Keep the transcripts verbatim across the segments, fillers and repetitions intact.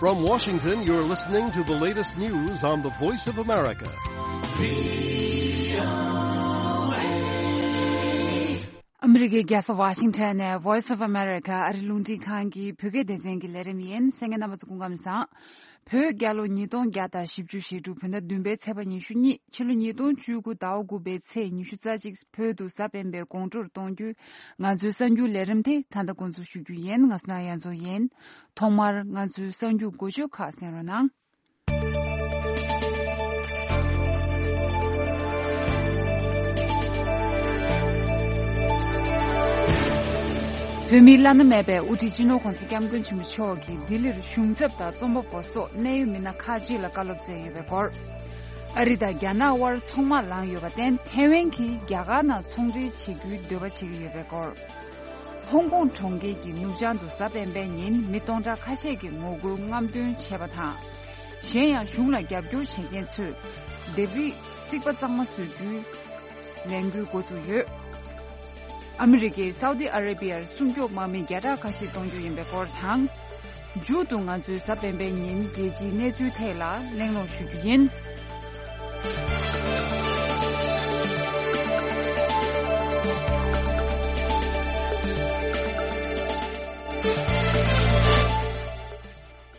From Washington, you're listening to the latest news on the Voice of America. ཨ་མི་རི་ཀའི་རྒྱལ་ས་ཝ་ཤིང་ཊོན་ནས་Voice of America ཨ་རི་རླུང་འཕྲིན་ཁང་གི་བོད་སྐད་སྡེ་ཚན་གྱི་ལས་རིམ་ཡིན། གསན་མཁན་རྣམ་པ་ཚོ་སྐུ་ཁམས་བཟང་། བོད་རྒྱལ་ལོ་ཉིས་སྟོང་བརྒྱ་དང་བཞི་བཅུ་ཞེ་དྲུག་བོད་ཟླ་བདུན་པའི་ཚེས་པ་ཉི་ཤུ་གཉིས། ཕྱི་ལོ་ཉིས་སྟོང་བཅུ་དགུ་ཟླ་བ་དགུ་པའི་ཚེས་ཉི་ཤུ་རྩ་གཅིག་བོད་དུ་གཟའ་སྤེན་པའི་དགོང་དྲོར་གཏོང་རྒྱུའི་ང་ཚོའི་གསར་འགྱུར་ལས་རིམ་དེ་ད་ལྟ་འགོ་འཛུགས་ཞུ་རྒྱུ་ཡིན། ང་སུ་ན་ཡ་མཚོ་ཡིན། ཐོག་མར་ང་ཚོའི་གསར་འགྱུར་འགོ་བརྗོད་ཁག་གསན་རོགས་གནང་། བོད་མིའི་བླ་ན་མེད་པའི་དབུ་ཁྲིད་སྤྱི་ནོར་༸གོང་ས་༸སྐྱབས་མགོན་ཆེན་པོ་མཆོག་གིས་ལྡི་ལིར་གཞུང་ཚབ་དང་རྩོམ་པ་པོ་སོགས་གནད་ཡོད་མི་སྣ་ཁག་ཅིག་ལ་བཀའ་སློབ་སྩལ་ཡོད་པའི་སྐོར། ཨ་རི་དང་རྒྱ་ནག་དབར་ཚོང་དམག་ལངས་ཡོད་པར་བརྟེན་ཐེ་ཝན་གྱིས་རྒྱ་གར་ནང་ཚོང་འབྲེལ་བྱེད་རྒྱུའི་འདོད་པ་བྱེད་ཀྱི་ཡོད་པའི་སྐོར། ཧོང་ཀོང་གྲོང་ཁྱེར་གྱི་ནུབ་བྱང་དུ་གཟའ་སྤེན་པའི་ཉིན་མི་སྟོང་ཕྲག་ཁ་ཤས་ཀྱིས་ངོ་རྒོལ་རྔམ་སྟོན་བྱས་པ་དང་། གཞན་ཡང་གཞུང་ལ་རྒྱབ་སྐྱོར་བྱེད་མཁན་ཚོས་ལྡེབས་རིས་རྩིག་པ་གཙང་མ་བཟོ་རྒྱུའི་ལས་འགུལ་འགོ་བཙུགས་ཡོད། ཨ་མི་རི་ཀས་སའུ་ཏི་ཨ་རེ་བི་ཡར་སྲུང་སྐྱོབ་དམག་མི་བརྒྱ་ཕྲག་ཁ་ཤས་གཏོང་རྒྱུ་ཡིན་པའི་སྐོར་དང་། མཇུག་ཏུ་ང་ཚོས་གཟའ་སྤེན་པའི་ཉིན་རྒྱལ་སྤྱིའི་གནས་ཚུལ་ཐད་ལ་གླེང་སློང་ཞུ་རྒྱུ་ཡིན།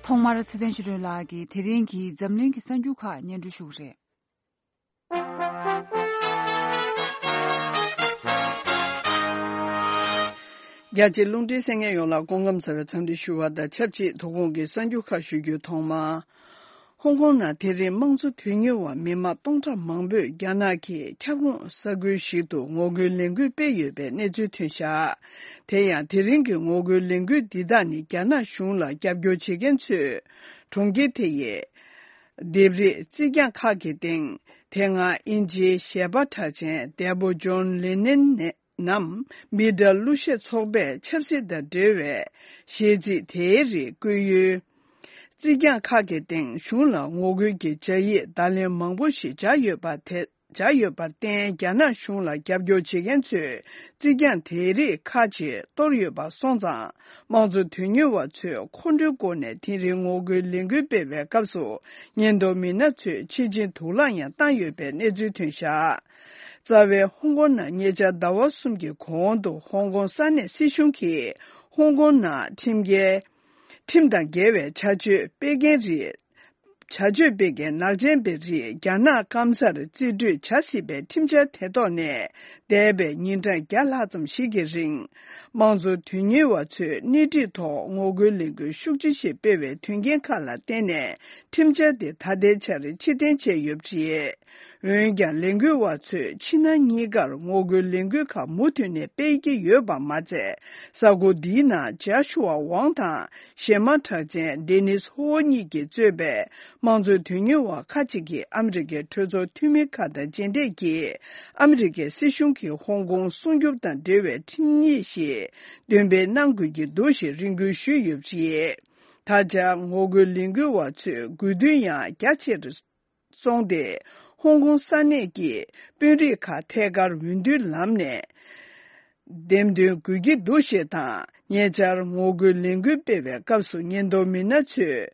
ཐོག་མར་ཚེ་བརྟན་ཆོས་སྒྲོན་ལགས་ཀྱིས་དེ་རིང་གི་འཛམ་གླིང་གི་གསར་འགྱུར་ཁག་སྙན་སྒྲོན་ཞུ་གི་རེད། རྒྱ་ཆེའི་རླུང་འཕྲིན་གསན་མཁན་ཡོངས་ལ་སྐུ་ཁམས་བཟང་བའི་འཚམས་འདྲི་ཞུ་བ་དང་ཆབས་ཅིག་དོ་དགོང་གི་གསར་འགྱུར་ཁག་ཞུ་རྒྱུའི་ཐོག་མ། ཧོང་ཀོང་ནང་དེ་རིང་དམངས་གཙོ་དོན་གཉེར་བ་མི་མང་སྟོང་ཕྲག་མང་པོས་རྒྱ་ནག་གི་ཁྱབ་ཁོངས་ས་ཁུལ་ཞིག་ཏུ་ངོ་རྒོལ་ལས་འགུལ་སྤེལ་ཡོད་པའི་གནས་ཚུལ་ཐོན་བཞག་དེ་ཡང་དེ་རིང་གི་ངོ་རྒོལ་ལས་འགུལ་འདི་དག་ནི་རྒྱ་ནག་གཞུང་ལ་རྒྱབ་སྐྱོར་བྱེད་མཁན་ཚོས་གྲོང་ཁྱེར་དེ་ཡི་ལྡེབས་རིས་རྩིག་གྱང་ཁག་གི་སྟེང་དེ་སྔ་དབྱིན་ཇིའི་གཞས་པ་གྲགས་ཅན་འདས་པོ་ཇོན་ལེ་ནན་ནས་ནམ་མི་སྒྲ་གླུ་གཞས་ཚོགས་པས་ཆབ་སྲིད་དང་འབྲེལ་བའི་གཞས་ཚིག་དེའི་རིགས་བཀོད་ཡུལ། རྩིག་གྱང་ཁག་གི་སྟེང་གཞུང་ལ་ངོ་རྒོལ་གྱི་སྦྱར་ཡིག་བརྡ་ལན་མང་པོ་ཞིག་སྦྱར་ཡོད་པ་དེ། སྦྱར་ཡོད་པར་བརྟེན་རྒྱ་ནག་གཞུང་ལ་རྒྱབ་སྐྱོར་བྱེད་མཁན་ཚོས་རྩིག་གྱང་དེའི་རིགས་ཁག་ཅིག་གཏོར་ཡོད་པ་སོང་ཙང་། དམངས་གཙོ་དོན་གཉེར་བ་ཚོས་ཁོང་ཁྲོའི་སྒོ་ནས་དེ་རིང་ངོ་རྒོལ་ལས་འགུལ་སྤེལ་བའི་སྐབས་སུ་ཉེན་རྟོག་མི་སྣ་ཚོས་ཕྱིར་འགྱངས་དུག་རླངས་ཡང་བཏང་ཡོད་པའི་གནས་ཚུལ་ཐོན་བཞག་རྩ་བའི་ཧོང་ཀོང་ནང་ཉེ་ཆར་ཟླ་བ་གསུམ་གྱི་གོང་དུ་ཧོང་ཀོང་ས་གནས་སྲིད་གཞུང་གིས་ཧོང་ཀོང་ནང་ཁྲིམས་འགལ། ཁྲིམས་དང་འགལ་བའི་བྱ་སྤྱོད་སྤེལ་མཁན་རིགས། བྱ་སྤྱོད་སྤེལ་མཁན་ནག་ཅན་པའི་རིགས་རྒྱ་ནག་སྐམ་སར་རྩིས་སྤྲོད་བྱ་སྲིད་པའི་ཁྲིམས་འཆར་དེ་ཐོག་ནས་འདས་པའི་ཉིན་གྲངས་བརྒྱ་ལྷག་ཙམ་ཞིག་གི་རིང་། དམངས་གཙོ་དོན་གཉེར་བ་ཚོས་སྣེ་ཁྲིད་ཐོག་ངོ་རྒོལ་ལས་འགུལ་ཤུགས་ཆེ་ཞིག་སྤེལ་བའི་དོན་རྐྱེན་ཁག་ལ་བརྟེན་ནས་ཁྲིམས་འཆར་དེ་ད་ལྟའི་ཆར་ཕྱིར་འཐེན་བྱས་ཡོད་པ་རེད། འོན་ཀྱང་ལས་འགུལ་བ་ཚོས་ཕྱི་ནང་གཉིས་ཀར་ངོ་རྒོལ་ལས་འགུལ་ཁག་མུ་མཐུད་ནས་སྤེལ་གྱི་ཡོད་པ་མ་ཚད། གཟའ་འཁོར་འདིའི་ནང་ཇཱ་ཤུ་ཝ་ཝང་དང་གཞས་མ་གྲགས་ཅན་ཌེ་ནིས་ཧོ་གཉིས་ཀྱིས་གཙོས་པའི་དམངས་གཙོ་དོན་གཉེར་བ་ཁག་ཅིག་གིས་ཨ་མི་རི་ཀའི་གྲོས་ཚོགས་འཐུས་མི་ཁག་དང་མཇལ་འཕྲད་ཀྱིས་ཨ་མི་རི་ཀའི་སྲིད་གཞུང་གིས་ཧོང་ཀོང་སྲུང་སྐྱོབ་དང་འབྲེལ་བའི་ཁྲིམས་ཡིག་ཞིག་འདོན་སྤེལ་གནང་དགོས་ཀྱི་འདུག་ཞེས་རེ་སྐུལ་ཞུས་ཡོད་པ་རེད། ད་ཆ་ངོ་རྒོལ་ལས་འགུལ་བ་ཚོས་དགོས་འདུན་ཡང་རྒྱ་ཆེར། སོང་སྟེ། ཧོང་ཀོང་ས་གནས་ཀྱི་དཔོན་རིགས་ཁག་ཐད་ཀར་འོས་བསྡུའི་ལམ་ནས་འདེམས་ཐོན་དགོས་ཀྱི་འདུག་ཞེས་དང་། ཉེ་ཆར་ངོ་རྒོལ་ལས་འགུལ་སྤེལ་བའི་སྐབས་སུ་ཉེན་རྟོག་མི་སྣ་ཚོས་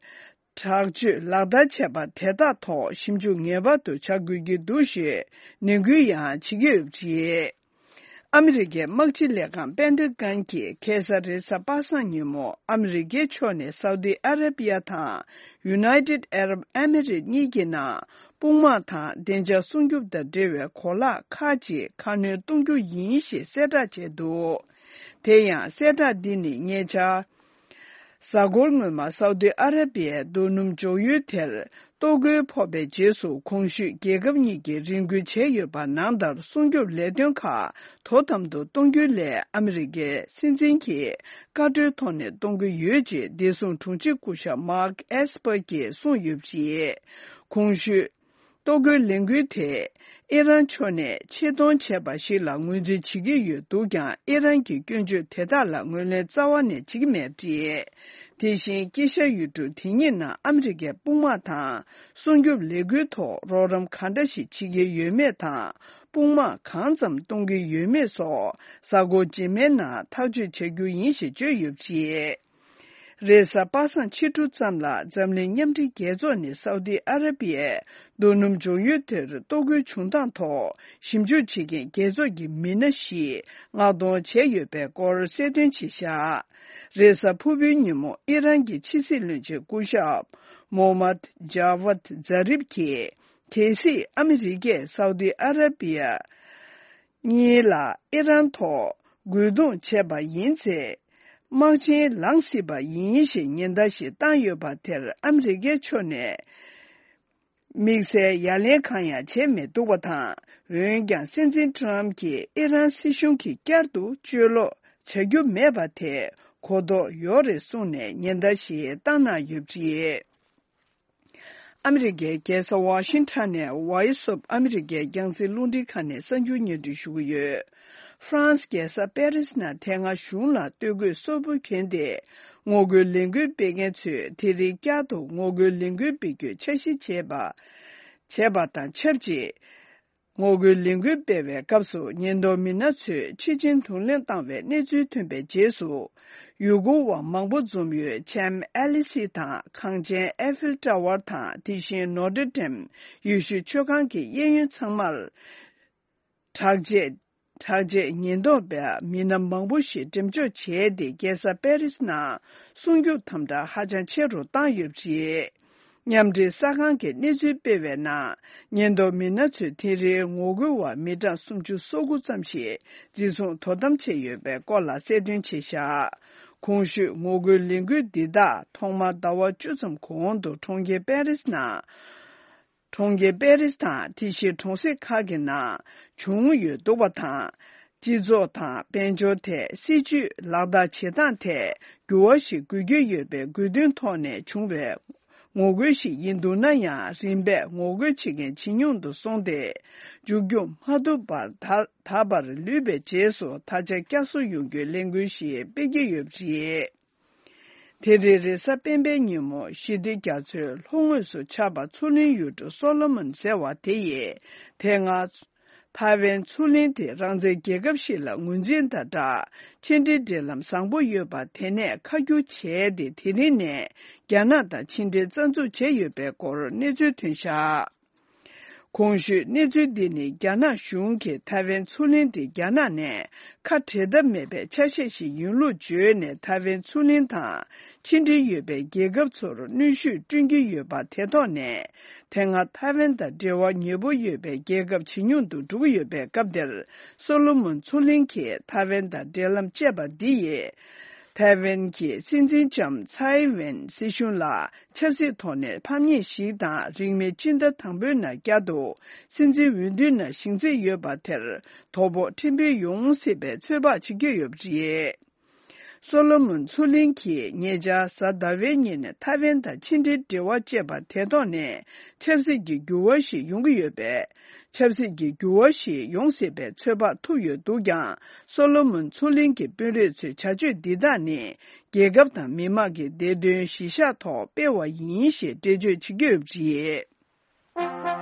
དྲག་སྤྱོད་ལག་བསྟར་བྱས་པ་དེ་དག་ཐོག་ཞིབ་འཇུག་ངེས་པར་དུ་བྱ་དགོས་ཀྱི་འདུག་ཞེས་ནན་སྐུལ་ཡང་བྱེད་ཀྱི་ཡོད་པ་རེད། ཨ་མི་རི་ཀའི་དམག་སྤྱི་ལས་ཁང་པེན་ཏ་གན་གྱིས་ཁ་སང་རེས་གཟའ་པ་སངས་ཉིན་མོ་ཨ་མི་རི་ཀའི་ཕྱོགས་ནས་སའུ་ཏི་ཨ་ར་པི་ཡ་དང་United Arab Emirates གཉིས་ཀྱི་ནང་དཔུང་དམག་དང་བདེ་འཇགས་སྲུང་སྐྱོབ་དང་འབྲེལ་བའི་གོ་ལག་ཁག་ཅིག་ཁ་སྣོན་གཏོང་རྒྱུ་ཡིན་ཞེས་གསལ་བསྒྲགས་བྱས་འདུག་དེ་ཡང་གསལ་བསྒྲགས་འདི་ནི་ཉེ་ཆར། གཟའ་འཁོར་སྔོན་མ་སའུ་ཏི་ཨ་ར་པི་ཡའི་རྡོ་སྣུམ་འཇོག་ཡུལ་དེར། གཏོར་རྒོལ་ཕོག་པའི་རྗེས་སུ་གོང་ཞུས་རྒྱལ་ཁབ་གཉིས་ཀྱིས་རེ་སྐུལ་བྱས་ཡོད་པ་ནང་ལྟར་སྲུང་སྐྱོབ་ལས་དོན་ཁག་དོ་དམ་དུ་གཏོང་རྒྱུའི་སླད་ཨ་མི་རི་ཀའི་སྲིད་འཛིན་གྱིས་བཀའ་འཁྲོལ་ཐོག་ནས་གཏོང་གི་ཡོད་ཅེས་བདེ་སྲུང་དྲུང་ཆེ་སྐུ་ཞབས་མཱག་ཨེས་པར་གྱིས་གསུངས་ཡོད་པ་རེད། གོང་ཞུས། གཏོར་རྒོལ་ལས་འགུལ་དེས་ཨི་རན་ཕྱོགས་ནས་ཆེད་གཏོང་བྱས་པ་ཞིག་ལ་ངོས་འཛིན་བྱེད་ཀྱི་ཡོད་འདུག་ཀྱང་ཨི་རན་གྱི་སྐྱོན་བརྗོད་དེ་དག་ལ་ངོས་ལེན་རྩ་བ་ནས་བྱེད་ཀྱི་མེད་པ་རེད། དེ་བཞིན་དཀྱིལ་ཤར་ཡུལ་གྲུ་དེ་གཉིས་ནང་ཨ་མི་རི་ཀའི་དཔུང་དམག་དང་སྲུང་སྐྱོབ་ལས་འགུལ་ཐོག་རོགས་རམ་གང་འདྲ་ཞིག་བྱེད་ཀྱི་ཡོད་མེད་དང་། དཔུང་དམག་གང་ཙམ་གཏོང་གི་ཡོད་མེད་སོགས་གཟའ་འཁོར་རྗེས་མའི་ནང་ཐག་གཅོད་བྱ་རྒྱུ་ཡིན་ཞེས་བརྗོད་ཡོད་པ་རེད། རེས་གཟའ་པ་སངས་ཕྱི་དྲོ་ཙམ་ལ་འཛམ་གླིང་མཉམ་འབྲེལ་རྒྱལ་ཚོགས་ནས་སའུ་དི་ཨ་ར་པི་ཡའི་རྡོ་སྣུམ་འཇོག་ཡུལ་དེར་གཏོར་རྒོལ་བྱུང་སྟངས་ཐོག་ཞིབ་འཇུག་བྱེད་མཁན་རྒྱལ་ཚོགས་ཀྱི་མི་སྣ་བཞིས་མངགས་གཏོང་བྱས་ཡོད་པའི་སྐོར་གསལ་སྟོན་བྱས་བཞག་རེས་གཟའ་ཕུར་བུའི་ཉིན་མོ་ཨི་རན་གྱི་ཕྱི་སྲིད་བློན་ཆེན་སྐུ་ཞབས་མོ་མད་ཇཱ་ཝད་ཛཱ་རིབ་ཀྱིས། གལ་སྲིད་ཨ་མི་རི་ཀས་སའུ་དི་ཨ་ར་པི་ཡ་གཉིས་ལ་ཨི་རན་ཐོག་རྒོལ་རྡུང་བྱས་པ་ཡིན་ཚེ། དམག་ཆེན་ལངས་སྲིད་པ་ཡིན་ཞེས་ཉེན་བརྡ་ཞིག་བཏང་ཡོད་པ་དེར་ཨ་མི་རི་ཀའི་ཕྱོགས་ནས་དམིགས་བསལ་ཡ་ལན་གང་ཡང་བྱས་མི་འདུག་པ་དང་། འོན་ཀྱང་སྲིད་འཛིན་ཊམ་གྱིས་ཨི་རན་སྲིད་གཞུང་གིས་བསྐྱར་དུ་བཅོས་ལོག་བྱ་རྒྱུ་མེད་པ་དེ་གོ་རྟོགས་ཡོད་རེད་གསུངས་ནས་ཉེན་བརྡ་ཞིག་བཏང་གནང་ཡོད་པ་རེད། ཨ་མི་རི་ཀའི་རྒྱལ་ས་ཝ་ཤིང་ཊོན་ནས་ཝོ་ཡིས་ཨོཕ་ཨ་མི་རི་ཀའི་རྒྱང་སྲིང་རླུང་འཕྲིན་ཁང་ནས་གསར་འགྱུར་སྙན་སྒྲོན་ཞུ་གི་ཡོད། ཧྥ་རན་སི་རྒྱལ་ས་པེ་རིས་ནང་དེ་སྔ་གཞུང་ལ་སྟོད་གོས་གསོན་པོ་གྱོན་ཏེ་ངོ་རྒོལ་ལས་འགུལ་སྤེལ་མཁན་ཚོས་དེ་རིང་བསྐྱར་དུ་ངོ་རྒོལ་ལས་འགུལ་སྤེལ་རྒྱུའི་འཆར་གཞི་བྱས་པ། བྱས་པ་དང་ཆབས་ཅིག་ངོ་རྒོལ་ལས་འགུལ་སྤེལ་བའི་སྐབས་སུ་ཉེན་རྟོག་མི་སྣ་ཚོས་ཕྱི་ཆིངས་དུར་ལེན་བཏང་བའི་གནས་ཚུལ་ཐོན་པའི་རྗེས་སུ། ཡུལ་སྐོར་བ་མང་པོ་འཛོམས་ཡུལ་ལྕམ་ཨེ་ལི་སི་དང་གངས་ཅན་ཨེ་ཧྥིལ་ཊ་ཝར་དང་དེ་བཞིན་ནོ་ཏྲེ་ཌེམ་ཡེ་ཤུའི་མཆོད་ཁང་གི་གཡས་གཡོན་ཚང་མར། དྲག་ཆས། དྲག་ཆས་ཉེན་རྟོག་པ་མི་སྣ་མང་པོ་ཞིག་འགྲེམས་འཇོག་བྱས་ཏེ་རྒྱལ་ས་པེ་རིས་ནང་སྲུང་སྐྱོབ་དམ་དྲག་ཧ་ཅང་ཆེ་རུ་བཏང་ཡོད་པ་རེད། མཉམ་འབྲེལ་གསར་ཁང་གིས་གནས་ཚུལ་སྤེལ་བའི་ནང་། ཉེན་རྟོག་མི་སྣ་ཚོས་དེ་རིང་ངོ་རྒོལ་བ་མི་གྲངས་སུམ་ཅུ་སོ་དགུ་ཙམ་ཞིག་འཛིན་བཟུང་དོ་དམ་བྱས་ཡོད་པའི་སྐོར་ལ་གསལ་སྟོན་བྱས་བཞག་གོང་ཞུས་ངོ་རྒོལ་ལས་འགུལ་འདི་དག་ཐོག་མར་ཟླ་བ་བཅུ་ཙམ་གོང་དུ་གྲོང་ཁྱེར་པེ་རིས་ནང་། གྲོང་ཁྱེར་པེ་རིས་དང་དེ་བཞིན་གྲོང་གསེབ་ཁག་གི་ནང་བྱུང་ཡོད་འདུག་པ་དང་། སྤྱི་ཚོགས་དང་དཔལ་འབྱོར་ཐད་སྲིད་ཇུས་ལག་བསྟར་བྱེད་སྟངས་ཐད་འགྱུར་བ་ཞིག་དགོས་ཀྱི་ཡོད་པའི་དགོས་འདུན་ཐོག་ནས་བྱུང་བའི་ངོ་རྒོལ་ཞིག་ཡིན་འདུག་ན་ཡང་། རིམ་པས་ངོ་རྒོལ་བྱེད་མཁན་ཇེ་ཉུང་དུ་སོང་སྟེ། མཇུག་སྐྱོང་མ་ཐུབ་པར་ད་ད་བར་ལུས་པའི་རྗེས་སུ་ད་ཆ་བསྐྱར་གསོ་ཡོང་རྒྱུའི་ལས་འགུལ་ཞིག་སྤེལ་གྱི་ཡོད་པ་རེད། དེ་རིང་རེས་གཟའ་སྤེན་པའི་ཉིན་མོ་ཞི་བདེ་རྒྱ་མཚོའི་ལྷོ་ངོས་སུ་ཆགས་པ་མཚོ་གླིང་ཡུལ་གྲུ་སོ་ལོ་མོན་ཟེར་བ་དེ་ཡིས། དེ་སྔ་ཐའེ་ཝན་མཚོ་གླིང་དེ་རང་བཙན་རྒྱལ་ཁབ་ཞིག་ལ་ངོས་འཛིན་དང་སྦྲགས། ཕྱི་འབྲེལ་འབྲེལ་ལམ་བཟང་པོ་ཡོད་པ་དེ་ནས་ཁ་བསྒྱུར་བྱས་ཏེ། དེ་རིང་ནས་རྒྱ་ནག་དང་ཕྱི་འབྲེལ་རྩ་འཛུགས་བྱས་ཡོད་པའི་སྐོར་གནས་ཚུལ་ཐོན་བཞག་གོང་ཞུས་གནས་ཚུལ་འདི་ནི་རྒྱ་ནག་གཞུང་གིས་ཐའེ་ཝན་མཚོ་གླིང་དེ་རྒྱ་ནག་ནས་ཁ་བྲལ་ཐབས་མེད་པའི་ཆ་ཤས་ཤིག་ཡིན་ལུགས་བརྗོད་ནས། ཐའེ་ཝན་མཚོ་གླིང་དང་ཕྱི་འབྲེལ་ཡོད་པའི་རྒྱལ་ཁབ་ཚོར་གནོན་ཤུགས་བསྐྲུན་གྱི་ཡོད་པ་དེ་ཐོག་ནས། དེ་སྔ་ཐའེ་ཝན་དང་འབྲེལ་བ་ཉེ་པོ་ཡོད་པའི་རྒྱལ་ཁབ་ཇེ་ཉུང་དུ་འགྲོ་གི་ཡོད་པའི་སྐབས་འདིར། སོ་ལོ་མོན་མཚོ་གླིང་གིས་ཐའེ་ཝན་དང་འབྲེལ་ལམ་བཅད་པ་འདི་ཡིས། ཐའེ་ཝན་གྱི་སྲིད་འཛིན་ལྕམ་ཚའེ་ཝེན་སྲིད་གཞུང་ལ་ཆབ་སྲིད་ཐོག་ནས་ཕམ་ཉེས་ཤིག་དང་། རིང་མིན་ཕྱི་ཟླ་དང་པོའི་ནང་བསྐྱར་དུ་སྲིད་འཛིན་འོས་བསྡུའི་ནང་ཞིང་ཚིག་ཡོད་པ་དེར་དོ་ཕོག་ཕྲན་བུ་ཡོང་སྲིད་པའི་ཚོད་དཔག་བྱེད་ཀྱི་ཡོད་པ་རེད། སོ་ལོ་མོན་མཚོ་གླིང་གིས་ཉེ་ཆར་གཟའ་ཟླ་བའི་ཉིན་ཐའེ་ཝན་དང་ཕྱི་འབྲེལ་འབྲེལ་བ་བཅད་པ་དེ་ཐོག་ནས་ཆབ་སྲིད་ཀྱི་འགྱུར་བ་ཞིག་ཡོང་གི་ཡོད་པས། ཆབ་སྲིད་ཀྱི་འགྱུར་བ་ཞིག་ཡོང་སྲིད་པའི་ཚོད་དཔག་ཐུབ་ཡོད་འདུག་ཀྱང་། སོ་ལོ་མོན་མཚོ་གླིང་གི་དཔོན་རིགས་ཚོའི་བྱ་སྤྱོད་འདི་དག་ནི། རྒྱལ་ཁབ་དང་མི་དམངས་ཀྱི་བདེ་དོན་གཞིར་བཞག་ཐོག་སྤེལ་བ་ཡིན་ཞེས་འགྲེལ་བརྗོད་བྱེད་ཀྱི་ཡོད་པ་རེད།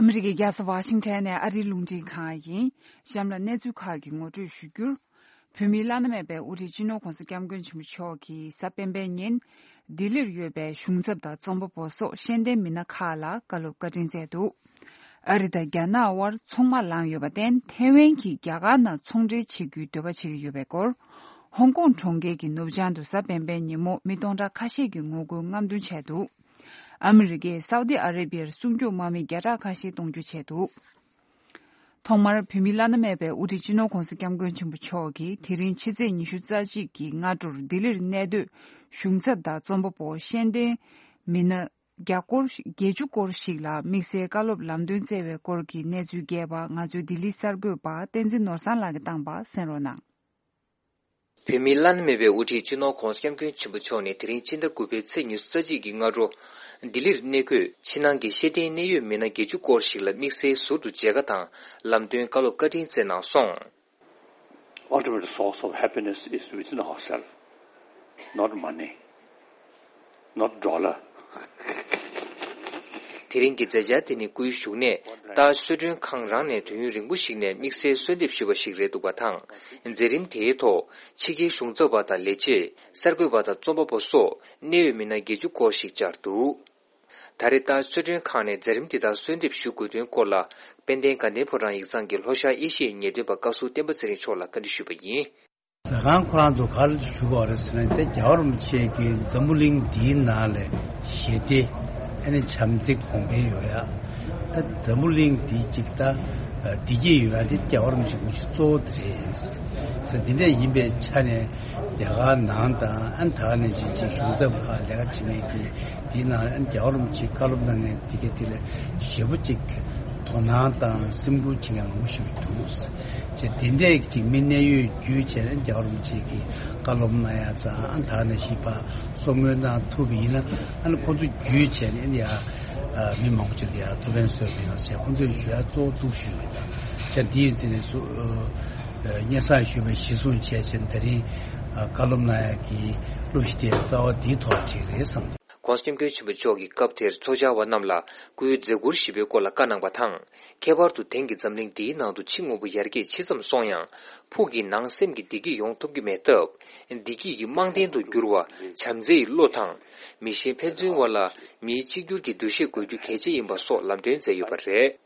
ཨ་མི་རི་ཀའི་རྒྱལ་ས་ཝ་ཤིང་ཊོན་ནས་ཨ་རིའི་རླུང་འཕྲིན་ཁང་ཡིན། གཤམ་ལ་གནས་ཚུལ་ཁག་གི་ངོ་སྤྲོད་ཞུ་རྒྱུར། བོད་མིའི་བླ་ན་མེད་པའི་དབུ་ཁྲིད་སྤྱི་ནོར་༧གོང་ས་༧སྐྱབས་མགོན་ཆེན་པོ་མཆོག་གིས་གཟའ་སྤེན་པའི་ཉིན། ལྡི་ལིར་ཡོད་པའི་གཞུང་ཚབ་དང་རྩོམ་པ་པོ་སོགས་ཤེས་ལྡན་མི་སྣ་ཁག་ལ་བཀའ་སློབ་བཀའ་དྲིན་སྩལ་འདུག་ཨ་རི་དང་རྒྱ་ནག་དབར་ཚོང་དམག་ལངས་ཡོད་པར་བརྟེན། ཐའེ་ཝན་གྱིས་རྒྱ་གར་ནང་ཚོང་འབྲེལ་བྱེད་རྒྱུའི་འདོད་པ་བྱེད་ཀྱི་ཡོད་པའི་སྐོར། ཧོང་ཀོང་གྲོང་ཁྱེར་གྱི་ནུབ་བྱང་དུ་གཟའ་སྤེན་པའི་ཉིན་མོ་མི་སྟོང་ཕྲག་ཁ་ཤས་ཀྱིས་ངོ་རྒོལ་རྔམ་སྟོན་བྱས་འདུག་ཨ་མི་རི་ཀས་སའུ་ཏི་ཨ་རེ་བྷི་ཡར་སྲུང་སྐྱོབ་དམག་མི་བརྒྱ་ཕྲག་ཁ་ཤས་གཏོང་རྒྱུ་བྱས་འདུག་ཐོག་མར་བོད་མིའི་བླ་ན་མེད་པའི་དབུ་ཁྲིད་སྤྱི་ནོར་༧གོང་ས་༧སྐྱབས་མགོན་ཆེན་པོ་མཆོག་གིས་དེ་རིང་ཕྱི་ཚེས་ཉི་ཤུ་རྩ་གཅིག་གི་སྔ་དྲོར་ལྡི་ལིར་གནས་སྡོད་གཞུང་ཚབ་དང་རྩོམ་པ་པོ་ཤེས་ལྡན་མི་སྣ་བརྒྱ་སྐོར་བརྒྱད་ཅུ་སྐོར་ཞིག་ལ་དམིགས་བསལ་བཀའ་སློབ་ལམ་སྟོན་སྩལ་བའི་སྐོར་གྱི་གནས་ཚུལ་རྒྱས་པ། ང་ཚོའི་ལྡི་ལི་གསར་འགོད་པ་བསྟན་འཛིན་ནོར་བཟང་ལགས་ཀྱིས་བཏང་པ་གསན་རོགས་གནང་། བོད་མིའི་བླ་ན་མེད་པའི་དབུ་ཁྲིད་སྤྱི་ནོར་༧གོང་ས་༧སྐྱབས་མགོན་ཆེན་པོ་མཆོག་ནས་དེ་རིང་ཕྱི་ཟླ་དགུ་པའི་ཚེས་ཉི་ཤུ་རྩ་གཅིག་གི་སྔ་དྲོ། ལྡི་ལིར་གནས་འཁོད་ཕྱི་ནང་གི་ཤེས་ལྡན་གནད་ཡོད་མི་སྣ་བརྒྱད་ཅུ་སྐོར་ཞིག་ལ་དམིགས་བསལ་ཟུར་དུ་མཇལ་ཁ་དང་ལམ་སྟོན་བཀའ་སློབ་བཀའ་དྲིན་སྩལ་གནང་སོང་། Ultimate source of happiness is within ourselves, not money, not dollar. དེ་རིང་གི་མཛད་འཆར་དེ་ནི་སྐུའི་བཞུགས་གནས་ལྟར་གསོལ་མགྲོན་ཁང་རང་ནས་དུས་ཡུན་རིང་པོ་ཞིག་ནས་དམིགས་བསལ་གསོལ་འདེབས་ཞུས་པ་ཞིག་རེད་འདུག་པ་དང་། མཛད་རིམ་དེའི་ཐོག་ཕྱི་རྒྱལ་གཞུང་ཚབ་པ་དང་ལས་བྱེད། གསར་འགོད་པ་དང་རྩོམ་པ་པོ་སོགས་གནད་ཡོད་མི་སྣ་བརྒྱད་ཅུ་སྐོར་ཞིག་བཅར་འདུག་ད་རེས་ལྟར་གསོལ་མགྲོན་ཁང་ནས་མཛད་རིམ་འདི་དག་གསོལ་འདེབས་ཞུ་དགོས་དོན་སྐོར་ལ། དཔལ་ལྡན་དགའ་ལྡན་ཕོ་བྲང་ཡིག་ཚང་གི་ལྷོ་ཤར་ཨེ་ཤི་ཡའི་ངེས་སྟོན་པ་བཀའ་ཟུར་བསྟན་པ་ཚེ་རིང་མཆོག་ལ་བཀའ་འདྲི་ཞུས་པ་ཡིན། ཟ་ཁང་ཁོ་རང་ཚོ་ག་ལ་ཞུ་དགོས་རེད་ཟེར་ན། དེ་རྒྱལ་བ་རིན་པོ་ཆེ་གི་འཛམ་བུ་གླིང་འདིའི་ནང་ལ་ཞི་བདེ་ཨ་ནི་བྱམས་བརྩེ་གོང་འཕེལ་ཡོང་ཡ། ད་འཛམ་བུ་གླིང་འདི་གཅིག་ད་བདེ་སྐྱིད་ཡོང་ཡ་དེ་རྒྱལ་བ་རིན་པོ་ཆེ་སྐུ་ཞབས་གཙོ་བོ་དེ་རེད། ཚོ་འདི་འདྲ་ཡིན་པའི་ཆ་ནས་རྒྱ་གར་ནང་དང་ཨ་ནི་ད་ག་ནང་བཞིན་ཅིག་གཞུང་ཚབ་ཁག་ལས་ཀ་བྱེད་མཁན་གྱི་དེའི་ནང་ཨ་ནི་རྒྱལ་བ་རིན་པོ་ཆེ་བཀའ་སློབ་གནང་མཁན་དེ་ག་དེ་ལ་ཞེ་པོ་ཅིག་དོ་སྣང་དང་སེམས་ཁུར་བྱེད་མཁན་མང་པོ་ཞིག་འདུག་ཅེས་དེ་འདྲས་ཅིག་མི་གནད་ཡོད་བརྒྱུད་བྱས་ནས་རྒྱལ་བ་རིན་པོ་ཆེ་གི་བཀའ་སློབ་གནང་ཡ་དང་ཨ་ནི་ད་ག་ནང་བཞིན་ཕར་གསུང་མོལ་གནང་ཐུབ་པ་ཡིན་ན་ཨ་ནི་ཁོང་ཚོ་བརྒྱུད་བྱས་ནས་ཨ་ནི་ཡ་ཨ་མི་མང་པོ་ཅིག་ལ་ཡ་ཐུགས་ཕན་གསོས་པ་ཡིན་ཟེར་ཁོང་ཚོས་ཞུ་ཡ་གཙོ་བོ་འདུག་ཞུས་ཡོད། ད་ཆ་འདི་ཡི་རྩིས་ནས་སུ་སྙན་སེང་ཞུས་པ་གཞི་བཟུང་བྱས་བྱས་ད་རིང་ཨ་བཀའ་སློབ་གནང་ཡ་གི་སློབ་གཞི་དེ་རྩ་བ་འདིའི་ཐོག་ཅིག་རེད་བསམ་འདུག ྋགོང་ས་ྋསྐྱབས་མགོན་ཆེན་པོ་མཆོག་གིས་སྐབས་དེར་ཚོགས་བཅར་བ་རྣམས་ལ་སྐུའི་མཛད་ཁུར་ཞིབ་པའི་སྐོར་ལ་བཀའ་གནང་བ་དང་། ཁྱད་པར་དུ་དེང་གི་འཛམ་གླིང་འདིའི་ནང་དུ་ཕྱི་དངོས་པོ་ཡར་རྒྱས་ཇི་ཙམ་སོང་ཡང་། ཕུགས་ཀྱི་ནང་སེམས་ཀྱི་བདེ་སྐྱིད་ཡོང་ཐུབ་ཀྱི་མེད་སྟབས། བདེ་སྐྱིད་ཀྱི་རྨང་རྟེན་དུ་གྱུར་བ་བྱམས་བརྩེའི་བློ་དང་། མི་གཞན་ཕན་ཚུན་དབར་ལ་མིའི་གཅིག་གྱུར་གྱི་འདུ་ཤེས་དགོས་རྒྱུ་གལ་ཆེ་ཡིན་པ་སོགས་ལམ་སྟོན་མཛད་ཡོད་པ་རེད།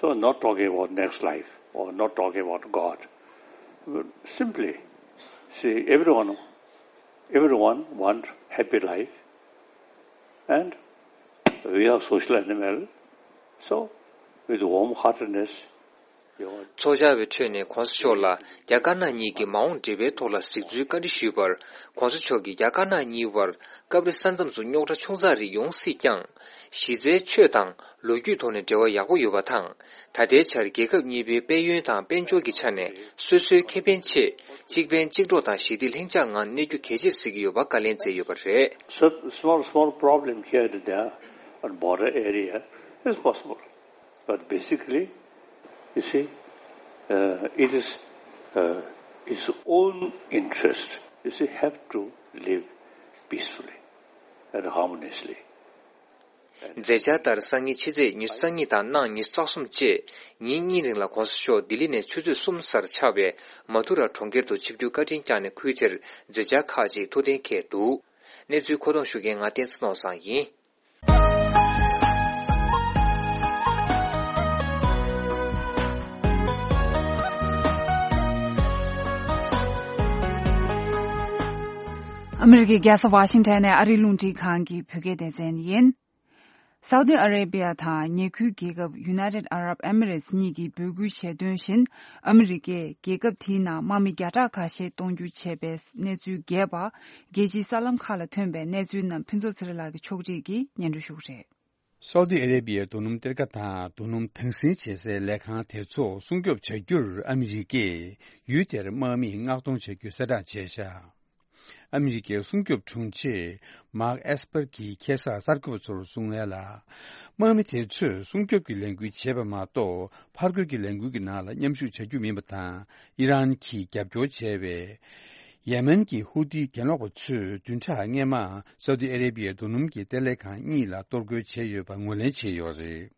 So, not talking about next life or not talking about God. Simply, see, everyone, everyone want happy life, and we are social animal. So, with warm heartedness, you want ཚོགས་བཅར་བའི་ཁྲོད་ནས་༧གོང་ས་མཆོག་ལ་རྒྱ་དཀར་ནག་གཉིས་ཀྱི་མ་འོངས་འབྲེལ་བའི་ཐོག་ལ་གཟིགས་ཚུལ་བཀའ་འདྲི་ཞུས་པར། ྋགོང་ས་མཆོག་གིས་རྒྱ་དཀར་ནག་གཉིས་བར་སྐབས་རེ་ས་མཚམས་སུ་རྙོག་དྲ་ཆུང་ཙག་རིགས་ཡོང་སྲིད་ཀྱང་། གཞི་རྩའི་ཆོས་དང་ལོ་རྒྱུས་ཐོག་ནས་འབྲེལ་བ་ཡག་པོ་ཡོད་པ་དང་། ད་ལྟའི་ཆར་རྒྱལ་ཁབ་གཉིས་པོའི་དཔལ་ཡོན་དང་དཔལ་འབྱོར་གྱི་ཆ་ནས་སོ་སོའི་ཁེ་ཕན་ཆེད་གཅིག་ཕན་གཅིག་གྲོགས་དང་ཞི་བདེ་ལྷིང་འཇགས་ངང་གནས་རྒྱུ་གལ་ཆེར་གཟིགས་ཀྱི་ཡོད་པ་བཀའ་ལན་སྩལ་ཡོད་པ་རེད། So, small, small problem here and there on border area is possible. But basically, you see, uh, it is uh, its own interest. You see, have to live peacefully and harmoniously. མཛད་འཆར་ལྟར་སང་ཉིན་ཕྱི་ཚེས་ཉི་ཤུ་རྩ་གཉིས་དང་གནངས་ཉི་ཤུ་རྩ་གསུམ་བཅས་ཉིན་གཉིས་རིང་ལ་༧གོང་ས་མཆོག་ལྡི་ལི་ནས་ཆུ་ཚོད་གསུམ་གསར་ཆགས་པའི་མ་ཐུ་ར་གྲོང་ཁྱེར་དུ་ཆིབས་བསྒྱུར་བཀའ་དྲིན་བསྐྱངས་ནས་ཁུལ་དེར་མཛད་འཆར་ཁག་ཅིག་ཐུགས་གཏན་འཁེལ་འདུག་གནས་ཚུལ་མཁོ་གཏོང་ཞུ་མཁན་ང་བསྟན་འཛིན་ནོར་བཟང་ཡིན། ཨ་མི་རི་ཀའི་རྒྱལ་ས་ཝ་ཤིང་ཊོན་ནས་ཨ་རིའི་རླུང་འཕྲིན་ཁང་གི་བོད་སྐད་སྡེ་ཚན་ཡིན། སའུ་ཏི་ཨ་རེ་བྷི་ཡ་དང་ཉེ་ཁུལ་རྒྱལ་ཁབ་United Arab Emirates གཉིས་ཀྱིས་འབོད་སྐུལ་བྱས་དོན་བཞིན། ཨ་མི་རི་ཀས་རྒྱལ་ཁབ་དེའི་ནང་དམག་མི་བརྒྱ་ཕྲག་ཁ་ཤས་གཏོང་རྒྱུ་བྱས་པའི་གནས་ཚུལ་རྒྱས་པ། རྒྱལ་སྤྱིའི་གསར་ལམ་ཁག་ལ་ཐོན་པའི་གནས་ཚུལ་རྣམས་ཕུན་ཚོགས་ཚེ་རིང་ལགས་ཀྱིས་ཕྱོགས་སྒྲིག་གིས་སྙན་སྒྲོན་ཞུ་གི་རེད། སའུ་ཏི་ཨ་རེ་བྷི་ཡའི་རྡོ་སྣུམ་གཏེར་ཁ་དང་རྡོ་སྣུམ་དྭངས་སིལ་བྱེད་སའི་ལས་ཁང་དེ་ཚོ་སྲུང་སྐྱོབ་བྱ་རྒྱུར་ཨ་མི་རི་ཀས་ཡུལ་དེར་དམག་མིས་མངགས་གཏོང་བྱ་རྒྱུ་གསལ་བསྒྲགས་བྱས་བཞག་ཨ་མི་རི་ཀའི་སྲུང་སྐྱོབ་དྲུང་ཆེ་མཱག་ཨེས་པར་གྱིས་ཁ་སང་གསར་འགོད་པ་ཚོར་གསུངས་ཡ་ལ། དམག་མི་དེ་ཚོས་སྲུང་སྐྱོབ་ཀྱི་ལས་འགུལ་བྱེད་པ་མ་གཏོགས་ཕར་རྒོལ་གྱི་ལས་འགུལ་གྱི་ནང་ལ་མཉམ་ཞུགས་བྱ་རྒྱུ་མིན་པ་དང་། ཨི་རན་གྱིས་རྒྱབ་སྐྱོར་བྱས་པའི་ཡེ་མེན་གྱི་ཧུ་ཏི་གྱེན་ལོག་པ་ཚོས་བདུན་ཕྲག་སྔོན་མ་སའུ་ཏི་ཨ་རེ་བྷི་ཡའི་རྡོ་སྣུམ་གྱི་གཏེར་ལས་ཁང་གཉིས་ལ་གཏོར་རྒོལ་བྱས་ཡོད་པ་ངོས་ལེན་བྱས་ཡོད་རེད།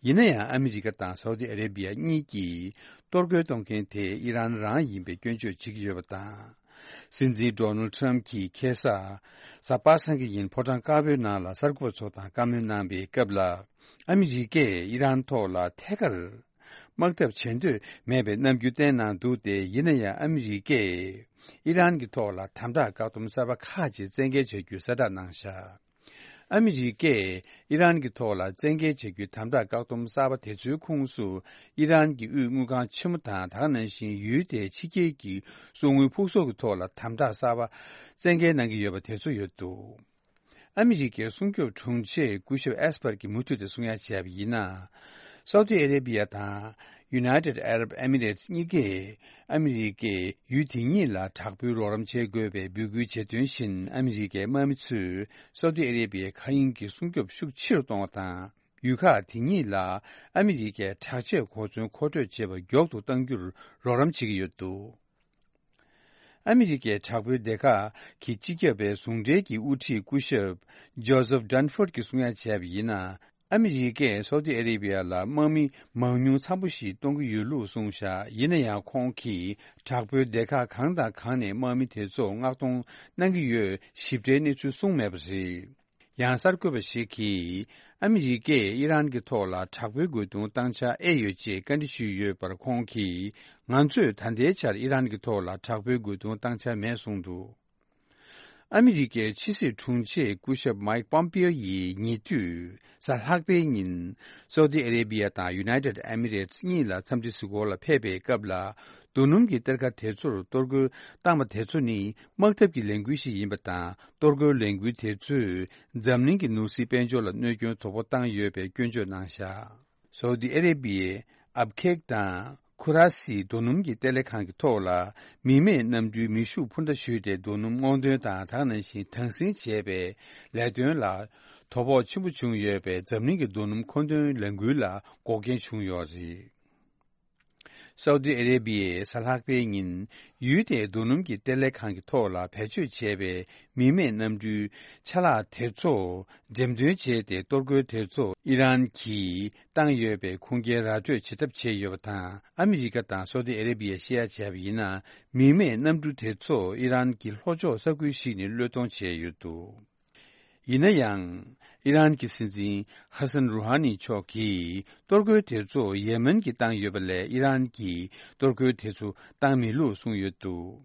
ཡིན་ན་ཡང་ཨ་མི་རི་ཀ་དང་སའུ་ཏི་ཨ་རེ་བྷི་ཡ་གཉིས་ཀྱིས་གཏོར་རྒོལ་གཏོང་མཁན་དེ་ཨི་རན་རང་ཡིན་པའི་སྐྱོན་བརྗོད་བྱེད་ཀྱི་ཡོད་པ་དང་། སྲིད་འཛིན་ཌོ་ནལ་ཊམ་གྱིས་ཁ་སང་གཟའ་པ་སངས་ཀྱི་ཉིན་ཕོ་བྲང་དཀར་པོའི་ནང་ལ་གསར་འགོད་པ་ཚོ་དང་བཀའ་མོལ་གནང་པའི་སྐབས་ལ། ཨ་མི་རི་ཀས་ཨི་རན་ཐོག་ལ་ཐད་ཀར་དམག་འཐབ་བྱེད་འདོད་མེད་པའི་རྣམ་འགྱུར་བསྟན་གནང་འདུག་སྟེ། ཡིན་ན་ཡང་ཨ་མི་རི་ཀས་ཨི་རན་གྱི་ཐོག་ལ་དམ་དྲག་བཀག་སྡོམ་གསར་པ་ཁག་ཅིག་བཙན་འགེལ་བྱ་རྒྱུའི་གསལ་བསྒྲགས་གནང་བཞག་ཨ་མི་རི་ཀས་ཨི་རན་གྱི་ཐོག་ལ་བཙན་འགེལ་བྱ་རྒྱུའི་དམ་དྲག་བཀག་སྡོམ་གསར་པ་དེ་ཚོའི་ཁོངས་སུ། ཨི་རན་གྱི་དབུས་དངུལ་ཁང་ཆེན་མོ་དང་། ད་ག་ནང་བཞིན་ཡུལ་དེའི་ཕྱི་རྒྱལ་གྱི་གསོག་དངུལ་ཕུག་གསོག་གི་ཐོག་ལ་དམ་དྲག་གསར་པ་བཙན་འགེལ་གནང་གི་ཡོད་པ་དེ་ཚོ་ཡོད་འདུག་ཨ་མི་རི་ཀའི་སྲུང་སྐྱོབ་དྲུང་ཆེ་སྐུ་ཞབས་ཨེས་པར་གྱིས་མུ་མཐུད་དུ་གསུང་ཡ་བྱས་པ་ཡིན་ན། སའུ་ཏི་ཨ་རེ་བྷི་ཡ་དང་United Arab Emirates གཉིས་ཀས་ཨ་མི་རི་ཀས་ཡུལ་དེ་གཉིས་ལ་དྲག་པོའི་རོགས་རམ་བྱེད་དགོས་པའི་འབོད་སྐུལ་བྱེད་དོན་བཞིན། ཨ་མི་རི་ཀའི་དམག་མི་ཚོས་སའུ་ཏི་ཨ་རེ་བྷི་ཡའི་མཁའ་དབྱིངས་ཀྱི་སྲུང་སྐྱོབ་ཤུགས་ཆེ་རུ་གཏོང་བ་དང་། ཡུལ་ཁག་དེ་གཉིས་ལ་ཨ་མི་རི་ཀའི་དྲག་ཆས་གོ་མཚོན་མཁོ་སྤྲོད་བྱེད་པ་མགྱོགས་དུ་གཏང་རྒྱུར་རོགས་རམ་བྱེད་ཀྱི་ཡོད་འདུག་ཨ་མི་རི་ཀའི་དྲག་པོའི་སྡེ་ཁག་གི་སྤྱི་ཁྱབ་པའི་ཟུང་འབྲེལ་གྱི་དབུ་ཁྲིད་སྐུ་ཞབས་ཇོ་སེབ་ཌན་ཧྥོར་གྱིས་གསུང་ཡ་བྱས་པ་ཡིན་ན། ཨ་མི་རི་ཀས་སའུ་ཏི་ཨ་རེ་བི་ཡ་ལ་དམག་མི་མང་ཉུང་འཚམ་པོ་ཞིག་གཏོང་གི་ཡོད་ལུགས་གསུངས་བཞག་ཡིན་ན་ཡང་ཁོང་གིས་དྲག་པོའི་སྡེ་ཁག་གང་དང་གང་ནས་དམག་མི་དེ་ཚོ་མངགས་གཏོང་གནང་གི་ཡོད་ཞིབ་ཕྲའི་གནས་ཚུལ་གསུངས་མེད་པ་རེད། ཡང་གསར་འགོད་པ་ཞིག་གིས་ཨ་མི་རི་ཀས་ཨི་རན་གྱི་ཐོག་ལ་དྲག་པོའི་རྒོལ་རྡུང་བཏང་འཆར་ཨེ་ཡོད་ཅེས་བཀའ་འདྲི་ཞུས་ཡོད་པར་ཁོང་གིས། ང་ཚོས་ད་ལྟའི་ཆར་ཨི་རན་གྱི་ཐོག་ལ་དྲག་པོའི་རྒོལ་རྡུང་བཏང་འཆར་མེད་གསུངས་འདུག་ཨ་མི་རི་ཀའི་ཕྱི་སྲིད་དྲུང་ཆེ་སྐུ་ཞབས་མའིག་པོམ་པིའོ་ཡིས་ཉེ་དུས་གཟའ་ལྷག་པའི་ཉིན་སའུ་ཏི་ཨ་རེ་བི་ཡ་དང་ཡུ་ནའི་ཏེད་ཨེ་མི་རེ་ཊི་གཉིས་ལ་འཚམས་འདྲི་གཟིགས་སྐོར་ལ་ཕེབས་པའི་སྐབས་ལ། རྡོ་སྣུམ་གྱི་གཏེར་ཁ་དེ་ཚོར་གཏོར་རྒོལ་བཏང་བ་དེ་ཚོ་ནི་དམག་འཐབ་ཀྱི་ལས་འགུལ་ཞིག་ཡིན་པ་དང་། གཏོར་རྒོལ་ལས་འགུལ་དེ་ཚོས་འཛམ་གླིང་གི་ནོར་སྲིད་དཔལ་འབྱོར་ལ་གནོད་སྐྱོན་དོ་ཕོག་བཏང་ཡོད་པའི་སྐྱོན་བརྗོད་གནང་བཞག་སའུ་ཏི་ཨ་རེ་བི་ཡའི་ཨབ་ཁེག་དང་ཁུ་ར་སི་རྡོ་སྣུམ་གྱི་གཏེར་ལས་ཁང་གི་ཐོག་ལ། མི་མེད་གནམ་གྲུའི་མེ་ཤུགས་འཕུར་མདའ་གཞུས་ཏེ་རྡོ་སྣུམ་སྔོག་འདོན་དང་། དེ་ནང་བཞིན་དྭངས་སིང་བྱས་པའི་ལས་དོན་ལ་དོ་ཕོག་ཆེན་པོ་བྱུང་ཡོད་པས། འཛམ་གླིང་གི་རྡོ་སྣུམ་མཁོ་འདོན་ལས་འགུལ་ལ་འགོག་རྐྱེན་བྱུང་ཡོད་རེད། སའུ་ཏི་ཨ་རེ་བི་ཡས་གཟའ་ལྷག་པའི་ཉིན། ཡུལ་དེའི་རྡོ་སྣུམ་གྱི་གཏེར་ལས་ཁང་གི་ཐོག་ལ་བེད་སྤྱོད་བྱས་པའི་མི་མེད་གནམ་གྲུའི་ཆ་ལག་དེ་ཚོ་འགྲེམས་སྟོན་བྱས་ཏེ། གཏོར་རྒོལ་དེ་ཚོ་ཨི་རན་གྱིས་བཏང་ཡོད་པའི་ཁུངས་སྐྱེལ་ར་སྤྲོད་བྱེད་ཐབས་བྱས་ཡོད་པ་དང་། ཨ་མི་རི་ཀ་དང་སའུ་ཏི་ཨ་རེ་བི་ཡས་བཤད་ཡ་བྱས་པ་ཡིན་ན། མི་མེད་གནམ་གྲུ་དེ་ཚོ་ཨི་རན་གྱི་ལྷོ་ཕྱོགས་ས་ཁུལ་ཞིག་ནས་གློད་གཏོང་བྱས་ཡོད་འདུག་ཡིན་ན་ཡང་། ཨི་རན་གྱི་སྲིད་འཛིན་ཧ་སན་རུ་ཧ་ནི་མཆོག་གིས། གཏོར་རྒོལ་དེ་ཚོ་ཡེ་མེན་གྱིས་བཏང་ཡོད་པ་ལས། ཨི་རན་གྱིས་གཏོར་རྒོལ་དེ་ཚོ་བཏང་མེད་ལུགས་གསུངས་ཡོད་འདུག་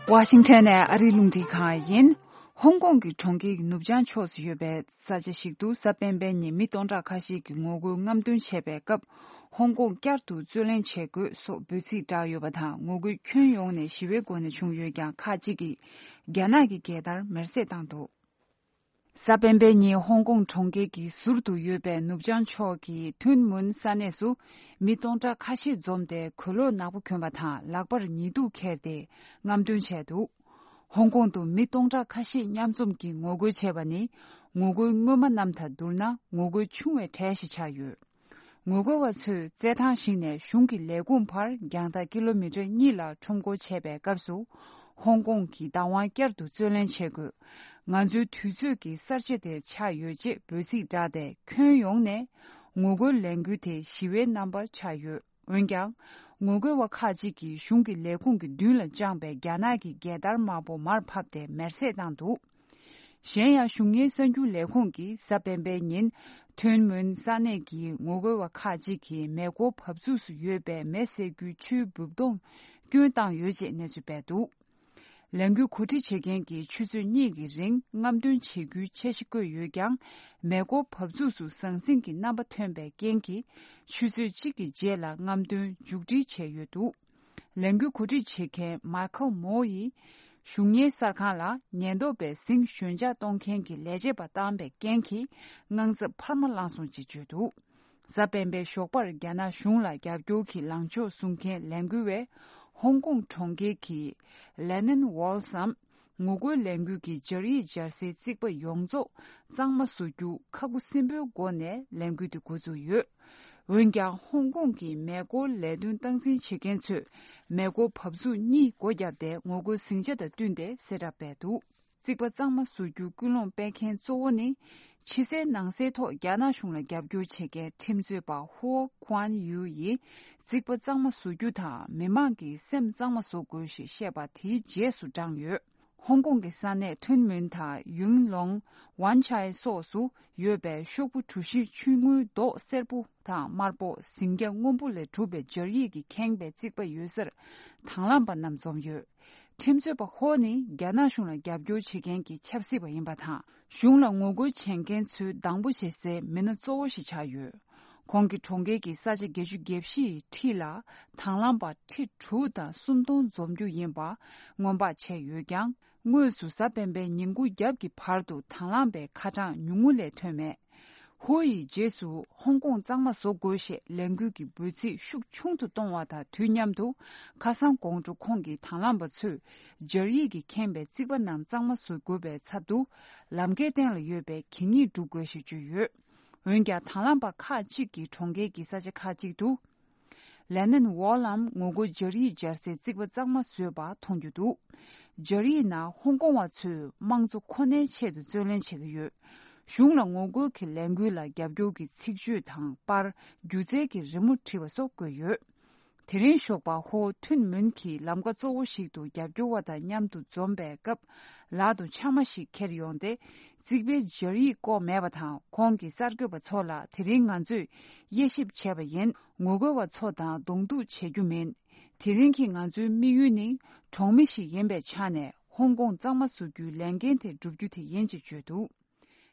ཝ་ཤིང་ཊོན་ནས་ཨ་རིའི་རླུང་འཕྲིན་ཁང་ཡིན། ཧོང་ཀོང་གི་གྲོང་ཁྱེར་གྱི་ནུབ་བྱང་ཕྱོགས་སུ་ཡོད་པའི་ས་ཆ་ཞིག་ཏུ་གཟའ་སྤེན་པའི་ཉིན་མི་སྟོང་ཕྲག་ཁ་ཤས་ཀྱིས་ངོ་རྒོལ་རྔམ་སྟོན་བྱས་པའི་སྐབས། ཧོང་ཀོང་བསྐྱར་དུ་རྩོད་ལེན་བྱེད་དགོས་སོགས་འབོད་ཚིག་བསྒྲགས་ཡོད་པ་དང་། ངོ་རྒོལ་ཁྱོན་ཡོངས་ནས་ཞི་བའི་སྒོ་ནས་བྱུང་ཡོད་ཀྱང་། ཁག་ཅིག་གིས་རྒྱ་ནག་གི་རྒྱལ་དར་མེར་སྲེག་བཏང་འདུག་གཟའ་སྤེན་པའི་ཉིན་ཧོང་ཀོང་གྲོང་ཁྱེར་གྱི་ཟུར་དུ་ཡོད་པའི་ནུབ་བྱང་ཕྱོགས་ཀྱི་ཐུན་མུན་ས་གནས་སུ། མི་སྟོང་ཕྲག་ཁ་ཤས་འཛོམས་ཏེ། གོས་ལོག་ནག་པོ་གྱོན་པ་དང་། ལག་པར་ཉི་གདུགས་འཁྱེར་ཏེ་རྔམ་སྟོན་བྱས་འདུག་ཧོང་ཀོང་དུ་མི་སྟོང་ཕྲག་ཁ་ཤས་མཉམ་འཛོམས་ཀྱིས་ངོ་རྒོལ་བྱས་པ་ནི། ངོ་རྒོལ་སྔོན་མ་རྣམས་དང་བསྡུར་ན་ངོ་རྒོལ་ཆུང་བའི་གྲས་ཤིག་ཆགས་ཡོད། ངོ་རྒོལ་བ་ཚོས་རྩེད་ཐང་ཞིག་ནས་གཞུང་གི་ལས་ཁུངས་བར་རྒྱང་ཐག་ཀི་ལོ་མི་ཊར་གཉིས་ལ་ཁྲོམ་སྐོར་བྱས་པའི་སྐབས་སུ། ཧོང་ཀོང་གི་བདག་དབང་བསྐྱར་དུ་རྩོད་ལེན་བྱེད་དགོས། ང་ཚོའི་དུས་ཚོད་ཀྱི་གསར་བརྗེ་དེ་ཆགས་ཡོད་ཅེས་འབོད་ཚིག་བསྒྲགས་ཏེ། ཁྱོན་ཡོངས་ནས་ངོ་རྒོལ་ལས་འགུལ་དེ་ཞི་བའི་རྣམ་པར་ཆགས་ཡོད། འོན་ཀྱང་། ངོ་རྒོལ་བ་ཁག་ཅིག་གིས་གཞུང་གི་ལས་ཁུངས་ཀྱི་མདུན་ལ་དཔྱངས་པའི་རྒྱ་ནག་གི་རྒྱལ་དར་དམར་པོ་མར་ཕབ་སྟེ་མེར་སྲེག་བཏང་འདུག་གཞན་ཡང་། གཞུང་གཉེར་གསར་འགྱུར་ལས་ཁུངས་ཀྱིས་གཟའ་སྤེན་པའི་ཉིན། ཐུན་མོན་ས་གནས་ཀྱི་ངོ་རྒོལ་བ་ཁག་ཅིག་གིས་མེ་འཁོར་བབས་ཚུགས་སུ་ཡོད་པའི་མེ་བསད་རྒྱུའི་ཆུའི་འབུབ་དོང་སྐྱོན་བཏང་ཡོད་ཅེས་གནས་ཚུལ་སྤེལ་འདུག་ལས་འགུལ་གོ་སྒྲིག་བྱེད་མཁན་གྱིས་ཆུ་ཚོད་གཉིས་ཀྱི་རིང་རྔམ་སྟོན་བྱེད་རྒྱུའི་འཆར་གཞི་བཀོད་ཡོད་ཀྱང་། མེ་འཁོར་བབས་ཚུགས་སུ་ཟང་ཟིང་གི་རྣམ་པ་ཐོན་པའི་རྐྱེན་གྱིས། ཆུ་ཚོད་གཅིག་གི་རྗེས་ལ་རྔམ་སྟོན་མཇུག་སྒྲིལ་བྱས་ཡོད་འདུག་ལས་འགུལ་གོ་སྒྲིག་བྱེད་མཁན་མཱ་ཁལ་མོ་ཡིས། གཞུང་གཉེར་གསར་ཁང་ལ། ཉེན་རྟོག་པས་ཟིང་ཞོད་འཇགས་གཏོང་མཁན་གྱི་ལས་བྱེད་པ་བཏང་པའི་རྐྱེན་གྱིས། དངངས་འཚབ་འཕར་མ་ལངས་སོང་ཅེས་བརྗོད་འདུག་གཟའ་སྤེན་པའི་ཞོགས་པར་རྒྱ་ནག་གཞུང་ལ་རྒྱབ་སྐྱོར་གྱི་ལངས་ཕྱོགས་བཟུང་མཁན་ལས་འགུལ་བས། ཧོང་ཀོང་གྲོང་ཁྱེར་གྱི་ལེ་ནིན་ཝོལ་སམ། ངོ་རྒོལ་ལས་འགུལ་གྱི་སྦྱར་ཡིག་སྦྱར་སའི་རྩིག་པ་ཡོངས་རྫོགས་གཙང་མ་བཟོ་རྒྱུ་ཁག་པོ་སྲིན་པོའི་སྒོ་ནས་ལས་འགུལ་དེ་འགོ་བཙུགས་ཡོད། འོན་ཀྱང་། ཧོང་ཀོང་གི་མེ་འཁོར་ལས་དོན་སྟངས་འཛིན་བྱེད་མཁན་ཚོས། མེ་འཁོར་བབས་ཚུགས་གཉིས་སྒོ་བརྒྱབ་སྟེ། ངོ་རྒོལ་ཟིང་ཆ་དང་བསྟུན་ཏེ་གསལ་བསྒྲགས་སྤེལ་འདུག་རྩིག་པ་གཙང་མ་བཟོ་རྒྱུར་སྐུལ་སློང་སྤེལ་མཁན་གཙོ་བོ་ནི། ཕྱི་གསལ་ནང་གསལ་ཐོག་རྒྱ་ནག་གཞུང་ལ་རྒྱབ་སྐྱོར་བྱེད་མཁན་ཁྲིམས་རྩོད་པ་ཧུའོ་ཁུའན་ཡུའུ་ཡིས། རྩིག་པ་གཙང་མ་བཟོ་རྒྱུ་དང་། མི་མང་གི་སེམས་གཙང་མ་བཟོ་དགོས་ཞེས་བཤད་པ་དེའི་རྗེས་སུ་འབྲངས་ཡོད། ཧོང་ཀོང་གི་ས་གནས་ཐུན་མོན་དང་ཡུང་ལོང་། ཝན་ཆའེ་སོགས་སུ་ཡོད་པའི་ཤོག་བུ་གྲུ་བཞི་ཆུང་ངུའི་མདོག་སེར་པོ་དང་དམར་པོ། ཟིང་སྐྱ་སྔོན་པོ་ལས་གྲུབ་པའི་སྦྱར་ཡིག་གིས་ཁེངས་པའི་རྩིག་པ་ཡོད་སར་དང་བླངས་པ་རྣམས་འཛོམས་ཡོད། ཁྲིམས་རྩོད་པ་ཧོ་ནི་རྒྱ་ནག་གཞུང་ལ་རྒྱབ་སྐྱོར་བྱེད་མཁན་གྱི་ཆབ་སྲིད་པ་ཡིན་པ་དང་། གཞུང་ལ་ངོ་རྒོལ་བྱེད་མཁན་ཚོའི་སྡང་པོ་བྱེད་སའི་མི་སྣ་གཙོ་བོ་ཞིག་ཆགས་ཡོད། ཁོང་གིས་གྲོང་ཁྱེར་གྱི་ས་ཆ་བརྒྱད་ཅུ་གྱ་བཞི་ཡི་འཁྲིས་ལ་དང་བླངས་པ་ཁྲི་དྲུག་དང་སུམ་སྟོང་འཛོམས་རྒྱུ་ཡིན་པ་སྔོན་དཔག་བྱས་ཡོད་ཀྱང་། དངོས་སུ་གཟའ་སྤེན་པའི་ཉིན་གུང་རྒྱབ་ཀྱི་བར་དུ་དང་བླངས་པའི་ཁ་གྲངས་ཉུང་ངུ་ལས་ཐོན་མེད། ཧུའུ་ཡིས་རྗེས་སུ་ཧོང་ཀོང་གཙང་མ་བཟོ་དགོས་ཞེས་ལས་འགུལ་གྱི་འབོད་ཚིག་ཤུགས་ཆུང་དུ་གཏོང་བ་དང་དུས་མཉམ་དུ། ཁ་སང་དགོང་དྲོ་ཁོང་གིས་དང་བླངས་པ་ཚོས་སྦྱར་ཡིག་གིས་ཁེངས་པའི་རྩིག་པ་རྣམས་གཙང་མ་བཟོ་དགོས་པའི་ཚབ་ཏུ། ལམ་ཁའི་སྟེང་ལ་ཡོད་པའི་གད་སྙིགས་སྒྲུག་དགོས་ཞེས་བརྗོད་ཡོད། འོན་ཀྱང་དང་བླངས་པ་ཁག་ཅིག་གིས་གྲོང་ཁྱེར་གྱི་ས་ཆ་ཁག་ཅིག་ཏུ། ལེ་ནན་ཝོལ་ལམ་ངོ་རྒོལ་སྦྱར་ཡིག་སྦྱར་སའི་རྩིག་པ་གཙང་མ་བཟོས་པ་མཐོང་རྒྱུ་འདུག། སྦྱར་ཡིག་ནང་ཧོང་ཀོང་བ་ཚོས་དམངས་གཙོ་ཁོ་ནའི་ཆེད་དུ་རྩོད་ལེན་བྱེད་ཀྱི་ཡོད། གཞུང་ལ་ངོ་རྒོལ་གྱི་ལས་འགུལ་ལ་རྒྱབ་སྐྱོར་གྱི་ཚིག་བརྗོད་དང་པར། སྒྱུ་རྩལ་གྱི་རི་མོ་བྲིས་པ་སོགས་བཀོད་ཡོད། དེ་རིང་ཞོགས་པ་ཧོ་ཐུན་མུན་གྱི་ལམ་ཀ་གཙོ་བོ་ཞིག་ཏུ་རྒྱབ་སྐྱོར་བ་དང་མཉམ་དུ་འཛོམས་པའི་སྐབས། ལག་ཏུ་ཆང་མ་ཞིག་ཁྱེར་ཡོང་སྟེ། རྩིག་པའི་སྦྱར་ཡིག་བཀོག་མེད་པ་དང་། ཁོང་གིས་གསར་འགོད་པ་ཚོ་ལ། དེ་རིང་ང་ཚོས་དབྱེ་ཞིབ་བྱས་པ་ཡིན། ངོ་རྒོལ་བ་ཚོ་དང་གདོང་ཐུག་བྱེད་རྒྱུ་མིན། དེ་རིང་གི་ང་ཚོའི་དམིགས་ཡུལ་ནི། གྲོང་མི་ཞིག་ཡིན་པའི་ཆ་ནས་ཧོང་ཀོང་གཙང་མ་བཟོ་རྒྱུའི་ལས་འགན་དེ་བསྒྲུབ་རྒྱུ་དེ་ཡིན་ཅེས་བརྗོད་འདུག།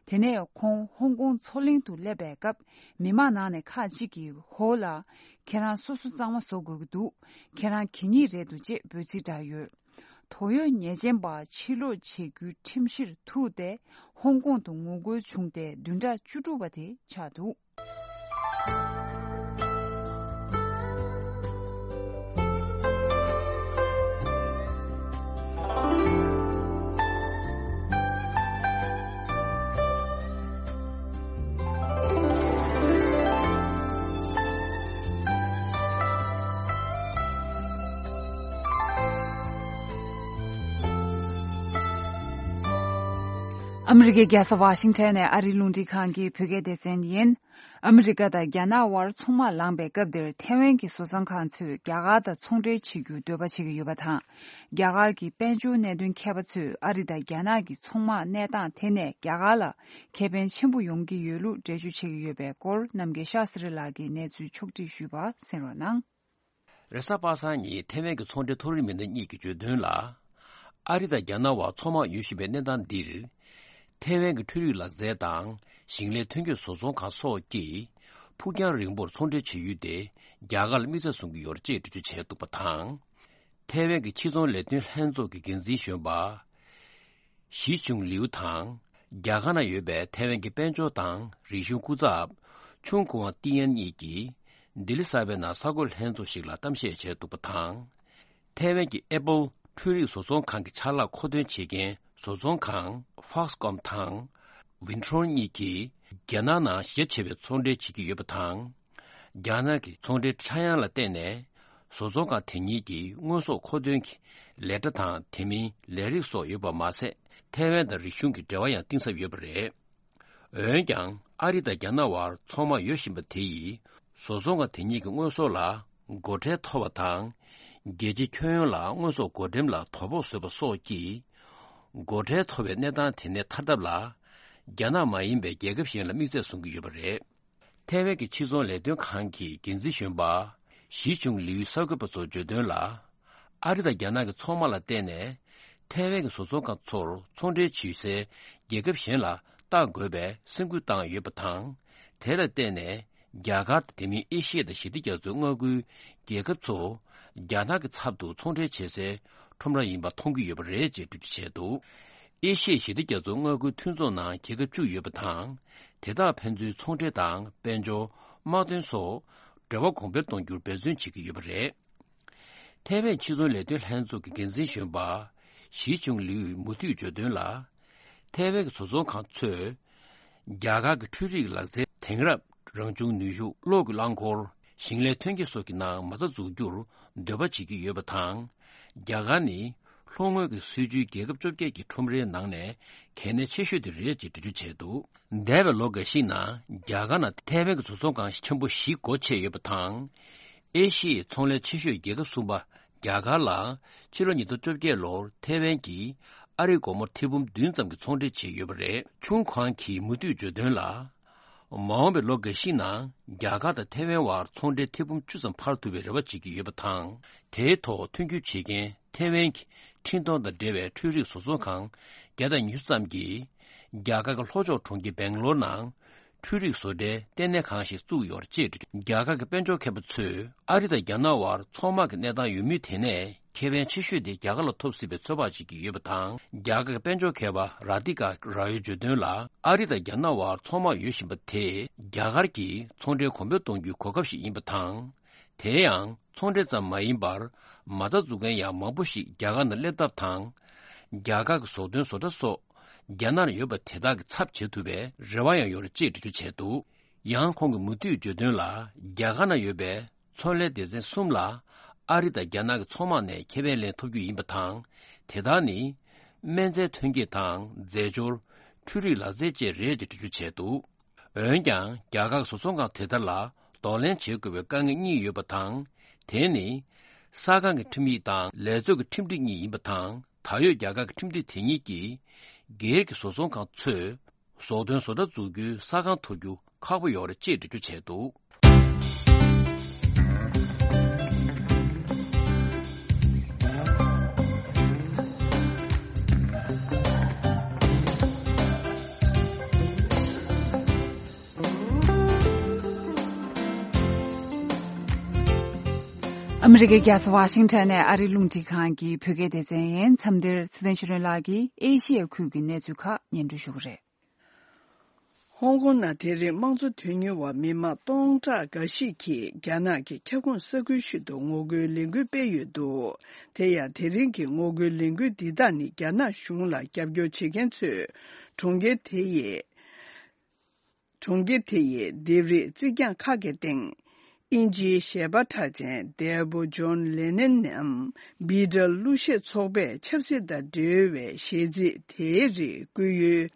དེ་ནས་ཁོང་ཧོང་ཀོང་མཚོ་གླིང་དུ་སླེབས་པའི་སྐབས། མི་མང་ནང་ནས་ཁག་ཅིག་གིས་ཧོ་ལ། ཁྱེད་རང་སོ་སོ་གཙང་མ་བཟོ་དགོས་ཀྱི་འདུག། ཁྱེད་རང་གད་སྙིགས་རེད་འདུག་ཅེས་འབོད་ཚིག་བསྒྲགས་ཡོད། དོགས་ཡོད་ཉེས་ཅན་པ་ཕྱིར་ལོག་བྱེད་རྒྱུའི་ཁྲིམས་གཞིར་ཐུག་སྟེ། ཧོང་ཀོང་དུ་ངོ་རྒོལ་བྱུང་སྟེ། བདུན་ཕྲག་བཅུ་དྲུག་པ་དེ་ཆགས་འདུག། ཨ་མི་རི་ཀའི་རྒྱལ་ས་ཝ་ཤིང་ཊོན་ནས་ཨ་རིའི་རླུང་འཕྲིན་ཁང་གི་བོད་སྐད་སྡེ་ཚན་ཡིན། ཨ་མི་རི་ཀ་དང་རྒྱ་ནག་དབར་ཚོང་དམག་ལངས་པའི་སྐབས་འདིར་ཐེ་ཝན་གྱི་བཟོ་ཚོང་ཁང་ཚོས་རྒྱ་གར་དང་ཚོང་འབྲེལ་བྱེད་རྒྱུར་འདོད་པ་བྱེད་ཀྱི་ཡོད་པ་དང་། རྒྱ་གར་གྱི་དཔལ་འབྱོར་གནད་དོན་མཁས་པ་ཚོས་ཨ་རི་དང་རྒྱ་ནག་གི་ཚོང་དམག་གནས་སྟངས་དེ་ནས་རྒྱ་གར་ལ་ཁེ་ཕན་ཆེན་པོ་ཡོང་གི་ཡོད་ལུགས་འགྲེལ་བརྗོད་བྱེད་ཀྱི་ཡོད་པའི་སྐོར། རྣམ་རྒྱལ་ཤཱ་སི་རི་ལགས་ཀྱིས་གནས་ཚུལ་ཕྱོགས་སྒྲིག་ཞུས་པ་གསན་རོགས་གནང་། རེས་གཟའ་པ་སངས་ཉིན་ཐེ་ཝན་གྱི་ཚོང་འབྲེལ་མཐོ་རིམ་མི་སྣ་གཉིས་ཀྱིས་བརྗོད་དོན་ལ། ཨ་རི་དང་རྒྱ་ནག་དབར་ཚོང་དམག་ཡོད་བཞིན་པའི་གནས་སྟངས་འདིར། ཐེ་ཝན་གྱི་འཕྲུལ་རིག་ལག་རྩལ་དང་ཞིང་ལས་ཐོན་སྐྱེད་བཟོ་ཚོང་ཁང་སོགས་ཀྱིས་ཕུགས་རྒྱང་རིང་པོར་ཚོང་འབྲེལ་བྱེད་ཡུལ་དེ་རྒྱ་གར་ལ་དམིགས་བསལ་བཟུང་གི་ཡོད་རེད་ཅེས་འགྲེལ་བརྗོད་བྱས་འདུག་པ་དང་། ཐེ་ཝན་གྱི་ཕྱི་ཚོང་ལས་དོན་ལྷན་ཚོགས་ཀྱི་འགན་འཛིན་གཞོན་པ། ཞི་ཆུང་ལིའུ་དང་། རྒྱ་གར་ནང་ཡོད་པའི་ཐའེ་ཝན་གྱི་དཔལ་འབྱོར་དང་རིག་གཞུང་སྐུ་ཚབ། ཆུང་ཁུའང་ཏི་ཡན་གཉིས་ཀྱིས། ལྡི་ལི་གསར་པའི་ནང་གསར་འགོད་ལྷན་ཚོགས་ཤིག་ལ་གཏམ་བཤད་བྱས་འདུག་པ་དང་། ཐའེ་ཝན་གྱི་ཨེ་པལ་འཕྲུལ་རིག་བཟོ་ཚོང་ཁང་གི་ཆ་ལག་མཁོ་འདོན་བྱེད་མཁན་བཟོ་ཚོང་ཁང་Foxconn་དང་། Wintron་གཉིས་ཀྱིས། རྒྱ་ནག་ནང་ཞེ་ཆེ་བའི་ཚོང་འབྲེལ་བྱེད་ཀྱི་ཡོད་པ་དང་། རྒྱ་ནག་གི་ཚོང་འབྲེལ་ཁྲ་ཡང་ལ་བརྟེན་ནས། བཟོ་ཚོང་ཁང་དེ་གཉིས་ཀྱིས་དངོས་ཟོག་མཁོ་འདོན་གྱི་ལས་གྲྭ་དང་། དེ་མིན་ལས་རིགས་སོགས་ཡོད་པ་མ་ཟད། ཐའེ་ཝན་དང་རིག་གཞུང་གི་འབྲེལ་བ་ཡང་གཏིང་ཟབ་ཡོད་པ་རེད། འོན་ཀྱང་། ཨ་རི་དང་རྒྱ་ནག་དབར་ཚོང་དམག་ཡོད་བཞིན་པ་དེ་ཡིས། བཟོ་ཚོང་ཁང་དེ་གཉིས་ཀྱི་དངོས་ཟོག་ལ་སྒོ་ཁྲལ་མཐོ་བ་དང་། རྒྱལ་སྤྱིའི་ཁྱོན་ཡོངས་ལ་དངོས་ཟོག་བགོ་འགྲེམས་ལ་དོ་ཕོག་བཟོས་པ་སོགས་ཀྱིས། སྒོ་ཁྲལ་མཐོ་བའི་གནས་སྟངས་དེ་ནས་ཐར་ཐབས་ལ། རྒྱ་ནག་མ་ཡིན་པའི་རྒྱལ་ཁབ་གཞན་ལ་དམིགས་བསལ་བཟུང་གི་ཡོད་པ་རེད། ཐའེ་ཝན་གྱི་ཕྱི་ཚོང་ལས་དོན་ཁང་གི་འགན་འཛིན་གཞོན་པ། ཞི་ཆུང་ལིའུས་གསར་འགོད་པ་ཚོར་བརྗོད་དོན་ལ། ཨ་རི་དང་རྒྱ་ནག་གི་ཚོང་དམག་ལ་བརྟེན་ནས། ཐའེ་ཝན་གྱི་བཟོ་ཚོང་ཁང་ཚོར་ཚོང་འབྲེལ་བྱེད་སའི་རྒྱལ་ཁབ་གཞན་ལ་བལྟ་དགོས་པའི་སེམས་ཁུར་བཏང་ཡོད་པ་དང་། དེ་ལ་བརྟེན་ནས། རྒྱ་གར་དང་། དེ་མིན་ཨེ་ཤི་ཡ་དང་ཞི་བདེ་རྒྱ་མཚོའི་མངའ་ཁུལ་རྒྱལ་ཁབ་ཚོ། རྒྱ་ནག་གི་ཚབ་ཏུ་ཚོང་འབྲེལ་བྱེད་སའི་ཁྲོམ་ར་ཡིན་པ་མཐོང་གི་ཡོད་པ་རེད་ཅེས་འགྲེལ་བརྗོད་བྱས་འདུག། ཨེ་ཤི་ཡའི་ཞི་བདེ་རྒྱ་མཚོའི་མངའ་ཁུལ་མཐུན་ཚོགས་ནང་རྒྱལ་ཁབ་བཅུ་ཡོད་པ་དང་། དེ་དག་ཕན་ཚུན་ཚོང་འབྲེལ་དང་དཔལ་འབྱོར། དམག་དོན་སོགས་འབྲེལ་བ་གོང་འཕེལ་གཏོང་རྒྱུར་འབད་བརྩོན་བྱེད་ཀྱི་ཡོད་པ་རེད། ཐའེ་ཝན་ཕྱི་ཚོང་ལས་དོན་ལྷན་ཚོགས་ཀྱི་འགན་འཛིན་གཞོན་པ། ཞི་ཆུང་ལིའུས་མུ་མཐུད་བརྗོད་དོན་ལ། ཐའེ་ཝན་གྱི་བཟོ་ཚོང་ཁང་ཚོས། རྒྱ་གར་གྱི་འཕྲུལ་རིག་ལག་རྩལ་དེང་རབས། རང་བྱུང་ནུས་ཤུགས། གློག་གི་རླངས་འཁོར། ཞིང་ལས་ཐོན་སྐྱེད་སོགས་ཀྱི་ནང་མ་རྩ་འཛུགས་རྒྱུར་འདོད་པ་བྱེད་ཀྱི་ཡོད་པ་དང་། རྒྱ་གར་ནི་ལྷོ་ངོས་ཀྱི་སྲིད་ཇུས་རྒྱལ་ཁབ་བཅོ་བརྒྱད་ཀྱི་ཁྲོམ་རའི་ནང་ནས་གལ་གནད་ཆེ་ཤོས་དེ་རེད་ཅེས་འགྲེལ་བརྗོད་བྱས་འདུག། འདས་པའི་ལོ་འགའ་ཞིག་ནང་རྒྱ་གར་ནང་ཐའེ་ཝན་གྱི་བཟོ་ཚོང་ཁང་ཆེན་པོ་བཞི་སྒོ་ཕྱེ་ཡོད་པ་དང་། ཨེ་ཤི་ཡའི་ཚོང་ལས་ཆེ་ཤོས་རྒྱལ་ཁབ་གསུམ་པ་རྒྱ་གར་ལ་ཕྱི་ལོ་ཉིས་སྟོང་བཅོ་བརྒྱད་ལོར་ཐའེ་ཝན་གྱིས་ཨ་རིའི་སྒོར་མོ་ཐེར་འབུམ་བདུན་ཙམ་གྱི་ཚོང་འབྲེལ་བྱས་ཡོད་པ་རེད། ཆུང་ཁུའང་གིས་མུ་མཐུད་བརྗོད་དོན་ལ། མ་འོངས་པའི་ལོ་འགའ་ཤས་ནང་རྒྱ་གར་དང་ཐའེ་ཝན་དབར་ཚོང་འབྲེལ་ཐེར་འབུམ་བཅུ་ཙམ་འཕར་ཐུབ་པའི་རེ་བ་བྱེད་ཀྱི་ཡོད་པ་དང་། དེའི་ཐོག་མཐུན་འགྱུར་བྱེད་མཁན་ཐའེ་ཝན་གྱི་འཕྲིན་གཏོང་དང་འབྲེལ་བའི་འཕྲུལ་རིག་བཟོ་ཚོང་ཁང་བརྒྱ་དང་ཉི་ཤུ་ཙམ་གྱིས། རྒྱ་གར་གྱི་ལྷོ་ཕྱོགས་གྲོང་ཁྱེར་སྦེང་ལོར་ནང་། འཕྲུལ་རིག་བཟོ་གྲྭའི་ལྟེ་གནས་ཁང་ཞིག་བཙུགས་ཡོད་པ་བཅས། རྒྱ་གར་གྱི་དཔལ་འབྱོར་མཁས་པ་ཚོས་ཨ་རི་དང་རྒྱ་ནག་དབར་ཚོང་དམག་གི་གནས་སྟངས་ཡོད་མུས་དེ་ནས་ཁེ་ཕན་ཆེ་ཤོས་དེ་རྒྱ་གར་ལ་ཐོབ་སྲིད་པའི་ཚོད་དཔག་བྱེད་ཀྱི་ཡོད་པ་དང་། རྒྱ་གར་གྱི་དཔལ་འབྱོར་མཁས་པ་ར་ཏི་ཀ་ར་ཡོས་བརྗོད་དོན་ལ། ཨ་རི་དང་རྒྱ་ནག་དབར་ཚོང་དམག་ཡོད་བཞིན་པ་དེས་རྒྱ་གར་གྱི་ཚོང་འབྲེལ་གོང་འཕེལ་གཏོང་རྒྱུའི་གོ་སྐབས་ཤིག་ཡིན་པ་དང་། དེ་ཡང་ཚོང་འབྲེལ་ཙམ་མ་ཡིན་པར། མ་རྩ་འཛུགས་མཁན་ཡང་མང་པོ་ཞིག་རྒྱ་གར་ནང་སླེབས་ཐབས་དང་། རྒྱ་གར་གྱི་ཟོག་ཐོན་བཟོ་གྲྭ་སོགས་རྒྱ་ནག་ནང་ཡོད་པ་དེ་དག་གི་ཚབ་བྱེད་ཐུབ་པའི་རེ་བ་ཡང་ཡོད་རེད་ཅེས་འགྲེལ་བརྗོད་བྱས་འདུག། ཡང་ཁོང་གིས་མུ་མཐུད་བརྗོད་དོན་ལ། རྒྱ་གར་ནང་ཡོད་པའི་ཚོང་ལས་སྡེ་ཚན་གསུམ་ལ་ཨ་རི་དང་རྒྱ་ནག་གི་ཚོང་དམག་ནས་ཁེ་ཕན་ལེན་ཐུབ་རྒྱུ་ཡིན་པ་དང་། དེ་དག་ནི་སྨན་རྫས་ཐོན་སྐྱེད་དང་རྫས་སྦྱོར། འཕྲུལ་རིག་ལག་རྩལ་བཅས་རེད་ཅེས་འགྲེལ་བརྗོད་བྱས་འདུག། འོན་ཀྱང་། རྒྱ་གར་གྱི་བཟོ་ཚོང་ཁང་དེ་དག་ལ་གདོང་ལེན་བྱེད་དགོས་པའི་དཀའ་ངལ་གཉིས་ཡོད་པ་དང་། དེ་ནི། ས་ཁང་གི་ཁྲིམས་ཡིག་དང་ལས་ཚོགས་ཀྱི་ཁྲིམས་སྒྲིག་གཉིས་ཡིན་པ་དང་། ད་ཡོད་རྒྱ་གར་གྱི་ཁྲིམས་སྒྲིག་དེ་གཉིས་ཀྱིས། སྒེར་གྱི་བཟོ་ཚོང་ཁང་ཚོས། ཟོག་ཐོན་བཟོ་གྲྭ་འཛུགས་རྒྱུའི་ས་ཁང་འཐོར་རྒྱུ་ཁག་པོ་ཡོད་རེད་ཅེས་འགྲེལ་བརྗོད་བྱས་འདུག། ཨ་མི་རི་ཀའི་རྒྱལ་ས་ཝ་ཤིང་ཊོན་ནས་ཨ་རིའི་རླུང་འཕྲིན་ཁང་གི་བོད་སྐད་སྡེ་ཚན་ཡིན། མཚམས་འདིར་ཚེ་བརྟན་ཆོས་སྒྲོན་ལགས་ཀྱིས་ཨེ་ཤི་ཡའི་ཁུལ་གྱི་གནས་ཚུལ་ཁག་སྙན་སྒྲོན་ཞུ་གི་རེད། ཧོང་ཀོང་ནང་དེ་རིང་དམངས་གཙོ་དོན་གཉེར་བ་མི་མང་སྟོང་ཕྲག་འགའ་ཞིག་གིས་རྒྱ་ནག་གི་ཁྱབ་ཁོངས་ས་ཁུལ་ཞིག་ཏུ་ངོ་རྒོལ་ལས་འགུལ་སྤེལ་ཡོད་འདུག། དེ་ཡང་དེ་རིང་གི་ངོ་རྒོལ་ལས་འགུལ་འདི་དག་ནི་རྒྱ་ནག་གཞུང་ལ་རྒྱབ་སྐྱོར་བྱེད་མཁན་ཚོས་གྲོང་ཁྱེར་དེ་ཡི། གྲོང་ཁྱེར་དེ་ཡི་ལྡེབས་རིས་རྩིག་གྱང་ཁག་གི་སྟེང་། དབྱིན་ཇིའི་ཞལ་པར་གྲགས་ཅན་འདས་པོ་ཇོན་ལེ་ནན་ནམ་པི་ཏར་གླུ་གཞས་ཚོགས་པས་ཆབ་སྲིད་དང་འབྲེལ་བའི་གཞས་ཚིག་དེའི་རིགས་བཀོད་ཡུལ།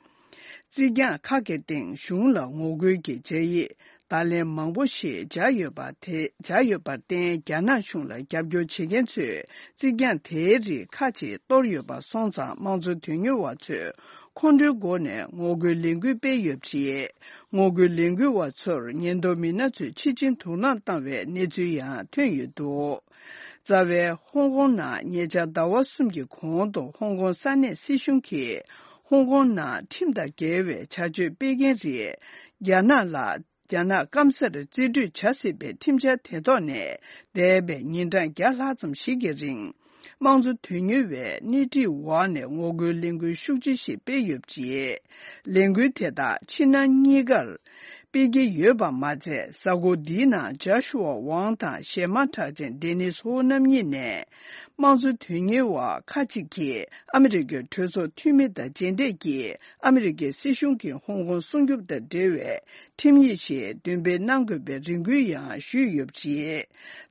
རྩིག་གྱང་ཁག་གི་སྟེང་གཞུང་ལ་ངོ་རྒོལ་གྱི་སྦྱར་ཡིག་བརྡ་ལན་མང་པོ་ཞིག་སྦྱར་ཡོད་པ་དེ། སྦྱར་ཡོད་པར་བརྟེན། རྒྱ་ནག་གཞུང་ལ་རྒྱབ་སྐྱོར་བྱེད་མཁན་ཚོས་རྩིག་གྱང་དེའི་རིགས་ཁག་ཅིག་གཏོར་ཡོད་པ་སོང་ཙང་། དམངས་གཙོ་དོན་གཉེར་བ་ཚོས་ཁོང་ཁྲོའི་སྒོ་ནས་ངོ་རྒོལ་ལས་འགུལ་སྤེལ་ཡོད་པ་རེད། ངོ་རྒོལ་ལས་འགུལ་བ་ཚོར་ཉེན་རྟོག་མི་སྣ་ཚོས་ཕྱིར་འཕྲིན་དུག་རླངས་བཏང་བའི་གནས་ཚུལ་ཡང་ཐོན་ཡོད་འདུག། རྩ་བའི་ཧོང་ཀོང་ནང་ཉེ་ཆར་ཟླ་བ་གསུམ་གྱི་གོང་དུ་ཧོང་ཀོང་ས་གནས་སྲིད་གཞུང་གིས་ཧོང་ཀོང་ནང་ཁྲིམས་དང་འགལ་བའི་བྱ་སྤྱོད་སྤེལ་མཁན་རིགས་རྒྱ་ནག་ལ། རྒྱ་ནག་སྐམ་སར་རྩིས་སྤྲོད་བྱ་སྲིད་པའི་ཁྲིམས་འཆར་དེ་ཐོག་ནས་འདས་པའི་ཉིན་གྲངས་བརྒྱ་ལྷག་ཙམ་ཞིག་གི་རིང་། དམངས་གཙོ་དོན་གཉེར་བས་སྣེ་ཁྲིད་འོག་ནས་ངོ་རྒོལ་ལས་འགུལ་ཤུགས་ཆེ་ཞིག་སྤེལ་ཡོད་པ་རེད། ལས་འགུལ་དེ་དག་ཕྱི་ནང་གཉིས་ཀར་སྤེལ་གྱི་ཡོད་པ་མ་ཚད། གཟའ་འཁོར་འདིའི་ནང་ཇཱ་ཤུ་ཝ་ཝང་དང་གཞས་མ་གྲགས་ཅན་ཌེ་ནིས་ཧོ་རྣམ་གཉིས་ནས། དམངས་གཙོ་དོན་གཉེར་བ་ཁག་ཅིག་གིས་ཨ་མི་རི་ཀའི་གྲོས་ཚོགས་འཐུས་མི་དང་མཇལ་འཕྲད་ཀྱིས། ཨ་མི་རི་ཀའི་སྲིད་གཞུང་གིས་ཧོང་ཀོང་སྲུང་སྐྱོབ་དང་འབྲེལ་བའི་ཁྲིམས་ཡིག་ཞིག་འདོན་སྤེལ་གནང་དགོས་པའི་རེ་སྐུལ་ཡང་ཞུས་ཡོད་པ་རེད།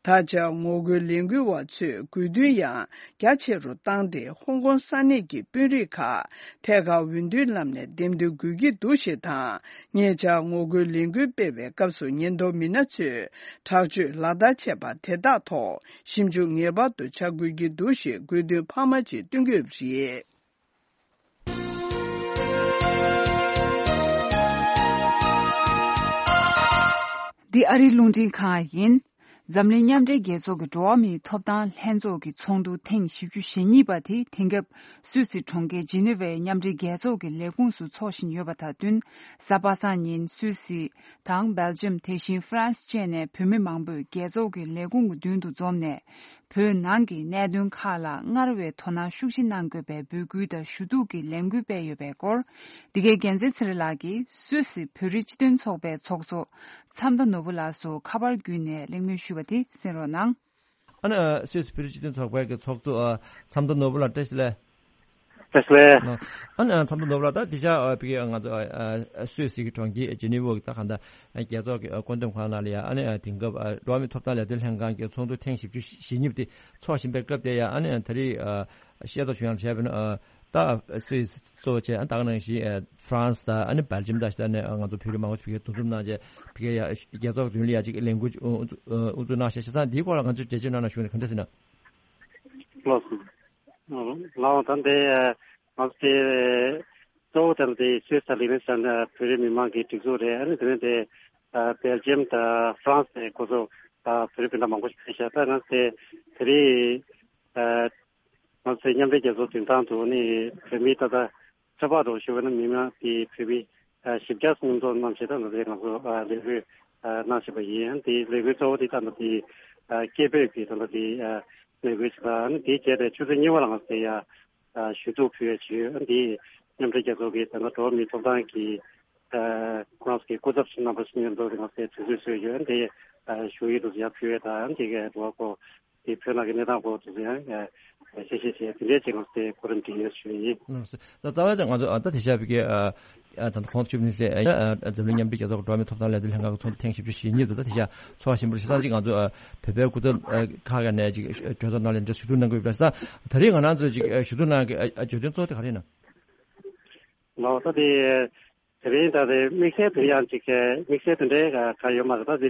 ད་ཆ་ངོ་རྒོལ་ལས་འགུལ་བ་ཚོས་དགོས་འདུན་ཡང་རྒྱ་ཆེ་རུ་བཏང་སྟེ། ཧོང་ཀོང་ས་གནས་ཀྱི་དཔོན་རིགས་ཁག་ཐད་ཀར་འོས་བསྡུའི་ལམ་ནས་འདེམས་ཐོན་དགོས་ཀྱི་འདུག་ཞེས་དང་། ཉེ་ཆར་ངོ་རྒོལ་ལས་འགུལ་སྤེལ་བའི་སྐབས་སུ་ཉེན་རྟོག་མི་སྣ་ཚོས་དྲག་སྤྱོད་ལག་བསྟར་བྱས་པ་དེ་དག་ཐོག་ཞིབ་འཇུག་ངེས་པར་དུ་བྱ་དགོས་ཀྱི་འདུག་ཞེས་དགོས་འདུན་འཕར་མ་ཅིག་བཏོན་གྱི་ཡོད་པ་རེད། འདི་ཨ་རིའི་རླུང་འཕྲིན་ཁང་ཡིན། འཛམ་གླིང་མཉམ་འབྲེལ་རྒྱལ་ཚོགས་ཀྱི་འགྲོ་བ་མིའི་ཐོབ་ཐང་ལྷན་ཚོགས་ཀྱི་ཚོགས་འདུ་ཐེངས་བཞི་བཅུ་ཞེ་གཉིས་པ་དེ་དེང་སྐབས་སུད་སི་གྲོང་ཁྱེར་ཇི་ནི་ཝའི་མཉམ་འབྲེལ་རྒྱལ་ཚོགས་ཀྱི་ལས་ཁུངས་སུ་འཚོགས་བཞིན་ཡོད་པ་དང་བསྟུན། གཟའ་པ་སངས་ཉིན་སུད་སི་དང་སྦེལ་ཇམ། དེ་བཞིན་ཧྥ་རན་སི་བཅས་ནས་བོད་མི་མང་པོས་རྒྱལ་ཚོགས་ཀྱི་ལས་ཁུངས་ཀྱི་མདུན་དུ་འཛོམས་ནས། བོད་ནང་གི་གནད་དོན་ཁག་ལ་སྔར་བས་དོ་སྣང་ཤུགས་ཆེ་གནང་དགོས་པའི་འབོད་སྐུལ་དང་ཞུ་གཏུག་གི་ལས་འགུལ་སྤེལ་ཡོད་པའི་སྐོར། འདི་གའི་རྒྱལ་མཚན་ཚེ་རིང་ལགས་ཀྱིས་སུད་སི་བོད་རིགས་སྤྱི་མཐུན་ཚོགས་པའི་ཚོགས་གཙོ་མཚམས་མདའ་ནོར་བུ་ལགས་སུ་ཁ་པར་བརྒྱུད་ནས་གླེང་མོལ་ཞུས་པ་དེ་གསན་རོགས་གནང་། ཨ་ནི་སུད་སི་བོད་རིགས་སྤྱི་མཐུན་ཚོགས་པའི་གི་ཚོགས་གཙོ་ཨ་མཚམས་མདའ་ནོར་བུ་ལགས་བཀྲ་ཤིས་བདེ་ལེགས། བཀྲ་ཤིས་བདེ་ལེགས། ཨ་ནི་མཚམས་མདའ་ནོར་བུ་ལགས། ད་དེ་ཤ་ཨ་ཕ་གི་ང་ཚོ་ཨ་ཨ་སུད་སི་གི་གྲོང་ཁྱེར་ཇི་ནི་ཝ་གི་ད་གང་ལྟར་རྒྱལ་ཚོགས་ཀྱི་ཨ་བཀོད་འདོམས་ཁང་ནང་ལ་ཡ་ཨ་ནི་ཨ་དེང་སྐབས་ཨ་འགྲོ་བ་མིའི་ཐོབ་ཐང་ལས་དོན་ལྷན་ཁང་གི་ཚོགས་འདུ་ཐེངས་བཞི་བཅུ་ཞེ་གཉིས་པ་དེ་འཚོགས་བཞིན་པའི་སྐབས་དེ་ཡ་ཨ་ནི་ཨ་ད་རེས་ཨ་ཤེས་རྟོགས་བྱུང་ཡང་བྱས་པ་ན་ཨ་ད་སུད་སི་གཙོ་བོ་བྱས་ཨ་ད་ག་ནང་བཞིན་ཨ་ཧྥ་རན་སི་དང་ཨ་ནི་སྦེལ་ཇམ་དང་ད་ནི་ང་ཚོ་བོད་རིགས་མང་པོ་ཞིག་འདུ་འཛོམས་གནང་བྱས་ཕ་གི་ཡ་རྒྱལ་ཚོགས་མདུན་ལ་ཡ་ཅིག་ལས་འགུལ་དབུ་འཛུགས་གནང་བྱས་བྱས་ཙང་འདིའི་སྐོར་ལ་ང་ཚོས་འགྲེལ་བརྗོད་གནང་ན་ཞུ་ནས་ག་འདྲ་ཟེར་ན། ལགས་སོ། ལགས་ད་འདི་ང་ཚོ་དེ་གཙོ་བོ་དེ་ལ་དེ་སུད་སི་དང་ལི་ནི་སི་ཊན་བོད་རིགས་མི་མང་གི་སྒྲིག་འཛུགས་རེད། ཨ་ནི་དེ་ནས་དེ་སྦེལ་ཇམ་དང་ཧྥ་རན་སི་དེ་ཁོ་ཚོ་བོད་རིགས་སྤུན་ཟླ་མང་པོ་ཞིག་ཕེབས་ཤག་ད་ང་ཚོ་དེ་དེ་རིང་ང་ཚོའི་མཉམ་འབྲེལ་རྒྱལ་ཚོགས་མདུན་ཐང་དུ་ནི་བོད་མི་ད་ལྟ་ཚོད་དཔག་འགྲོ་ཞུ་བ་ནི་མི་མང་དེ་བོད་མི་བཞི་བརྒྱ་མཉམ་འཛོམས་གནང་བྱས་ད་ང་ཚོ་ང་ཚོ་ལས་འགུལ་གནང་བཞིན་པ་ཡིན། དེ་ལས་འགུལ་གཙོ་བོ་དེ་ད་ལྟ་དེ་སྐད་འབོད་ཀྱི་ད་ལྟ་དེ་ལས་འགུལ་ཞིག་དང་དེ་བྱས་པའི་ཆུ་ཚོད་གཉིས་པ་ལ་ང་ཚོ་དེ་ཡ་ཞུ་གཏུག་ཕུལ་ཡ་ཞུས། དེ་མཉམ་འབྲེལ་རྒྱལ་ཚོགས་ཀྱི་ད་ལྟ་འགྲོ་བ་མིའི་ཐོབ་ཐང་གི་ཁོ་རང་ཚོ་གི་སྐུ་ཚབ་ཞིག་རྣམ་པ་ཞིག་མཉམ་དུ་ང་ཚོས་དུས་ཚོད་བཟོས་ཡོད། དེ་ཞུ་ཡིག་དུ་ཡར་ཕུལ་བ་དང་དེ་གའི་འགྲོ་བ་ཁོ་ དེ་བོད་ནང་གི་གནས་སྟངས་སྐོར་དུ་ཡང་ཨ་ཤེས་བཤད་བྱས་དེ་འདྲའི་ཅིག་ང་ཚོ་དེ་གོ་རིམ་སྒྲིག་ཡོད་ཞུ་ཡིན། ལགས་སོ། ད་རྩ་བའི་ད་ང་ཚོ་ཨ་ད་དེ་ཤ་བི་གའི་ཨ་ཨ་ད་ཁོང་ཚོ་བཅུ་བདུན་ཚེ་ཨ་ཨ་འཛམ་གླིང་མཉམ་འབྲེལ་རྒྱལ་ཚོགས་འགྲོ་བ་མིའི་ཐོབ་ཐང་ལས་དོན་ལྷན་ཁང་གི་ཚོགས་འདུ་ཐེངས་བཞི་བཅུ་ཞེ་གཉིས་དུ་ད་དེ་ཤ་ཚོགས་པ་ཆེན་པོ་ཞེ་ས་ཅིག་ང་ཚོ་ཨ་བོད་པའི་སྐུ་ཚབ་ཨ་ཁག་ནས་ཅིག་གྲོས་ཚོགས་ནང་ལ་འདི་ལྷན་ཁང་གི་བེད་ས་ད་རེས་ང་རང་ཚོ་ཅིག་ཨ་ཞུ་གཏུག་གནང་གི་ཨ་ཨ་བརྗོད་དོན་གཙོ་བོ་དེ་ག་རེ་ཡིན་ན། ལགས་ད་དེ། དེ་རིང་ད་དེ་དམིགས་བསལ་དེ་ཡང་ཅིག་དམིགས་བསལ་དེ་འདྲའི་ག་ཡོད་མ་རེད། ད་དེ་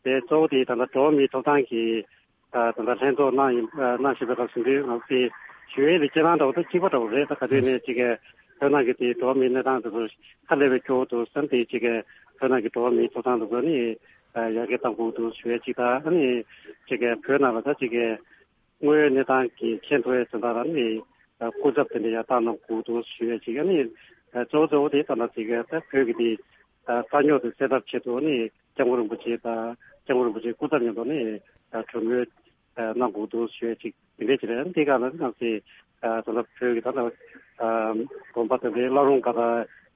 དེ་གཙོ་བོ་དེ་ད་ལྟ་འགྲོ་བ་མིའི་ཐོབ་ཐང་གི་ད་ད་ལྟ་ལྷན་ཚོགས་གནང་ཡིན་གནང་བཞིན་པའི་སྐབས་སུ་འདི་ང་ཚོ་དེ་ཞུ་ཡས་དེ་སྤྱིར་བཏང་འདྲ་བོ་ད་གཅིག་པ་འདྲ་བོ་རེད། ད་ག་དུས་ནས་ཅིག་བོད་ནང་གི་དེ་འགྲོ་བ་མིའི་གནས་སྟངས་དེ་ཚོ་ཧ་ལས་པའི་སྐྱོ་བོ་འདུག་བསམ་སྟེ་ཅིག་བོད་ནང་གི་འགྲོ་བ་མིའི་ཐོབ་ཐང་དེ་ཚོ་ནི་ཡར་རྒྱས་གཏང་དགོས་འདུག་ཞུ་ཡས་ཅིག་དང་ཨ་ནི་ཅིག་བོད་ནང་ལ་ད་ཅིག་དངོས་ཡོད་གནས་སྟངས་ཀྱི་མཁྱེན་ཐུབ་ཡས་དོན་དག་ལ་ནི་སྐུ་ཚབ་དེ་འདྲ་ཡང་བཏང་གནང་དགོས་འདུག་ཞུ་ཡས་ཅིག་ཨ་ནི་གཙོ་བོ་གཙོ་བོ་དེ་ལྟ་ན་ཅིག་ད་བོད་ཀྱི་དེ་རྩ་རྙོག་དེ་སེལ་ཐབས་ཆེད་དུ་ནི་སྐྱབས་མགོན་རིན་པོ་ཆེ་དང་སྐྱབས་མགོན་རིན་པོ་ཆེའི་སྐུ་ཚབ་མཉམ་དུ་ནི་གྲོས་མོལ་གནང་དགོས་འདུག་ཞུ་ཡས་ཅིག་དེ་འདྲ་ཅིག་རེད། དེ་ག་ལ་ནང་སྲིད་ད་ལྟ་བོད་ཀྱི་ད་ལྟ་དགོན་པ་དེ་འདྲའི་བླ་རུང་ཁག་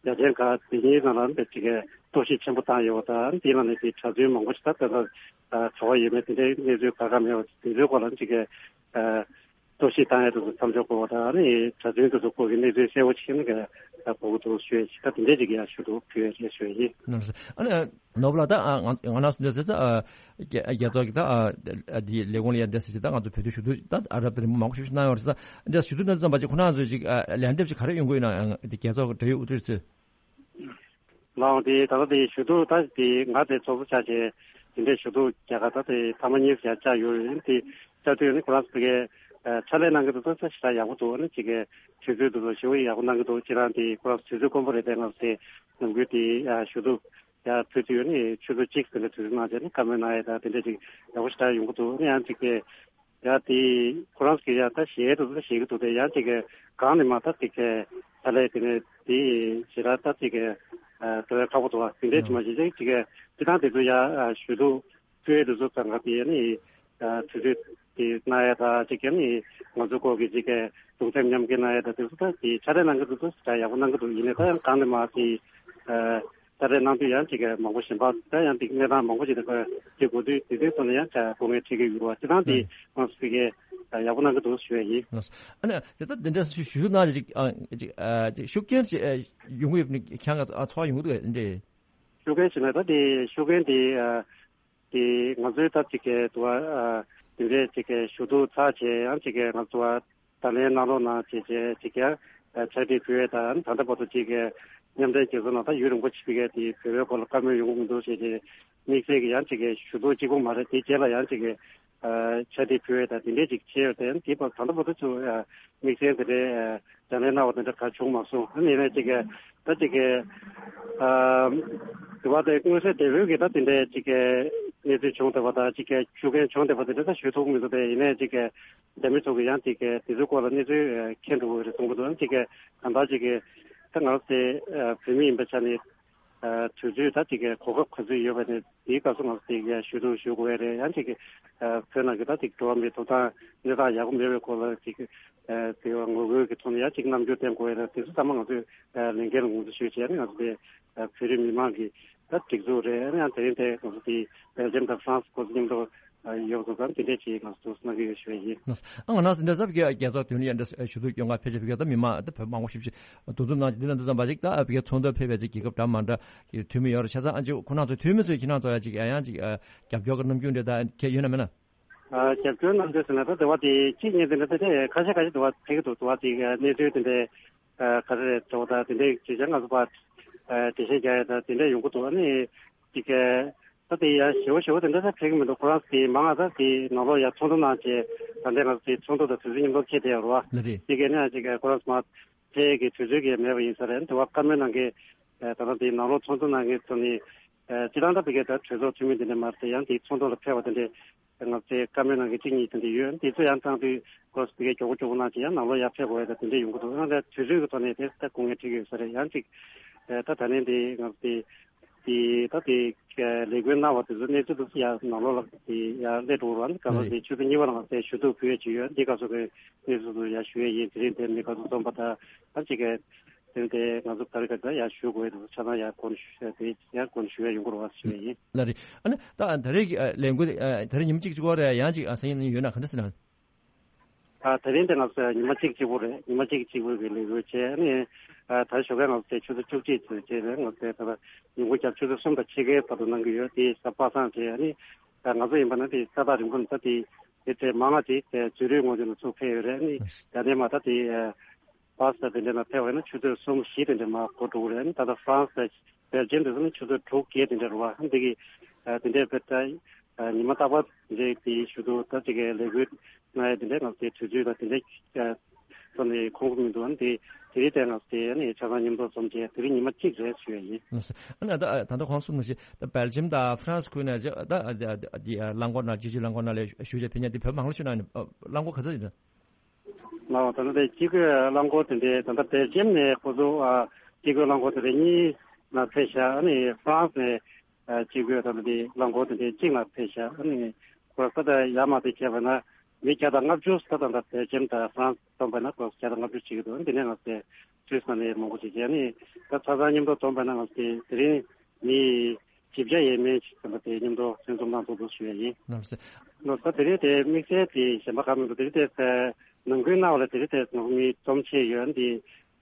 དང་རྒྱ་ཆེན་ཁག་དེ་གཉིས་ནང་ལ་ནི་ཅིག་གཏོར་བཤིག་ཆེན་པོ་བཏང་ཡོད་པ་དང་དེ་ལ་ནི་དེ་གྲྭ་བཙུན་མང་པོ་ཞིག་ད་ལྟ་ག་བ་ཡོད་མེད་དེ་འདྲའི་གནས་ཚུལ་ག་ག་མེད་པ་དེ་ཚོའི་སྐོར་ལ་ཅིག་གཏོར་བཤིག་བཏང་ཡས་དེ་ཚོ་མཚམས་འཇོག་དགོས་པ་དང་ནི་གྲྭ་བཙུན་དེ་ཚོ་སྐོར་གྱི་གནས་ཚུལ་གསལ་པོ་ཅིག་ནི་ག་གོ་གི་འདུག་ཞུ་ཡས་ཅིག་ད་དེ་འདྲའི་ཅིག་ཡང་ཞུ་འདུག་ཞུ་ཡས་ཞུ་ཡས་ཡིན། ནོར་བུ་ལགས་ད་ང་ང་ནང་སུ་འདྲ་ཟེར་ཙང་རྒྱ་རྒྱལ་ཚོགས་ཀྱི་ད་འདི་ལས་ཁུངས་ལ་ཡང་འདྲ་ཟེར་ཅིག་ད་ང་ཚོ་བོད་དུ་ཞུ་གཏུག་ད་ཨ་རབ་དེ་རིང་མང་པོ་ཞིག་གནང་ཡོད་རེད་ཙང་འདྲ་ཞུ་གཏུག་གནང་དུས་ཙམ་པ་ཅིག་ཁོ་རང་ཚོས་ཅིག་ལན་འདེབས་ཅིག་ག་རེ་ཡོང་གི་ཡོད་ན་ཡང་དེ་རྒྱལ་ཚོགས་འབྲེལ་ཡོད་དབུ་ཁྲིད་ཚོས། ལའང་དེ་ད་ལྟ་དེ་ཞུ་གཏུག་ད་དེ་ང་དེ་ཚོགས་གཙོ་ཆགས་བྱས་དེ་འདྲའི་ཞུ་གཏུག་རྒྱ་གར་ད་དེ་ཐེངས་མ་གཉིས་ཡང་བཅར་ཡོད་རེད། དེ་བཅར་དུས་ནི་ཁོ་རང་ཚོ་གིས་ཕྱག་ལས་གནང་གི་འདུག་ད་ཞེ་དྲག་ཡག་པོ་འདུག་ནི་ཅིག་གི་དུས་ཚོད་འདུག་ལ་ཞེ་པོ་ཡག་པོ་གནང་གི་འདུག་ཅེས་རང་དེ་ཁོ་རང་ཚོ་དུས་ཚོད་དཀོན་པོ་རེད། དེ་ང་ཚོ་དེ་ནམ་རྒྱུན་དེ་ཞུ་གཏུག་ཡར་ཕུལ་དུས་ནི་ཆུ་ཚོད་གཅིག་དེ་འདྲ་དུས་ཚོད་གནང་བྱས་ནི་བཀའ་མོལ་གནང་ཡས་ད་དེ་འདྲ་ཅིག་ཡག་པོ་ཞེ་དྲག་ཡོང་གི་འདུག་ནི་ཡང་ཅིག་གི་ཡ་དེ་ཁོ་རང་ཚོ་གིས་ཡ་ད་ཞེད་འདུག་ད་ཞེད་ཀྱི་འདུག་དེ་ཡང་ཅིག་གི་གང་ནས་མ་ད་ཅིག་གི་ད་ལས་དེ་ནས་དེ་ཞེ་དྲག་ད་ཅིག་གི་འགྲོ་ཡ་ཁག་པོ་འདུག་བ། དེ་འདྲས་ཅིག་མ་བྱེད་ཅིག་ཅིག་གི་དེ་དང་དེ་ཚོ་ཡ་ཞུ་གཏུག་ཕུལ་ཡས་དེ་ཚོ་ཚང་ག་དེ་ནི་དུས་ཚོད་དེ་གནང་ཡ་ད་ཅིག་གི་ནི་ང་ཚོ་སྐོར་གྱི་ཅིག་གི་གདུང་སེམས་མཉམ་སྐྱེད་གནང་ཡ་ད་དེ་ཚོ་ད་དེ་ཕྱག་ལས་གནང་གི་འདུག་ད་ཡག་པོ་གནང་གི་འདུག་ཡིན་ནའི་ད་ཡང་གང་ནས་མ་དེ། ད་རེས་གནང་དུས་ཡང་ཅིག་མང་པོ་གཞན་པ་ད་ཡང་ཅིག་གནས་སྟངས་མང་པོ་ཞིག་དང་དེ་གོ་དུས་དེ་དུས་ཚོ་ནས་ཡང་ཅིག་སྐུ་ངལ་འཕྲད་ཀྱི་ཡོད་རེད་བ། དེ་དང་དེ་ང་ཚོ་ཕ་གིར་ཡག་པོ་གནང་གི་འདུག་ཞུ་ཡ་ཡིན། ཨ་ནི་དེ་ལྟར་དེ་འདྲ་ཞུ་ཞུ་གནང་ཅིག་ཅིག་ཅིག་ཤུགས་རྐྱེན་ཅིག་ཡོང་གི་ཡོད་ནི་ཁྱེད་རང་ཚོ་ཡོང་གི་འདུག་འདྲ། ཤུགས་རྐྱེན་ཞེ་ན་ད་དེ་ཤུགས་རྐྱེན་དེ་དེ་ང་ཚོའི་ད་ཅིག་གི་དུ་བ་དེ་འདྲས་ཅིག་གི་ཞུ་གཏུག་ཚར་བྱས་ཡང་ཅིག་གི་ང་ཚོ་བ། ད་ལན་གནང་རོགས་གནང་བྱས་བྱས་ཅིག་ཀྱང་ཕྱག་བྲིས་ཕུལ་ཡས་དང་ད་ལྟ་བར་དུ་ཅིག་གི་མཉམ་འབྲེལ་རྒྱལ་ཚོགས་ནང་ད་ཡུན་རིང་པོ་ཕྱིན་པའི་དེ་བོད་པའི་སྐོར་ལ་བཀའ་མོལ་ཡོང་གི་མི་འདུག་ཞེས་ཀྱི་དམིགས་བསལ་གྱི་ཡང་ཅིག་གི་ཞུ་གཏུག་གཅིག་པོ་མ་རེད། དེ་རྗེས་ལ་ཡང་ཅིག་གི་ཕྱག་བྲིས་ཕུལ་ཡས་དང་དེ་འདྲས་ཅིག་བྱས་ཡོད་དེ་དེ་བར་ད་ལྟ་བར་དུ་ཚུར་དམིགས་བསལ་དེ་འདྲའི་ལན་གནང་བ་དེ་འདྲ་གང་བྱུང་མ་སོང་། ཨ་ནི་ཡིན་ནའི་ཅིག་གི་ད་ཅིག་གི་དུ་བ་དེ་མངོན་གསལ་དོད་པོའི་གི་ད་དེ་འདྲའི་ཅིག་གི་གནས་ཚུལ་བྱུང་བསྡད་པ་དང་ཅིག་གི་ཤུགས་རྐྱེན་བྱུང་བསྡད་པ་དེ་འདྲ་ད་ཞུ་ཐུབ་མི་འདུག་དེ་ཡིན་ནའི་ཅིག་གི་རྒྱ་མི་ཚོ་གི་ཡང་ཅིག་གི་དེ་ཚོའི་སྐོར་ལ་གནས་ཚུལ་མཁྱེན་འགྲོ་གི་རེད་གསུང་གི་འདུག་ཅིག་གི་གང་ལྟར་ཅིག་གི་ད་ང་རང་ཚོ་བོད་མི་ཡིན་པའི་ཆ་ནས་དུས་ཚོད་ད་ཅིག་གི་གོ་སྐབས་ག་ཚོད་ཡོད་པ་ནས་དེའི་སྐབས་སུ་ང་ཚོ་ཅིག་གི་ཞུ་གཏུག་ཞུ་དགོས་ཡ་རེད། ཡང་ཅིག་གི་བོད་ནང་གི་ད་ཅིག་འགྲོ་བ་མིའི་ཐོབ་ཐང་གནས་སྟངས་ཡག་པོ་མེད་པའི་སྐོར་ལ་ཅིག་དེ་བ་ངོ་རྒོལ་གྱི་ཐོག་ནས་ཡང་ཅིག་རྣམ་འགྱུར་བསྟན་དགོས་ཡ་རེད། དེ་ཚོ་ཚང་མ་ང་ཚོས་ལས་འགན་ལ་ངོས་འཛིན་ཞུས་བྱས་ནས་ང་ཚོ་དེ་བོད་རིགས་མི་མང་གི་ད་སྒྲིག་འཛུགས་རེད། ཨ་ནི་ཡང་དེ་རིང་དེ་ང་ཚོ་དེ་སྦེལ་ཇམ་དང་ཧྥ་རན་སི་སྐོར་མཉམ་དུ་ཡོད་པ་ཚོ་དང་དེ་འདྲས་ཅིག་ང་ཚོ་གནང་གི་ཡོད་ཞུ་བ་ཡིན། ཨ་ང་རང་ཚོ་འདྲ་ཟབ་ཀྱི་རྒྱལ་ཚོགས་དོན་ལ་ཡང་འདྲ་ཞུ་གཏུག་སྐྱོང་ག་ཕེབས་ཀྱི་ཡོད། ད་མི་མང་ད་བོད་མང་པོ་ཞིག་ཞིག་འདུ་འཛོམས་གནང་འདི་ལ་འདུ་འཛོམས་པ་ཞིག་ད་བོད་ཀྱི་ཚོགས་འདུ་ཕེབས་པའི་ཅིག་རྒྱལ་ཁབ་འདྲ་མ་འདྲ་གི་འཐུས་མི་ཡོད་རེད། བྱས་ཙང་ཨ་ཅིག་ཁོ་རང་ཚོ་འཐུས་མི་ཚོས་ཁྱེད་རང་ཚོ་ཡ་ཅིག་ཡང་ཅིག་རྒྱབ་སྐྱོར་གྱི་རྣམ་འགྱུར་འདྲ་ད་ཁྱེད་ཡོད་ན་མེད་ན། རྒྱབ་སྐྱོར་གནང་འདོད་ཟེར་ན་ད་དེ་བ་དེ་གཅིག་གཉིས་དེ་འདྲ་དེ་འདྲ་ཁ་ཤས་ཁ་ཤས་དེ་བ་ཕེབས་ཀྱི་འདུག་དེ་བ་དེ་གནས་ཚུལ་དེ་འདྲའི་ག་རེ་རེད་འགྲོ་ད་དེ་འདྲའི་ཅིག་ཀྱང་ང་ཚོ་བ་འགྲེལ་བཤད་རྒྱག་ཡ་ད་དེ་འདྲ་ཡོང་གི་འདུག་ཨ་ནི་ཅིག་ད་དེ་ཡ་ཞེ་བོ་ཞེ་བོ་དེ་འདྲ་ད་ཕེབས་ཀྱི་མི་འདུག་ཁོ་རང་དེ་མང་ང་ད་དེ་ནང་ལོགས་ཡ་ཚོགས་འདུ་གནང་བྱས་ད་འདྲ་ང་ཚོ་དེ་ཚོགས་འདུ་དང་དུས་ཚོད་མཉམ་དུ་འཁེལ་བསྡད་ཡོད་རེད་བ། ལ་རེད། དེ་གས་ནས་ཅིག་ཁོ་རང་ཚོ་མ་ཕེབས་ཀྱི་དུས་ཚོད་ཀྱི་མེད་པ་ཡིན་ས་རེད། དེ་བ་བཀའ་མོལ་གནང་མཁན་ད་ལྟ་དེ་ནང་ལོགས་ཚོགས་འདུ་གནང་མཁན་ཚོ་ནི་སྤྱི་བཏང་ད་ཕ་གི་ད་གྲོས་ཚོགས་འཐུས་མི་དེ་འདྲ་མ་རེད་དེ་ཡང་དེ་ཚོགས་འདུ་ལ་ཕེབས་པ་དེ་འདྲས་ང་ཚོས་བཀའ་མོལ་གནང་མཁན་གཅིག་གཉིས་དེ་འདྲས་ཡོད། དེ་ཚོ་ཡང་བཏང་དུས་ཁོ་ཚོ་ཕ་གི་མགྱོགས་པོ་མགྱོགས་པོ་གནང་བྱས་ཡང་ནང་ལོགས་ཡར་ཕེབས་དགོས་ཡ་ད་དེ་འདྲས་ཡོང་གི་འདུག་ཡང་ད་དུས་ཚོད་ཀྱི་ཐོག་ནས་དེ་ད་དཀའ་ངལ་འཕྲད་ཀྱི་ཡོད་ས་རེད། ཡང་ཅིག་ད་ད་ནས་དེ་ང་ཚོ་དེ་དེ་ད་དེ་ལས་འགུལ་གནང་བ་དེ་ཚོ་གནས་ཚུལ་དེ་ཚོ་ཡར་ནང་ལོགས་ལ་དེ་ཡར་སླེབས་འགྲོ་གི་རེད་བ། ག་ལ་དེ་ཆུ་ཚོད་གཉིས་པ་ལ་ང་ཚོས་ཞུ་གཏུག་ཕུལ་ཡ་ཅིག་ཡོད། འདི་སྐབས་སུ་གི་གནས་ཚུལ་དེ་ཚོ་ཡར་ཞུ་ཡ་ཡིན། དེ་རིང་དེ་མི་ཁ་ཚོ་འཛོམས་པ་ད་ད་ཅིག་གི་དེ་ང་ཚོ་ད་རེས་ཀ་ད་ཡར་ཞུ་དགོས་འདུག་ཆ་ཚང་ཡར་སྐོར་ནས་ཞུ་དེ་ཡར་སྐོར་ནས་ཞུ་ཡ་ཡོང་དགོས་རེད་བ་ཞུ་ཡ་ཡིན། ལགས་རེད། ཨ་ནི་ད་ད་རེས་ཀྱི་ཨ་ལས་འགུལ་དེ་ཨ་ད་རེས་ཉི་མ་གཅིག་གཅིག་པོ་རེད། ཡང་གཅིག་ཨ་སང་ཉིན་ཡོད་ན་ག་འདྲ་ཟེར་ན། ཨ་ད་རིང་དེ་ང་ཚོ་ཉི་མ་གཅིག་གཅིག་པོ་རེད། ཉི་མ་གཅིག་གཅིག་པོ་གི་ལས་འགུལ་བྱས་ཨ་ནི་ཨ་ད་ཞོགས་ཀས་ང་ཚོ་དེ་ཆུ་ཚོད་བཅུ་གཅིག་ཙམ་བྱས་རེད། ང་ཚོ་དེ་ད་ལྟ་ཉིན་གུང་རྒྱབ་ཆུ་ཚོད་གསུམ་དང་ཕྱེད་ཀའི་བར་དུ་གནང་གི་ཡོད། དེ་གཟའ་པ་སངས་བྱས་ཨ་ནི་ཨ་ང་ཚོ་ཡིན་པ་ན་དེ་ས་ཐག་རིང་པོ་ནས་ད་དེ་དེ་དེ་མང་ང་དེ་དེ་ཛུ་རིག་ངོས་ནས་ཚུར་ཕེབས་ཡོད་རེད། ཨ་ནི་ད་ནས་མ་ད་དེ་ཨ་བྷ་སི་དང་དེ་འདྲ་ནང་ཕེབས་པ་ཡིན་ན་ཆུ་ཚོད་གསུམ་བཞི་དེ་འདྲ་མར་འགོར་འགྲོ་གི་རེད། ཨ་ནི་ད་ལྟ་ཧྥ་རན་སི་དང་སྦེལ་ཇམ་དེ་ཚོ་ནི་ཆུ་ཚོད་དྲུག་བརྒྱད་དེ་འདྲ་རེད་བ། ཨ་ནི་དེ་གི་ཨ་དེ་འདྲའི་བེད་ད་ཨ་ཉི་མ་རྟག་པར་དེ་འདྲའི་དེའི་ཞུ་གཏུག་ད་ཅིག་གི་ལས་འགུལ་གནང་ཡ་དེ་འདྲའི་ང་ཚོ་དེ་དུས་ཚོད་དང་དེ་འདྲའི་ཨ་ཙམ་ནས་ཁོམ་གི་མི་འདུག་ཨ་ནི་དེ་དེ་རིང་དེ་ང་ཚོ་དེ་ཨ་ནི་ཆ་ཚང་མཉམ་དུ་འཛོམས་བྱས་དེ་རིང་ཉི་མ་གཅིག་རེད་ཞུ་ཡ་ཡིན། ལགས་སོ། ཨ་ནི་ད་ད་ལྟ་གོང་གསུངས་ནང་བཞིན་ད་སྦེལ་ཇམ་དང་ཧྥ་རན་སི་ཁུལ་ནས་ད་ཨ་ཨ་ཨ་རླངས་འཁོར་ནང་སྤྱི་སྤྱོད་རླངས་འཁོར་ནང་ལ་བཞུགས་བྱས་ཕེབས་མཁན་དེ་བོད་མང་ལ་ཞུ་ན་ནི་ཨ་རླངས་འཁོར་ག་ཚོད་ཡིན་ན། ལགས་ད་ལྟ་དེ་སྤྱི་སྒོས་རླངས་འཁོར་དེ་འདྲའི་ད་ལྟ་སྦེལ་ཇམ་ནས་ཁོ་ཚོ་ཨ་སྤྱི་སྒོས་རླངས་འཁོར་དེ་འདྲའི་གཉིས་ལ་ཕེབས་ཤག་ཨ་ནི་ཧྥ་རན་སི་ནས་ཨ་སྤྱི་སྒོས་ད་ལྟ་དེ་རླངས་འཁོར་དེ་འདྲའི་གཅིག་ལ་ཕེབས་ཤག་ཨ་ནི་ཁོ་ར་ས་ད་ཡར་མར་དེ་བྱས་པ་ན་མི་བརྒྱ་དང་ལྔ་བཅུ་ས་ད་ལྟ་སྦེལ་ཇམ་དང་ཧྥ་རན་སི་བསྡོམས་པ་ན་ཁོ་ར་བརྒྱ་དང་ལྔ་བཅུ་ཅིག་འདུག་དེ་ནས་ང་ཚོ་སུད་སི་ནང་ནས་མང་པོ་ཅིག་བྱས་ཨ་ནི་ད་ཆ་ཚང་མཉམ་དུ་བསྡོམས་པ་ན་ང་ཚོ་དེ་དེ་རིང་མི་བཞི་བརྒྱ་ཡས་མས་ཅིག་ཙམ་པ་དེ་མཉམ་དུ་ལྷན་འཛོམས་གནང་ཐུབ་འདུག་ཞུ་ཡ་ཡིན། ལགས་སོ། ལགས་སོ། དེ་རིང་དེ་དམིགས་བསལ་དེ་གཞན་པ་གང་མི་འདུག་དེ་རིང་དེ་ནང་ཁུལ་གནང་བ་ལ་དེ་རིང་དེ་ནང་མི་འཛོམས་ཆེ་ཡོད། འདི་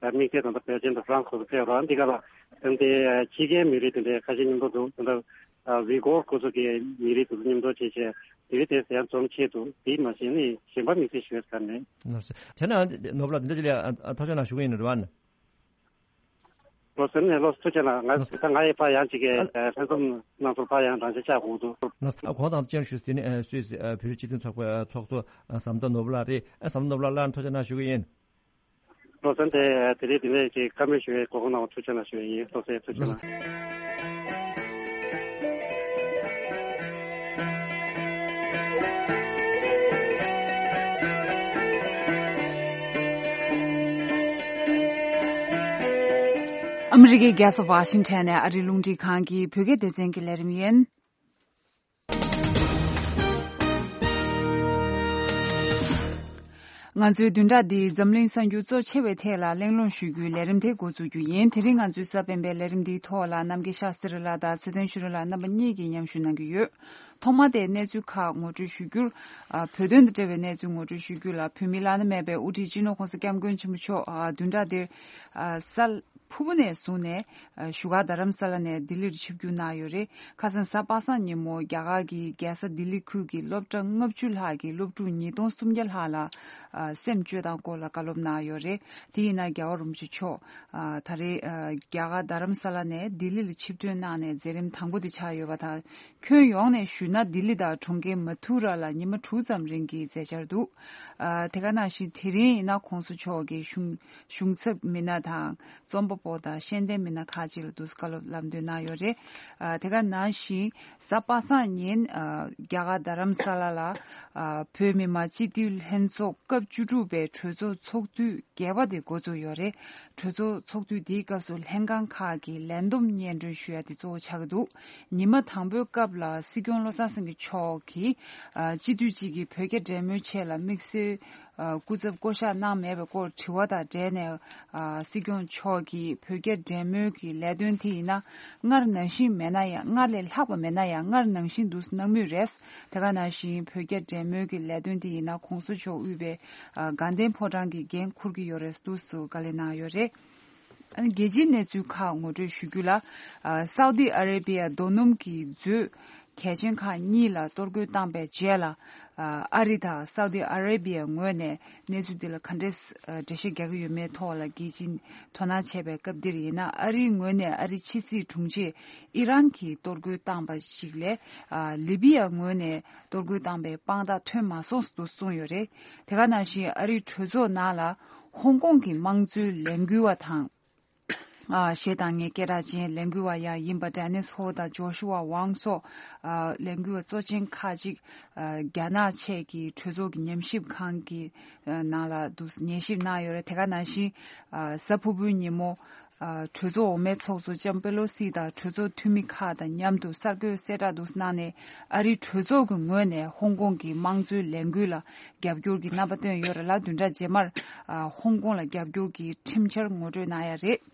དམིགས་བསལ་ད་ལྟ་སྦེལ་ཇམ་དང་ཧྥ་རན་སི་ཁོ་ཚོ་ཕེབས་རོགས། འདི་ག་ལ་དེ་རིང་དེ་ཕྱི་རྒྱལ་མི་རིགས་དེ་འདྲའི་ཁ་ཤས་མཉམ་དུ་འདུག་ད་ལྟ་ཝི་གོར་ཁོ་ཚོ་གི་མི་རིགས་དེ་ཚོ་མཉམ་དུ་བྱས་བྱས་དེ་རིང་དེ་ཡང་འཛོམས་ཆེ་འདུག་དེ་མ་གཞི་ནི་གཞན་པ་དམིགས་བསལ་ཞུ་ཡ་ག་ནས། ལགས་སོ། དེ་ན་ནོར་བུ་ལགས་འདི་འདྲ་ཅིག་ལ་ཐག་གཅོད་གནང་ཞུ་གི་ཡིན་རེད་བ། ལོ་སེམས་ནས་ལོ་ཐུགས་རྗེ་གནང་། ང་ད་ང་ཡི་ཕ་ཡང་ཅིག་གི་ལྷན་འཛོམས་གནང་ཚུལ་ཕ་ཡང་རང་ཆ་ཆགས་དགོས་འདུག་ལགས་སོ། གོང་དང་ཅན་ཞུ་ཟིན་ནས་སུད་སི་བོད་རིགས་སྤྱི་མཐུན་ཚོགས་པའི་ཚོགས་གཙོ་ཟམ་གདོང་ནོར་བུ་ལགས་རེད། ཟམ་གདོང་ནོར་བུ་ལགས་ལ་ཐུགས་རྗེ་གནང་ཞུ་གི་ཡིན། ལོ་སེམས་དེ་དེ་རིང་དེ་ནས་ཅིག་བཀའ་མོལ་ཞུ་བའི་གོ་སྐབས་གནང་བ་ཐུགས་རྗེ་གནང་ཞུ་བ་ཡིན། ལོ་སེམས་ཐུགས་རྗེ་གནང་། ཨ་མི་རི་ཀའི་རྒྱལ་ས་ཝ་ཤིང་ཊོན་ནས་ཨ་རིའི་རླུང་འཕྲིན་ཁང་གི་བོད་སྐད་སྡེ་ཚན་གྱི་ལས་རིམ་ཡིན། ང་ཚོའི་བདུན་ཕྲག་འདིའི་འཛམ་གླིང་གསར་འགྱུར་གཙོ་ཆེ་བའི་ཐད་ལ་གླེང་སློང་ཞུ་རྒྱུའི་ལས་རིམ་དེ་འགོ་འཛུགས་རྒྱུ་ཡིན། དེ་རིང་ང་ཚོའི་གསར་སྤེལ་བའི་ལས་རིམ་འདིའི་ཐོག་ལ་རྣམ་རྒྱལ་ཤཱ་སི་རི་ལགས་དང་ཚེ་བརྟན་ཆོས་སྒྲོན་ལགས་རྣམ་པ་གཉིས་ཀྱིས་མཉམ་ཞུགས་གནང་གི་ཡོད། ཐོག་མར་དེ་གནས་ཚུལ་ཁག་ངོ་སྤྲོད་ཞུ་རྒྱུར། ཨ། བོད་དོན་དང་འབྲེལ་བའི་གནས་ཚུལ་ངོ་སྤྲོད་ཞུ་རྒྱུ་ལ་བོད་མིའི་བླ་ན་མེད་པའི་དབུ་ཁྲིད་སྤྱི་ནོར་༸གོང་ས་༸སྐྱབས་མགོན་ཆེན་པོ་མཆོག་ཨ། བདུན་ཕྲག་འདིར། ཨ། ས་ཕུ་བོ་ནས་བཟུང་ནས། ཨ། བཞུགས་སྒར་རྡ་རམ་ས་ལ་ནས་ལྡི་ལིར་ཆིབས་བསྒྱུར་གནང་ཡོད་རེད། ཁ་སང་གཟའ་པ་སངས་ཉིན་མོ་རྒྱ་གར་གྱི་རྒྱལ་ས་ལྡི་ལི་ཁུལ་གྱི་སློབ་གྲྭ་ལྔ་བཅུ་ལྷག་གི་སློབ་ཕྲུག་ཉིས་སྟོང་སུམ་བརྒྱ་ལྷག་ལ། ཨ། སེམས་བཅོས་སྟངས་སྐོར་ལ་བཀའ་སློབ་གནང་ཡོད་རེད། དེ་ཡིན་ན་རྒྱལ་བ་རིན་པོ་ཆེ་མཆོག་ཨ། ད་རེས། ཨ། རྒྱ་གར་རྡ་རམ་ས་ལ་ནས་ལྡི་ལི་ལ་ཆིབས་ཐོན་གནང་ནས་མཛད་རིམ་དང་པོ་དེ་ཆགས་ཡོད་པ་དང་། ཁྱོན་ཡོངས་ནས་ཞུས་ན་ལྡི་ལི་དང་གྲོང་ཁྱེར་མ་ཐུ་ར་ལ་ཉི་མ་དྲུག་ཙམ་རིང་གི་མཛད་འཆར་འདུག་ཨ། དེ་ག་ནང་བཞིན་དེ་རིང་ཡིན་ན་༸གོང་ས་མཆོག་གི་གཞུང་གཞུང་ཚབ་མི་སྣ་དང་རྩོམ་པ་པོ་དང་ཤེས་ལྡན་མི་སྣ་ཁག་ཅིག་ལ་འདུག་སེ་བཀའ་སློབ་ལམ་སྟོན་གནང་ཡོད་རེད། ཨ། དེ་ག་ནང་བཞིན་གཟའ་པ་སངས་ཉིན། ཨ། རྒྱ་གར་རྡ་རམ་ས་ལ་ལ། ཨ། བོད་མི་མང་སྤྱི་འཐུས་ལྷན་ཚོགས་སྐབས་བཅུ་དྲུག་པའི་གྲོས་ཚོགས་ཚོགས་དུས་བརྒྱད་པ་དེ་འགོ་འཛུགས་ཡོད་རེད། གྲོས་ཚོགས་ཚོགས་དུས་འདིའི་སྐབས་སུ་ལྷན་ཁང་ཁག་གི་ལས་བསྡོམས་སྙན་སྒྲོན་ཞུ་ཡ་དེ་གཙོ་བོ་ཆགས་ཀྱི་འདུག་ཉི་མ་དང་པོའི་སྐབས་ལ་སྲིད་སྐྱོང་བློ་བཟང་སེང་གེ་མཆོག་གིས། ཨ། སྤྱི་འཐུས་གཅིག་གིས་བོད་རྒྱ་འབྲེལ་མོལ་ཆེད་ལ་དམིགས་བསལ། ཨ། སྐུ་ཚབ་བསྐོ་གཞག་གནང་མེད་པའི་སྐོར་དྲི་བ་དང་འབྲེལ་ནས། ཨ། སྲིད་སྐྱོང་མཆོག་གིས་བོད་རྒྱ་འབྲེལ་མོལ་གྱི་ལས་དོན་དེ་ཡིན་ན་སྔར་ནང་བཞིན་མེད་ན་ཡང་སྔར་ལས་ལྷག་པ་མེད་ན་ཡང་སྔར་ནང་བཞིན་འདུག་སེ་གནང་མུས་རེད། དེ་ག་ནང་བཞིན་བོད་རྒྱ་འབྲེལ་མོལ་གྱི་ལས་དོན་དེ་ཡིན་ན་༸གོང་ས་མཆོག་དབུས་པའི། ཨ། དགའ་ལྡན་ཕོ་བྲང་གི་འགན་འཁུར་གྱི་ཡོད་རེད་འདུག་སེ་བཀའ་ལན་གནང་ཡོད་རེད། ཨ་ནི་རྒྱལ་སྤྱིའི་གནས་ཚུལ་ཁག་ངོ་སྤྲོད་ཞུ་རྒྱུ་ལ། ཨ། སའུ་ཏི་ཨ་རེ་བི་ཡ་རྡོ་སྣུམ་གྱི་མཛོད་གལ་ཆེན་ཁག་གཉིས་ལ་གཏོར་རྒོལ་བཏང་པའི་རྗེས་ལ། ཨ། ཨ་རི་དང་སའུ་ཏི་ཨ་རེ་བི་ཡ་ངོས་ནས་གནས་ཚུལ་འདི་ལ་ག་འདྲས། ཨ། འགྲེལ་བཤད་རྒྱག་གི་ཡོད་མེད་ཐོག་ལ་རྒྱལ་སྤྱིས་དོ་སྣང་བྱས་པའི་སྐབས་འདིར་ཡིན་ན། ཨ་རིའི་ངོས་ནས་ཨ་རིའི་ཕྱི་སྲིད་དྲུང་ཆེ་ཨི་རན་གྱིས་གཏོར་རྒོལ་བཏང་པ་ཞིག་ལས། ཨ། ལི་བི་ཡ་ངོས་ནས་གཏོར་རྒོལ་བཏང་པའི་དཔང་རྟགས་ཐོན་མ་སོང་ཟེར་དུ་གསུངས་ཡོད་རེད། དེ་ག་ནང་བཞིན་ཨ་རིའི་གྲོས་ཚོགས་ནང་ལ་ཧོང་ཀོང་གི་དམངས་གཙོའི་ལས་འགུལ་བ་དང་། ཨ་གཞས་བཏང་མཁན་སྐད་གྲགས་ཅན་ལས་འགུལ་བ་ཡང་ཡིན་པ་ཌེ་ནིས་ཧོ་དང་ཇོ་ཤུ་ཝ་ཝང་སོགས་ཨ་ལས་འགུལ་བ་གཙོ་ཆེན་ཁག་ཅིག་ཨ་རྒྱ་ནག་ཆེད་ཀྱི་གྲོས་ཚོགས་ཀྱི་ཉམས་ཞིབ་ཁང་གི་ཨ་ནང་ལ་འདུག་ཉན་ཞིབ་གནང་ཡོད་རེད། དེ་ག་ནང་བཞིན་ཨ་གཟའ་ཕུར་བུའི་ཉིན་མོ་ཨ་གྲོས་ཚོགས་འོག་མའི་ཚོགས་གཙོ་ལྕམ་པེ་ལོ་སི་དང་གྲོས་ཚོགས་འཐུས་མི་ཁག་དང་མཉམ་དུ་གསར་འགོད་གསལ་བསྒྲགས་འདུག་གནང་ནས་ཨ་རིའི་གྲོས་ཚོགས་ཀྱི་ངོས་ནས་ཧོང་ཀོང་གི་དམངས་གཙོའི་ལས་འགུལ་ལ་རྒྱབ་སྐྱོར་གྱི་རྣམ་པ་བཏོན་ཡོད་རེད་ལ། བདུན་ཕྲག་རྗེས་མར་ཨ་ཧོང་ཀོང་ལ་རྒྱབ་སྐྱོར་གྱི་ཁྲིམས་འཆར་ངོ་སྤྲོད་གནང་ཡ་རེད།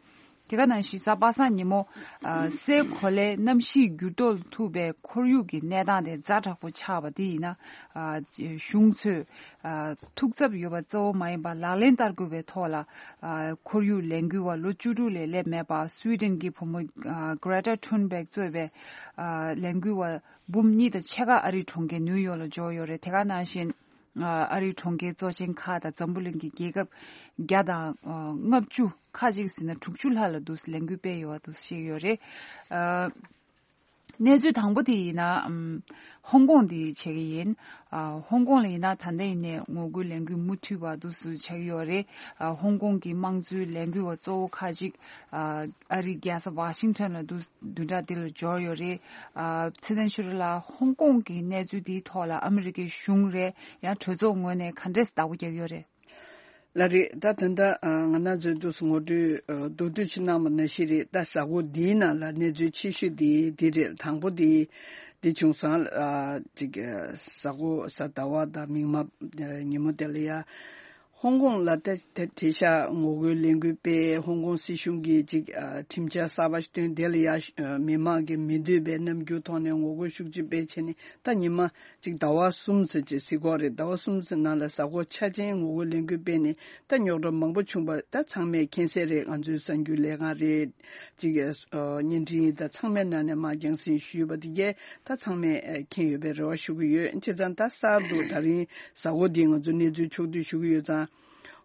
དེ་ག་ནང་བཞིན་གཟའ་པ་སངས་ཉིན་མོ་ཨ་སའི་གོ་ལའི་གནམ་གཤིས་འགྱུར་ལྡོག་ལ་ཐུག་པའི་ཁོར་ཡུག་གི་གནས་སྟངས་དེ་ཛ་དྲག་པོ་ཆགས་པ་དེ་ཡིན་ན་ཨ་གཞུང་ཚོས་ཨ་ཐུགས་འཚབ་ཡོད་པ་གཙོ་བོ་མ་ཡིན་པར་ལག་ལེན་བསྟར་དགོས་པའི་ཐོག་ལ་ཨ་ཁོར་ཡུག་ལས་འགུལ་བ་ལོ་བཅུ་དྲུག་ལས་སླེབས་མེད་པ་སུའི་ཌེན་གྱི་བུ་མོ་ཨ་Greta Thunberg་གཙོས་པའི་ཨ་ལས་འགུལ་བ་འབུམ་གཉིས་དང་ཕྱེད་ཀ་ཨ་རིའི་གྲོང་ཁྱེར་ནིའུ་ཡོག་ལ་འབྱོར་ཡོད་རེད། དེ་ག་ནང་བཞིན། ཨ་རིའི་གྲོང་ཁྱེར་གཙོ་ཆེན་ཁག་དང་འཛམ་བུ་གླིང་གི་རྒྱལ་ཁབ་བརྒྱ་དང་ཨ་ལྔ་བཅུ་ཁ་ཅིག་ཟིན་ན་དྲུག་ཅུ་ལྷག་ལ་འདུག་ལས་འགུལ་སྤེལ་ཡོད་པ་འདུག་བཤད་ཡོད་རེད། ཨ་གནས་ཚུལ་དང་པོ་དེ་ཡིན་ན་ཨམ་ཧོང་ཀོང་དེ་བྱེད་ཀྱི་ཡིན། ཨ་ཧོང་ཀོང་ལ་ཡིན་ན་ད་ལྟ་ཡིན་ནའི་ངོ་རྒོལ་ལས་འགུལ་མུ་མཐུད་པ་འདུག་སུ་ཆགས་ཀྱི་ཡོད་རེད། ཨ་ཧོང་ཀོང་གི་དམངས་གཙོའི་ལས་འགུལ་བ་གཙོ་བོ་ཁ་ཅིག་ཨ་ཨ་རིའི་རྒྱལ་ས་ཝ་ཤིང་ཊོན་ལ་འདུག་བདུན་ཕྲག་འདི་ལ་འབྱོར་ཡོད་རེད། ཨ་ཚེ་བརྟན་ཆོས་སྒྲོན་ལགས། ཧོང་ཀོང་གི་གནས་ཚུལ་འདིའི་ཐོག་ལ་ཨ་མི་རི་ཀའི་གཞུང་རེད་ཡང་གྲོས་ཚོགས་ངོས་ནས་ག་འདྲས་བདག་པོ་རྒྱག་ཡོད་རེད། ལགས་རེད། ད་ད་ལྟ་ཨ་ང་རང་ཚོའི་འདུག་སེ་ངོ་སྤྲོད་ཨ་མདོར་བསྡུས་ཅིག་གནང་བ་ནང་བཞིན་རེད། ད་གཟའ་འཁོར་འདིའི་ནང་ལ་གནས་ཚུལ་ཆེ་ཤོས་འདི་འདི་རེད། དང་པོ་འདི་འདི་བྱུང་སོང་། ཨ་ཅིག་ཨ་གཟའ་འཁོར་གཟའ་ཟླ་བ་དང་མིག་དམར་ཨ་ཉིན་མོ་དེ་ལ་ཡ། ཧོང་ཀོང་ལ་ད་ད་དེ་ཤ་ངོ་རྒོལ་ལས་འགུལ་སྤེལ། ཧོང་ཀོང་སྲིད་གཞུང་གིས་ཅིག་ཨ་ཁྲིམས་འཆར་གསར་པ་ཞིག་བཏོན། དེ་ལ་ཡ་ཨ་མི་མང་གི་མི་འདོད་པའི་རྣམ་འགྱུར་ཐོག་ནས་ངོ་རྒོལ་ཤུགས་ཆེ་སྤེལ་བྱས་ནས་ད་ཉི་མ་ཅིག་ཟླ་བ་གསུམ་ཙམ་ཅིག་ཟེར་གྱི་ཡོད་རེད། ཟླ་བ་གསུམ་ཙམ་ནང་ལ་གཟའ་འཁོར་ཆ་ཅན་ངོ་རྒོལ་ལས་འགུལ་སྤེལ་ནས་ད་རྙོག་དྲ་མང་པོ་བྱུང་བ་ད་ཚང་མས་མཁྱེན་གསལ་རེད། ང་ཚོའི་གསར་འགྱུར་ལས་ཁང་རེད། ཅིག་ཨ་བརྙན་འཕྲིན་ད་ཚང་མའི་ནང་ནས་མར་རྒྱང་སྲིང་ཞུས་པ་དེ་གས་ད་ཚང་མས་ཨ་མཁྱེན་ཡོད་པའི་རེ་བ་ཞུ་གི་ཡོད། བྱས་ཙང་ད་གསར་དུ་ད་རིང་གཟའ་འཁོར་འདི་ང་ཚོ་གནས་ཚུལ་ཕྱོགས་བསྡུས་ཞུ་གི་ཡོད་ཙང་།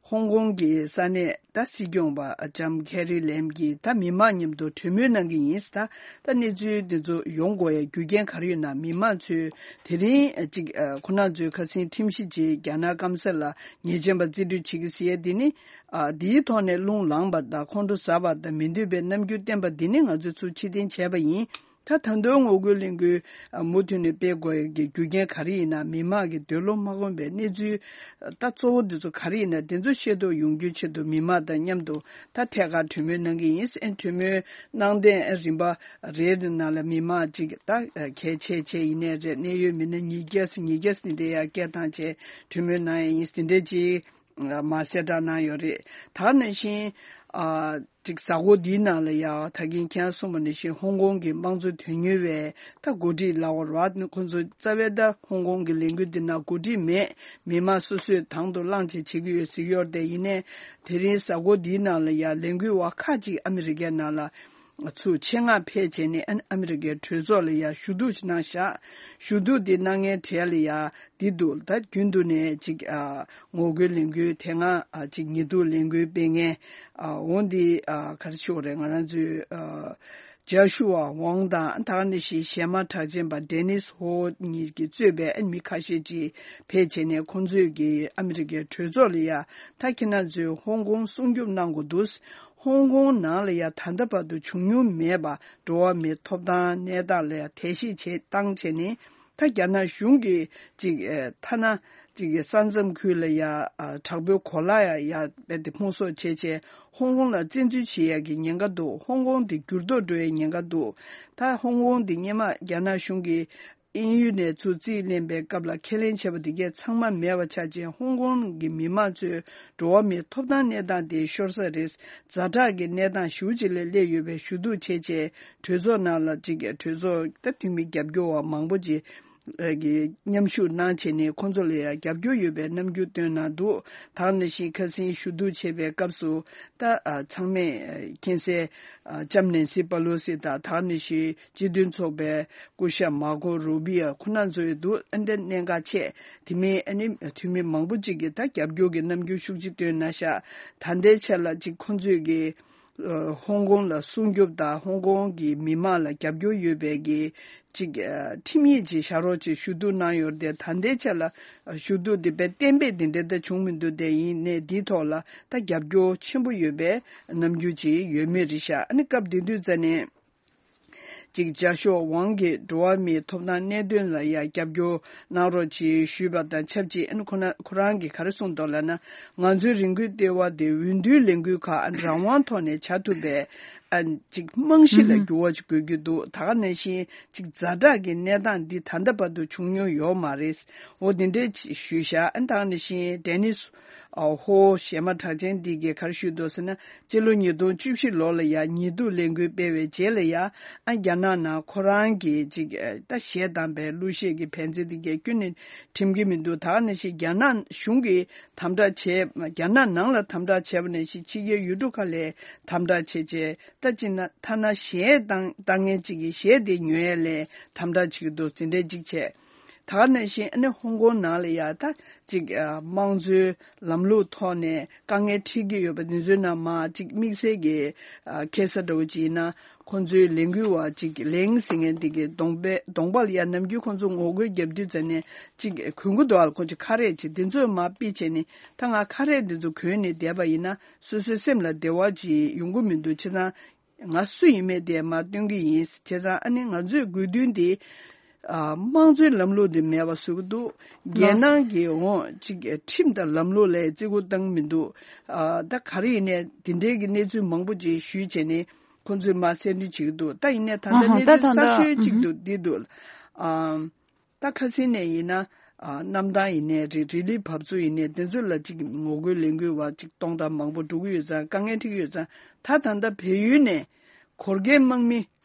ཧོང་ཀོང་གི་ས་གནས་ད་སྲིད་སྐྱོང་པ་ལྕམ་ཁེ་རི་ལེམ་གྱིས་ད་མི་མང་མཉམ་དུ་གྲོས་མོལ་གནང་གི་ཡིན། ད་ད་གནས་ཚུལ་འདི་ཚོ་ཡོང་དགོས་ཡ་རྒྱུ་རྐྱེན་ག་རེ་ཡོད་ན། མི་མང་ཚོས་དེ་རིང་ཅིག་ཁོ་རང་ཚོའི་ཁ་སང་ཁྲིམས་གཞི་བརྗེ་རྒྱ་ནག་སྐམ་ས་ལ་ཉེས་ཅན་པ་རྩིས་སྤྲོད་བྱེད་ཀྱི་ཟེར་ཡ་འདི་ནི། ཨ་འདིའི་ཐོག་ནས་རླུང་ལངས་པ་དང་ཁོང་ཁྲོ་ཟ་བ་དང་མི་འདོད་པའི་རྣམ་འགྱུར་བསྟན་པ་འདི་ནི་ང་ཚོས་ཚུར་ཕྱིར་འཐེན་བྱས་པ་ཡིན། ད་ད་དུང་ངོ་རྒོལ་གླེང་སྐུལ་ཨ་མུ་མཐུད་ནས་སྤེལ་དགོས་ཀྱི་རྒྱུ་རྐྱེན་ག་རེ་ཡིན་ན། མི་མང་གི་འདོད་བློ་མ་ཁོམ་པའི་གནས་ཚུལ་ད་གཙོ་བོ་འདི་ཚོ་ག་རེ་ཡིན་ན། འདི་ཚོ་ཤེས་རྟོགས་ཡོང་རྒྱུའི་ཆེད་དུ་མི་མང་དང་མཉམ་དུ་ད་ཐད་ཀར་གྲོས་མོལ་གནང་གི་ཡིན། ཨེ་གྲོས་མོལ་གནང་དོན་རིམ་པ་རེའི་ནང་ལ་མི་མང་ཅིག་ད་གལ་ཆེ་ཆེ་ཡིན་ནའི་རེད། གནད་ཡོད་མི་སྣ་ཉིས་བརྒྱ་ཉིས་བརྒྱ་འདི་འདྲ་ཡ་སྐད་བཏང་བྱས་གྲོས་མོལ་གནང་ཡ་ཡིན། འདི་འདྲ་ཅིག་ལ་མ་གསལ་བསྒྲགས་གནང་ཡོད་རེད། ད་ག་ནང་བཞིན་ཨ་ཅིག་གཟའ་འཁོར་འདིའི་ནང་ལ་ཡ་ད་གིན་ཁྱེད་རང་གསུངས་པ་ནང་བཞིན་ཧོང་ཀོང་གི་དམངས་གཙོ་དོན་གཉེར་བའི་ད་འགོ་ཁྲིད་ལབ་དགོས་རེད་བ། ཁོང་ཚོ་རྩ་བའི་ད་ཧོང་ཀོང་གི་ལས་འགུལ་འདི་ནང་འགོ་ཁྲིད་མེད། མི་མང་སོ་སོས་དང་དུ་བླངས་བྱས་བྱེད་ཀྱི་ཡོད་ཟེར་གྱི་ཡོད་རེད། དེ་ཡིན་ནའི་དེ་རིང་གཟའ་འཁོར་འདིའི་ནང་ལ་ཡ་ལས་འགུལ་བ་ཁག་ཅིག་ཨ་མི་རི་ཀའི་ནང་ལ་ཚུར་ཆེད་མངགས་ཕེབས་བྱས་ནས་ཨ་ཨ་མི་རི་ཀའི་གྲོས་ཚོགས་ལ་ཡ་ཞུ་གཏུག་ཅིག་གནང་བཞག་ཞུ་གཏུག་འདི་གནང་མཁན་གྲས་ལ་ཡ་འདི་འདུག་ད་རྒྱུན་དུ་ནས་ཅིག་ཨ་ངོ་རྒོལ་ལས་འགུལ་དེ་སྔ་ཨ་ཅིག་ཉེས་འཛུགས་ལས་འགུལ་སྤེལ་མཁན་ཨ་འོ་འདི་ཨ་ག་རེ་ཞུ་དགོས་རེད། ང་རང་ཚོའི་ཨ་ཇཱ་ཤུ་ཝ་ཝང་དང་ད་ག་ནང་བཞིན་གཞས་མ་གྲགས་ཅན་པ་ཌེ་ནིས་ཧོ་གཉིས་ཀྱིས་གཙོས་པའི་ཨ་མི་ཁ་ཤས་ཅིག་ཕེབས་བྱས་ནས་ཁོང་ཚོས་ཀྱི་ཨ་མི་རི་ཀའི་གྲོས་ཚོགས་ལ་ཡ་ད་ཁྱེད་རང་ཚོས་ཧོང་ཀོང་སྲུང་སྐྱོབ་གནང་དགོས་འདུག་ཧོང་ཀོང་ནང་ལ་ཡ་ད་ལྟ་བར་དུ་བྱུང་མྱོང་མེད་པ་འགྲོ་བ་མིའི་ཐོབ་ཐང་གནས་སྟངས་ལ་ཡ་དལ་གཤིས་བྱེད་བཏང་བྱས་ནས་ད་རྒྱ་ནག་གཞུང་གིས་ཅིག་ཨེ་ཐ་ན་ཅིག་ས་མཚམས་ཁུལ་ལ་ཡ་ཨ་དྲག་པོའི་གོ་ལ་ཡ་ཡ་རྦད་དེ་ཕུང་གསོག་བྱས་བྱས་ཧོང་ཀོང་ལ་བཙན་འཛུལ་བྱེད་ཡ་གི་ཉེན་ཁ་འདུག་ཧོང་ཀོང་དེ་འགྱུར་ལྡོག་འགྲོ་ཡའི་ཉེན་ཁ་འདུག་ད་ཧོང་ཀོང་དེ་སྔོན་མ་རྒྱ་ནག་གཞུང་གིས་དབྱིན་ཡུལ་ནས་ཚུར་རྩིས་ལེན་པའི་སྐབས་ལ་ཁས་ལེན་བྱས་པ་དེ་གས་ཚང་མ་མེད་པ་ཆགས་རྗེས་ཧོང་ཀོང་གི་མི་མང་ཚོའི་འགྲོ་བ་མིའི་ཐོབ་ཐང་གནས་སྟངས་དེ་ཤོར་ས་རེད། ཛ་དྲག་གི་གནས་སྟངས་ཞེ་པོ་ཅིག་ལ་སླེབས་ཡོད་པའི་ཞུ་གཏུག་བྱས་རྗེས་གྲོས་ཚོགས་ནང་ལ་ཅིག་གྲོས་ཚོགས་ད་འཐུས་མི་རྒྱབ་སྐྱོར་བ་མང་པོ་ཅིག་གིས་མཉམ་ཞུགས་གནང་བྱས་ནས་ཁོང་ཚོ་ལ་ཡང་རྒྱབ་སྐྱོར་ཡོད་པའི་རྣམ་འགྱུར་སྟོན་གནང་འདུག་ད་ག་ནང་བཞིན་ཁ་སང་ཞུ་གཏུག་བྱས་པའི་སྐབས་སུ་ད་ཨ་ཚང་མས་མཁྱེན་གསལ་ཨ་ལྕམ་ནན་སི་པ་ལོ་སི་དང་ད་ག་ནང་བཞིན་སྤྱི་མཐུན་ཚོགས་པའི་སྐུ་ཞབས་མར་ཁོ་རུ་བི་ཡ་ཁོ་རང་ཚོ་ཡོད་འདུག་ཨ་འདྲ་གནད་འགག་ཆེ། དེ་མིན་ཨ་ནི་འཐུས་མི་མང་པོ་ཅིག་གིས་ད་རྒྱབ་སྐྱོར་གྱི་རྣམ་འགྱུར་ཤུགས་ཆེ་སྟོན་གནང་ཤག་ད་ལྟའི་ཆ་ལ་ཅིག་ཁོང་ཚོས་ཀྱི་ ཨ་ཧོང་ཀོང་ལ་སྲུང་སྐྱོབ་དང་ཧོང་ཀོང་གི་མི་མང་ལ་རྒྱབ་སྐྱོར་ཡོད་པའི་གི་ཅིག་ཨ་ཁྲིམས་ཡིག་ཅིག་བཞག་རོགས་ཅེས་ཞུ་གཏུག་གནང་ཡོད་རེད་དེ། ད་ལྟའི་ཆ་ལ་ཨ་ཞུ་གཏུག་དེ་དཔེ་གཏན་འབེབས་དེ་འདྲ་ད་བྱུང་མི་འདུག་དེ་ཡིན་ནའི་འདིའི་ཐོག་ལ་ད་རྒྱབ་སྐྱོར་ཆེན་པོ་ཡོད་པའི་རྣམ་འགྱུར་ཅིག་ཡོད་མེད་རེད་ཤག་ཨ་ནི་སྐབས་དེ་དུས་ཙ་ནས། ཅིག་ཇཱ་ཤོ་ཝང་གིས་འགྲོ་བ་མིའི་ཐོབ་ཐང་གནད་དོན་ལ་ཡང་རྒྱབ་སྐྱོར་གནང་རོགས་ཅེས་ཞུས་པ་དང་ཆབས་ཅིག་ཨ་ནི་ཁོ་ན་ཁོ་རང་གིས་ག་རེ་གསུངས་འདུག་ལབ་ན། ང་ཚོའི་རང་འགུལ་ལྟེ་བ་དེ་འོས་བསྡུའི་ལས་འགུལ་ཁག་རང་དབང་ཐོག་ནས་བྱ་ཐུབ་པའི་ཨ་ཅིག་རྨང་གཞི་ལ་འགྱུར་བ་ཅིག་དགོས་ཀྱི་འདུག་ད་ག་ནང་བཞིན་ཅིག་ཛ་དྲག་གི་གནས་སྟངས་འདི་ད་ལྟ་བར་དུ་བྱུང་མྱོང་ཡོད་མ་རེད། འོ་དེ་འདྲས་ཅིག་ཞུས་ཤག་ཨ་ནི་ད་ག་ནང་བཞིན་ཌེ་ནིས་ཨ་ཧོ་གཞས་མ་གྲགས་ཅན་འདི་གིས་ག་རེ་ཞུས་འདུག་ཟེར་ན། སྤྱི་ལོ་ཉིས་སྟོང་བཅུ་བཞི་ལོ་ལ་ཡང་ཉེས་འཛུགས་ལས་འགུལ་སྤེལ་བའི་རྗེས་ལ་ཡང་ཨ་རྒྱ་ནག་ནང་ཁོ་རང་གི་ཅིག་ད་གཞས་བཏང་པའི་གླུ་གཞས་ཀྱི་བན་ཚེ་འདི་གས་ཁྱོན་ནས་ཁྲིམས་ཀྱི་མི་འདུག་ད་ག་ནང་བཞིན་རྒྱ་ནག་གཞུང་གིས་དམ་དྲག་བྱས། རྒྱ་ནག་ནང་ལ་དམ་དྲག་བྱས་པ་ནང་བཞིན་ཕྱི་རྒྱལ་ཡུལ་གྲུ་ཁག་ལ་དམ་དྲག་བྱས་བྱས་ད་ཅི་ན་ཐ་ན་གཞས་བཏང་བཏང་མཁན་ཅིག་གིས་གཞས་དེ་ཉོ་ཡས་ལ་དམ་དྲག་བྱེད་ཀྱི་འདུག་དེ་འདྲས་ཅིག་བྱས། ད་ག་ནང་བཞིན་ཨ་ནི་ཧོང་ཀོང་ནང་ལ་ཡ་ད་ཅིག་ཨ་དམངས་གཙོའི་ལམ་ལུགས་ཐོག་ནས་དཀའ་ངལ་འཕྲད་ཀྱི་ཡོད་པ་འདི་ཚོའི་ནང་མ་ཅིག་དམིགས་བསལ་གྱི་ཨ་ཁ་ས་འདྲ་བོ་ཅིག་ཡིན་ན་ཁོང་ཚོའི་ལས་འགུལ་བ་ཅིག་ལེང་ཟེར་མཁན་དེ་གའི་གདོང་པ་གདོང་པ་ལ་ཡ་ནམ་རྒྱུན་ཁོང་ཚོ་ངོ་རྒོལ་རྒྱབ་དུས་ཙམ་ནས་ཅིག་གོན་གྱི་འདུག་ཨ་ཁོང་ཚོ་ཁ་རས་ཅིག་འདི་ཚོ་མ་ཕུད་བྱས་ནས་ད་ང་ཁ་རས་འདི་ཚོ་གོན་ནས་བསྡད་པ་ཡིན་ན་སོ་སོའི་སེམས་ལ་བདེ་བ་ཅིག་ཡོང་གི་མི་འདུག་བྱས་ཙང་། ང་སུ་ཡིན་མིན་དེ་མར་སྟོན་གྱི་ཡིན། བྱས་ཙང་ཨ་ནི་ང་ཚོའི་དགོས་འདུན་དེ་ཨ་དམངས་གཙོའི་ལམ་ལུགས་དེ་མེད་པ་བཟོ་གི་འདུག་རྒྱལ་ནང་གི་འོང་ཅིག་ཁྲིམས་དང་ལམ་ལུགས་ལ་བརྩི་བཀུར་བཏང་མི་འདུག་ཨ་ད་ག་རེ་ཡིན་ནའི་དེ་འདྲའི་གི་གནས་ཚུལ་མང་པོ་ཅིག་ཞུས་བྱས་ནས་ཁོང་ཚོས་མར་གསལ་འདོན་བྱེད་ཀྱི་འདུག་ད་ཡིན་ནའི་ད་ལྟ་ཨ་ཧ་གནས་ད་ཚུལ་ད་གསར་ལྟ་ཤོས་གཅིག་ཨུ་ཧུ། འདུག་འདི་འདུག་ཨ། ད་ཁ་སང་ནས་ཡིན་ན་ཨ་གནམ་ཐང་ཡིན་ནའི་རེད། རི་ལི་བབས་ཚུགས་ཡིན་ནའི་དེ་ཚོ་ལ་ཅིག་ངོ་རྒོལ་ལས་འགུལ་བ་ཅིག་སྟོང་ཕྲག་མང་པོ་འགྲོ་གི་ཡོད་ཙང་དཀའ་ངལ་འཕྲད་ཀྱི་ཡོད་ཙང་ད་ད་ལྟ་བལ་ཡུལ་ནས་གོར་གའི་དམག་མི་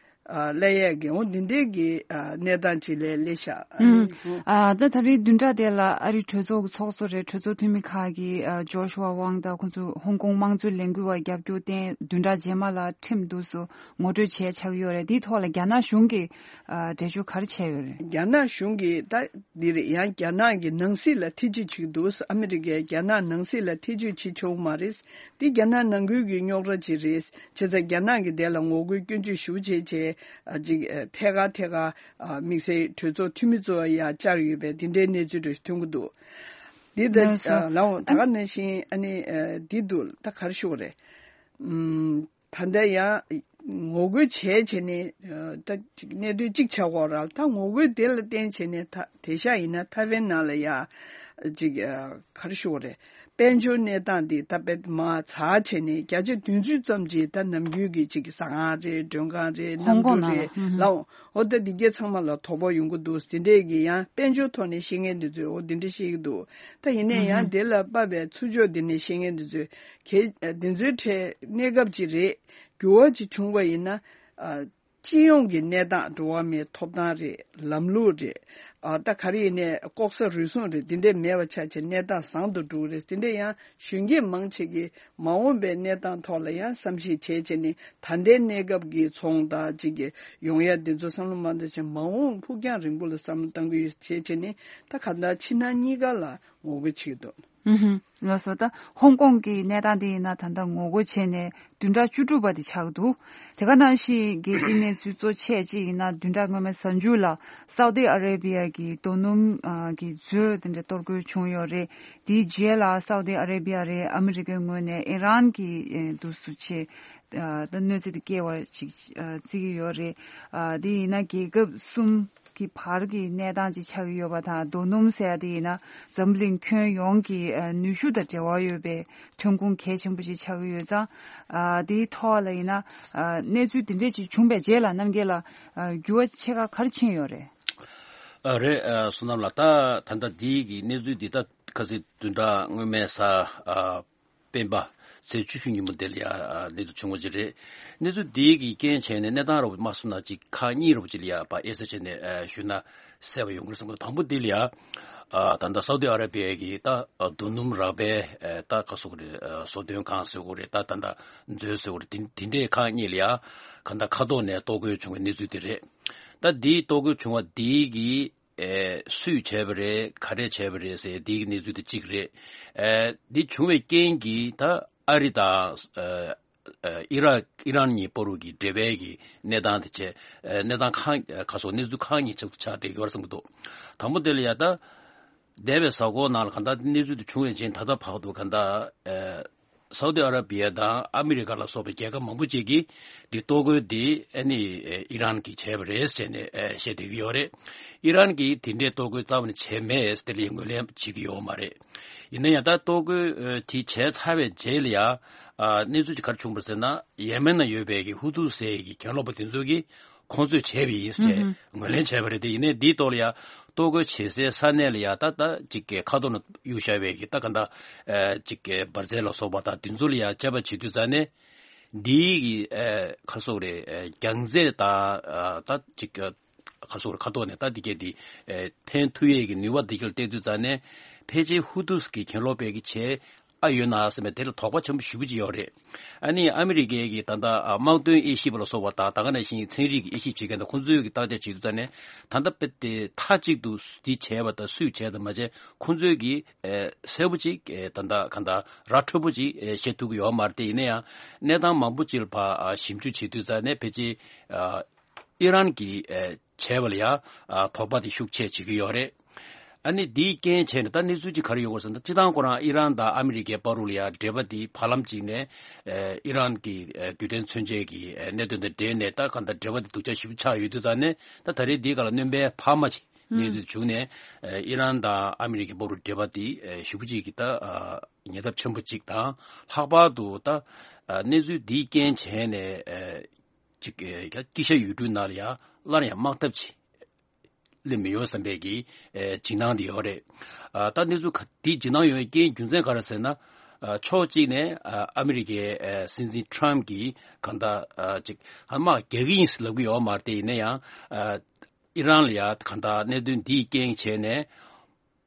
ཨ་སླེབས་ཡས་ཀྱི་འོ་འདི་འདྲའི་གི་ཨ་གནས་སྟངས་ཅིག་ལ་སླེབས་ཤག་ཨུམ། ཨ་ད་ད་རེས་བདུན་ཕྲག་དེ་ལ་ཨ་རིའི་གྲོས་ཚོགས་ཀྱི་ཚོགས་གཙོ་རེད། གྲོས་ཚོགས་འཐུས་མི་ཁག་གིས་ཨ་ཇོ་ཤུ་ཝ་ཝང་དང་ཁོང་ཚོ་ཧོང་ཀོང་དམངས་གཙོའི་ལས་འགུལ་བ་རྒྱབ་སྐྱོར་བརྟེན་བདུན་ཕྲག་རྗེས་མ་ལ་ཁྲིམས་འདུག་སུ་ངོ་སྤྲོད་བྱས་ཆགས་ཀྱི་ཡོད་རེད། དེའི་ཐོག་ལ་རྒྱ་ནག་གཞུང་གིས་ཨ་འགྲེལ་བརྗོད་ག་རེ་བྱས་ཡོད་རེད། རྒྱ་ནག་གཞུང་གིས་ད་འདིར་ཡང་རྒྱ་ནག་གི་ནང་སྲིད་ལ་ཐེ་ཇུས་བྱེད་ཀྱི་འདུག་ཨ་མི་རི་ཀས་རྒྱ་ནག་ནང་སྲིད་ལ་ཐེ་ཇུས་བྱེད་ཆོག་མ་རེད། འདི་རྒྱ་ནག་ནང་ཁུལ་གྱི་རྙོག་དྲ་ཅིག་རེད། བྱས་ཙང་རྒྱ་ནག་གིས་དེ་ལ་ངོ་རྒོལ་སྐྱོན་བརྗོད་ཞེ་པོ་བྱས་བྱས་ཨ་ཅིག་ཨ་ཐད་ཀར་ཐད་ཀར་ཨ་དམིགས་བསལ་གྲོས་ཚོགས་འཐུས་མི་ཚོ་ཡར་བཅར་ཡོད་པའི་འདི་འདྲའི་གནས་ཚུལ་འདྲ་ཞིག་ཐོན་གྱི་འདུག་འདི་ལྟ་ལགས་སོ། ཨ་ལའོ་ད་ག་ནང་བཞིན་ཨ་ནི་ཨ་འདི་འདུག་ད་ག་རེ་ཞུ་དགོས་རེད། ཨུམ། ད་ལྟ་ཡང་ངོ་རྒོལ་བྱས་བྱས་ནས་ཨ་ད་ཅིག་གནད་དོན་གཅིག་ཆགས་ཀྱི་ཡོད་རེད། ད་ངོ་རྒོལ་དེ་ལ་བརྟེན་བྱས་ནས་ད་དེང་སང་ཡིན་ན་ཐའེ་ཝན་ནང་ལ་ཡ་ཅིག་ཨ་ག་རེ་ཞུ་དགོས་རེད། དཔལ་འབྱོར་གནས་སྟངས་འདི་ད་དཔེ་མར་ཚ་བྱས་ནས་བརྒྱ་ཆ་བདུན་ཅུ་ཙམ་ཅིག་ད་ནམ་རྒྱུན་གྱི་ཅིག་ཟ་ཁང་རེད། མགྲོན་ཁང་རེད། ཧོང་གནམ་ཀྲུ་ཀོང་ནང་རེད་ལ། ཨུ་ཧུ། ལའོ། འོ་ད་འདི་གས་ཚང་མ་ལ་དོ་ཕོག་ཡོང་གི་འདུག་དེ་འདྲས་ཀྱི་ཡང་དཔལ་འབྱོར་ཐོག་ནས་བཤད་མཁན་འདི་ཚོས་འོ་འདི་འདྲས་བཤད་ཀྱི་འདུག་ད་ཡིན་ནའི་ཡང་དེ་ལ་དཔག་པའི་ཚུར་ཕྱོགས་འདི་ནས་བཤད་མཁན་འདི་ཚོས་གལ་འདི་ཚོའི་གྲས་གནས་སྐབས་ཅིག་རེད། འགྱུར་བ་ཅིག་བྱུང་བ་ཡིན་ན་ཨ། སྤྱི་ཡོངས་ཀྱི་གནས་སྟངས། འགྲོ་བ་མིའི་ཐོབ་ཐང་རེད། ལམ་ལུགས་རེད། ཨ་ད་ག་རེ་ཡིན་ནའི་ལྐོག་ཟ་རུལ་སུངས་རེད། འདི་འདྲས་མེད་པ་ཆགས་བྱས་གནས་སྟངས་བཟང་དུ་འགྲོ་གི་རེད། འདི་འདྲས་ཡང་གཞོན་སྐྱེས་མང་ཆེ་གིས་མ་འོངས་པའི་གནས་སྟངས་ཐོག་ལ་ཡང་བསམ་གཞིག་བྱས་བྱས་ནས་ད་ལྟའི་གནས་སྐབས་ཀྱི་ཚོང་དང་ཅིག་གི་ཡོང་ཡ་འདི་ཚོ་བསམ་བློ་མ་བཏང་བྱས་མ་འོངས་ཕུགས་རྒྱང་རིང་པོ་ལ་བསམ་བློ་གཏང་གི་ཡོད་བྱས་བྱས་ནས་ད་ག་ད་ཕྱི་ནང་གཉིས་ཀ་ལ་ངོ་རྒོལ་བྱེད་ཀྱི་འདུག་ཨུ་ཧུ། ལགས་སོ། ད་ཧོང་ཀོང་གི་གནས་སྟངས་དེ་ཡིན་ན་ད་ལྟ་ངོ་རྒོལ་བྱས་ནས་བདུན་ཕྲག་བཅུ་དྲུག་པ་དེ་ཆགས་འདུག་དེ་ག་ནང་བཞིན་རྒྱལ་སྤྱིའི་གནས་ཚུལ་གཙོ་ཆེ་གཅིག་ཡིན་ན་བདུན་ཕྲག་སྔོན་མའི་གཟའ་མཇུག་ལ་སའུ་ཏི་ཨ་རེ་བི་ཡ་གི་རྡོ་སྣུམ་ཨ་གི་མཛོད་དེ་འདྲ་གཏོར་རྒོལ་བྱུང་ཡོད་རེད། དེའི་རྗེས་ལ་སའུ་ཏི་ཨ་རེ་བི་ཡ་རེད། ཨ་མི་རི་ཀའི་ངོས་ནས་ཨི་རན་གྱི་ཨེ་འདུག་སུ་ཆེ་ཨ་ད་གནོད་འཚེ་དེ་སྐྱེལ་བ་ཅིག་ཨ་བརྩི་གི་ཡོད་རེད། ཨ་དེ་ཡིན་ན་རྒྱལ་ཁབ་གསུམ་གི་བར་གྱི་གནས་སྟངས་ཅིག་ཆགས་ཀྱི་ཡོད་པ་དང་། རྡོ་སྣུམ་ཟེར་ཡ་དེ་ཡིན་ན་འཛམ་གླིང་ཁྱོན་ཡོངས་ཀྱི་ཨ་ནུས་ཤུགས་དང་འབྲེལ་བ་ཡོད་པའི་ཐོན་ཁུངས་གལ་ཆེན་པོ་ཞིག་ཆགས་ཀྱི་ཡོད་ཙང་། ཨ་དེའི་ཐོག་ལ་ཡིན་ན་ཨ་གནས་ཚུལ་དེ་འདྲས་ཅིག་བྱུང་བའི་རྗེས་ལ་རྣམ་རྒྱལ་ལ་ཨ་འགྱུར་བ་ཆེ་ཁག་ག་རེ་ཕྱིན་ཡོད་རེད། ཨ་རེད། ཨ་བསོད་ནམས་ལགས། ད་ད་ལྟ་འདི་གི་གནས་ཚུལ་འདི་ད་ཁ་སང་བདུན་ཕྲག་སྔོན་མའི་གཟའ་ཨ་སྤེན་པ་ཚེས་བཅུ་བཞི་ཉིན་མོ་དེ་ལ་ཡ་ཨ་གནས་ཚུལ་བྱུང་བ་ཅིག་རེད། གནས་ཚུལ་འདི་གི་རྐྱེན་བྱས་ནས་གནས་སྟངས་རོབ་མ་སོང་ན་ཅིག་ཁག་གཉིས་རོབ་ཅིག་ལ་ཡ་ཕར་དབྱེ་ས་བྱས་ནས་ཨ་ཞུས་ན་གསལ་བ་ཡོང་གི་རེད་བསམ་གི་འདུག་དང་པོ་འདི་ལ་ཡ་ཨ་ད་ལྟ་སའུ་ཏི་ཨ་ར་བི་ཡ་གི་ད་ཨ་རྡོ་སྣུམ་རག་པའི་ཨ་ད་ག་ཟེར་དགོས་རེད། ཨ་བཟོ་སྡོད་ཁང་ཟེར་དགོས་རེད། ད་ད་ལྟ་མཛོད་ཟེར་དགོས་རེད། དེ་དེ་འདྲའི་ཁག་གཉིས་ལ་ཡ་ག་ད་མཁའ་ཐོག་ནས་གཏོར་རྒོལ་བྱུང་བའི་གནས་ཚུལ་དེ་རེད། ད་འདིའི་གཏོར་རྒོལ་བྱུང་བ་འདི་གི་ཨེ་སུས་བྱས་པ་རེད། ག་རེ་བྱས་པ་རེད་ཟེར་འདི་གི་གནས་ཚུལ་དེ་གཅིག་རེད། ཨེ་འདི་བྱུང་བའི་རྐྱེན་གྱིས་ད་ཨ་རི་དང་ཨེ་ ཨ་ཨི་རག་ཨི་རན་གཉིས་བར་དུ་གི་འབྲེལ་བའི་གི་གནས་སྟངས་དེ་བྱས། ཨ་གནས་སྟངས་ཁག་ཨ་ཁ་སོགས་གནས་ཚུལ་ཁག་གཉིས་ཆགས་སུ་ཆགས་བསྡད་ཡོད་བསམ་གྱི་འདུག་དང་པོ་དེ་ལ་ཡ་ད། འདས་པའི་གཟའ་འཁོར་ནང་ལ་གང་ལྟར་གནས་ཚུལ་དེ་བྱུང་བའི་རྗེས་ད་ལྟ་བར་དུ་གང་ལྟར་ཨ་སའུ་ཏི་ཨ་ར་བི་ཡ་དང་ཨ་མི་རི་ཀ་ལ་སོགས་པའི་རྒྱལ་ཁབ་མང་པོ་ཅིག་གིས་འདི་གཏོར་རྒོལ་འདི་ཨ་ནི་ཨི་རན་གྱིས་བྱས་པ་རེད་ཟེར་ནས་བཤད་བསྡད་ཀྱི་ཡོད་རེད། ཨི་རན་གྱིས་དེ་འདྲའི་གཏོར་རྒོལ་རྩ་བ་ནས་བྱས་མེད་ཟེར་དེ་ལ་ངོས་ལེན་བྱེད་ཀྱི་ཡོད་མ་རེད། ཡིན་ན་ཡང་ད་གཏོར་རྒོལ་དེ་བྱས་ཚར་བའི་རྗེས་ལ་ཡང་གནས་ཚུལ་གྱི་ག་རེ་བྱུང་པ་ཟེར་ན། ཡེ་མེན་ན་ཡོད་པའི་གི་ཧུ་ཐུ་ཟེར་གྱི་གྱེན་ལོག་པ་དེ་ཚོ་གིས་ཁོང་ཚོས་བྱས་པ་ཡིན་ཟེར་ངོས་ལེན་བྱས་པ་རེད་དེ། ཡིན་ནའི་འདིའི་ཐོག་ལ་ཡང་གཏོར་རྒོལ་བྱེད་སའི་ས་གནས་ལ་ཡང་ད་ལྟ་ཅིག་གི་ཁ་ཐོག་ན་གཡུག་བཞག་པའི་གི་ད་ག་འདྲ་ཅིག་གི་འབར་རྫས་ལ་སོགས་པ་དང་དེ་ཚོ་ལ་ཡང་དཔྱད་པ་བྱེད་དུས་ཙང་ནས་འདིའི་གི་ཁ་སོག་རེད། རྒྱང་རྩད་དང་ད་ཅིག་གི་ཁ་སོག་རེད། ཁ་ཐོག་ནས་ད་འདི་གས་འདི་ཕན་ཐུབ་ཡས་ཀྱི་ནུས་པ་འདི་གས་ལ་བལྟས་དུས་ཙང་ནས་ཕལ་ཆེར་ཧུ་ཐུ་གི་གྱེན་ལོག་པའི་གི་བྱས། ཨ་ཡོད་ན་ཟེར་བའི་དེ་ལ་དོགས་པ་ཆེན་པོ་ཞེ་པོ་ཅིག་ཡོད་རེད། ཨ་ནི་ཨ་མི་རི་ཀའི་གི་ད་ལྟ་ཨ་དམག་དོན་དབྱེ་ཞིབ་པ་ལ་སོགས་པ་དང་ད་ག་ནང་བཞིན་ཚན་རིག་གི་དབྱེ་ཞིབ་བྱེད་མཁན་དང་ཁོང་ཚོའི་གི་བརྟག་དཔྱད་བྱེད་དུས་ཙང་ནས་ད་ལྟ་དཔེ་དེ་མཐའ་གཅིག་ཏུ་འདི་བྱས་པ་དང་སུས་བྱས་དང་མ་བྱས་ཁོང་ཚོའི་གི་ཨེ་གསལ་པོ་ཅིག་ཨེ་ད་ལྟ་ག་འདྲ་ར་འཕྲོད་པོ་ཅིག་ཨེ་བཤད་ཐུབ་ཀྱི་ཡོད་མ་རེད་དེ། ཡིན་ན་ཡང་གནས་སྟངས་མང་པོ་ཅིག་ལ་ཕར་ཨ་ཞིབ་འཇུག་བྱེད་དུས་ཙང་ནས་ཕལ་ཆེར་ཨ་ཨི་རན་གྱིས་ཨེ་བྱས་པ་ལ་ཡང་ཨ་དོགས་པ་དེ་ཤུགས་ཆེ་བྱེད་ཀྱི་ཡོད་རེད། ཨ་ནི་འདིའི་རྐྱེན་བྱས་ནས་ད་གནས་ཚུལ་གཅིག་ག་རེ་ཡོད་གོ་ཟེར་ན། སྤྱིར་བཏང་ཁོ་རང་ཨི་རན་དང་ཨ་མི་རི་ཀའི་བར་དུ་ལ་ཡང་འབྲེལ་བ་འདི་བར་ལམ་གཅིག་ནས་ཨེ་ཨི་རན་གྱི་ཨེ་རྡུལ་ཕྲན་མཚོན་ཆའི་གི་ཨེ་གནད་དོན་དང་འབྲེལ་ནས་ད་གང་ལྟར་འབྲེལ་བ་འདི་སྡུག་ཅག་ཞེ་པོ་ཆགས་ཡོད་དུས་ཙང་ནས་ད་ད་རེས་འདིའི་སྒང་ལ་སྣོན་པའི་འཕར་མ་ཅིག་གནས་ཚུལ་བྱུང་ནས་ཨེ་ཨི་རན་དང་ཨ་མི་རི་ཀའི་བར་དུ་འབྲེལ་བ་འདི་ཨེ་ཞེ་པོ་ཅིག་གི་ད་ཨ་ཉེན་ཚབས་ཆེན་པོ་ཅིག་དང་། ལྷག་པར་དུ་ད་ཨ་གནས་ཚུལ་འདིའི་རྐྱེན་བྱས་ནས་ཨེ་ཅིག་ཨེ་དཀྱིལ་ཤར་ཡུལ་གྲུའི་ནང་ལ་ཡང་སླར་ཡང་དམག་འཐབ་ཅིག་སླེབས་མི་ཡོང་བསམ་པའི་གི་ཨེ་འཇིགས་སྣང་དེ་ཡོད་རེད། ཨ་ད་གནས་ཚུལ་ག་དེ་འཇིགས་སྣང་ཡོང་བའི་རྐྱེན་རྒྱུ་མཚན་ག་རེ་ཟེར་ན། ཨ་ཕྱོགས་གཅིག་ནས་ཨ་ཨ་མི་རི་ཀའི་ཨེ་སྲིད་འཛིན་ཁྲམ་གྱིས་གང་ལྟར་ཨ་ཅིག་ཨ་དམག་རྒྱག་གི་ཡིན་ཟེར་ལབ་ཀྱི་ཡོད་མ་རེད་དེ། ཡིན་ན་ཡང་ཨ་ཨི་རན་ལ་ཡང་གང་ལྟར་གནད་དོན་འདིའི་རྐྱེན་བྱས་ནས་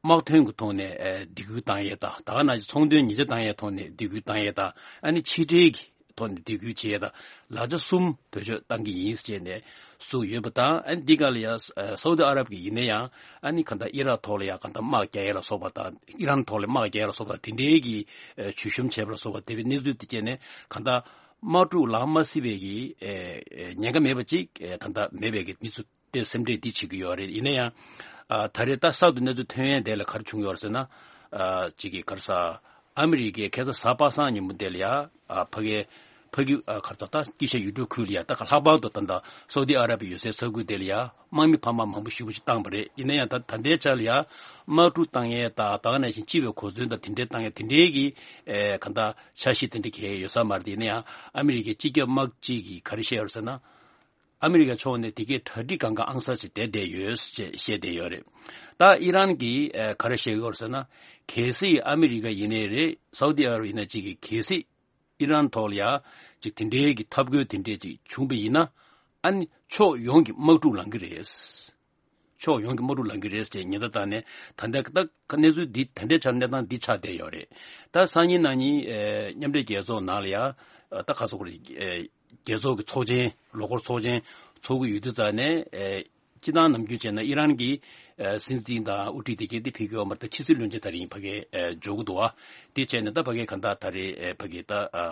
དམག་དོན་གྱི་ཐོག་ནས་ཨེ་སྡིགས་སྐུལ་བཏང་ཡས་དང་། ད་ག་ནང་བཞིན་ཚོང་དོན་ཉེས་ཆད་བཏང་ཡས་ཐོག་ནས་སྡིགས་སྐུལ་བཏང་ཡས་དང་། ཨ་ནི་ཕྱི་འབྲེལ་གྱི་ཐོག་ནས་སྡིགས་སྐུལ་བྱེད་ཡས་དང་། ལག་ཆ་གསུམ་བེད་སྤྱོད་བཏང་གི་ཡིན་ཟེར་ནས་གསུངས་ཡོད་པ་དང་། ཨ་ནི་འདི་ག་ལ་ཡང་ཨ་སའུ་ཏི་ཨ་རབ་ཀྱི་ཡིན་ན་ཡང་ཨ་ནི་གང་ལྟར་ཨི་རག་ཐོག་ལ་ཡང་གང་ལྟར་དམག་རྒྱག་ཡས་ལ་སོགས་པ་དང་། ཨི་རན་ཐོག་ལ་དམག་རྒྱག་ཡས་ལ་སོགས་པ་དང་། དེ་འདྲའི་གི་ཨ་བྱུས་གཤོམ་བྱས་པ་ལ་སོགས་པ་དེ་བའི་གནས་ཚུལ་དེ་བྱས་ནས་གང་ལྟར་དམག་འཁྲུག་ལངས་མ་སྲིད་པའི་གི་ཨེ་ཨེ་ཉེན་ཁ་མེད་པ་ཅིག་ཨེ་ད་ལྟ་མེད་པའི་གི་གནས་ཚུལ་དེ་སེམས་ཁྲལ་འདི་བྱེད་ཀྱི་ཡོད་རེད། ཡིན་ན་ཡང་ཨ་ད་རེས་ད་གསར་དུ་གནས་ཚུལ་ཐོན་ཡས་དེ་ལ་ག་རེ་བྱུང་ཡོད་རེད་ཟེར་ན། ཨ་གཅིག་གིས་ག་རེ་ཟ། ཨ་མི་རི་ཀས་ཁ་སང་གཟའ་པ་སངས་ཉིན་མོ་དེ་ལ་ཡ་ཨ་ཕ་གིའི་ཕ་གི་ཨ་ག་རེ་ཟ། ད་དཀྱིལ་ཤར་ཡུལ་གྲུ་ཁུལ་ལ་ཡ་ད་ག་ལྷག་པར་དུ་ད་ལྟ་སའུ་ཏི་ཨ་ར་བི་ཡོད་སའི་ས་ཁུལ་དེ་ལ་ཡ་དམག་མི་འཕར་མ་མང་པོ་ཞེ་པོ་ཅིག་བཏང་བ་རེད། ཡིན་ན་ཡང་ད་ད་ལྟའི་ཆ་ལ་ཡ་དམག་འཁྲུག་བཏང་ཡས་དང་། ད་ག་ནང་བཞིན་སྤྱི་པའི་གོ་མཚོན་དང་དེ་འདྲའི་བཏང་ཡས་དེ་འདྲའི་གི་ཨེ་ག་འདྲ་འཆར་གཞི་དེ་འདྲ་གང་ཡང་ཡོད་ས་མ་རེད། ཡིན་ན་ཡང་ཨ་མི་རི་ཀའི་སྤྱི་ཁྱབ་དམག་སྤྱི་གིས་ག་རེ་བཤད་ཡོད་རེད་ཟེར་ན། ཨ་མི་རི་ཀ་ཕྱོགས་ནས་དེ་གའི་གྲ་སྒྲིག་གང་ག་ཨང་གསར་ཞིག་བསྡད་བསྡད་ཡོད་ཅེས་བཤད་བསྡད་ཡོད་རེད། ད་ཨི་རན་གྱིས་ཨེ་ག་རེ་བཤད་ཡོད་རེད་ཟེར་ན། གལ་སྲིད་ཨ་མི་རི་ཀ་ཡིན་ནའི་རེད། སའུ་ཏི་ཨ་རབ་ཡིན་ན་གཅིག་གིས་གལ་སྲིད་ཨི་རན་ཐོག་ལ་ཡ་ཅིག་དེ་འདྲའི་གི་འཐབ་རྒོལ་དེ་འདྲའི་ཅིག་བྱུང་པ་ཡིན་ན། ཨ་ནི་ཕྱོགས་ཡོངས་ཀྱི་དམག་འཁྲུག་ལང་གི་རེད། ཕྱོགས་ཡོངས་ཀྱི་དམག་འཁྲུག་ལང་གི་རེད་ཅེས་ཉེན་བརྡ་བཏང་ནས། ད་ལྟ་ད་གནས་ཚུལ་འདི་ད་ལྟའི་ཆར་གནས་སྟངས་འདི་ཆགས་བསྡད་ཡོད་རེད། ད་སང་ཉིན་གནངས་ཉིན་ཨེ་མཉམ་འབྲེལ་རྒྱལ་ཚོགས་ནང་ལ་ཡ་ད་ག་ཚོད་རེད། ཨེ་རྒྱལ་ཚོགས་ཀྱི་ཚོགས་ཆེན་ལོ་འཁོར་ཚོགས་ཆེན་ཚོགས་ཀྱི་ཡོད་དུས་ཙང་ནས། ཨེ་སྤྱིར་བཏང་ནམ་རྒྱུན་བྱས་ན་ཨི་རན་གྱི་ཨེ་སྲིད་འཛིན་དང་དབུ་ཁྲིད་དེ་གས་དེ་ཕེབས་ཀྱི་ཡོད་མ་རེད། ད་ཕྱི་སྲིད་བློན་ཆེན་དེ་རིང་ཕ་གིར་ཨེ་འབྱོར་གྱི་འདུག་བ། དེ་བྱས་ནས་ད་ཕ་གིར་གང་ལྟར་ད་རེས་ཨེ་ཕ་གིར་ད་ཨ་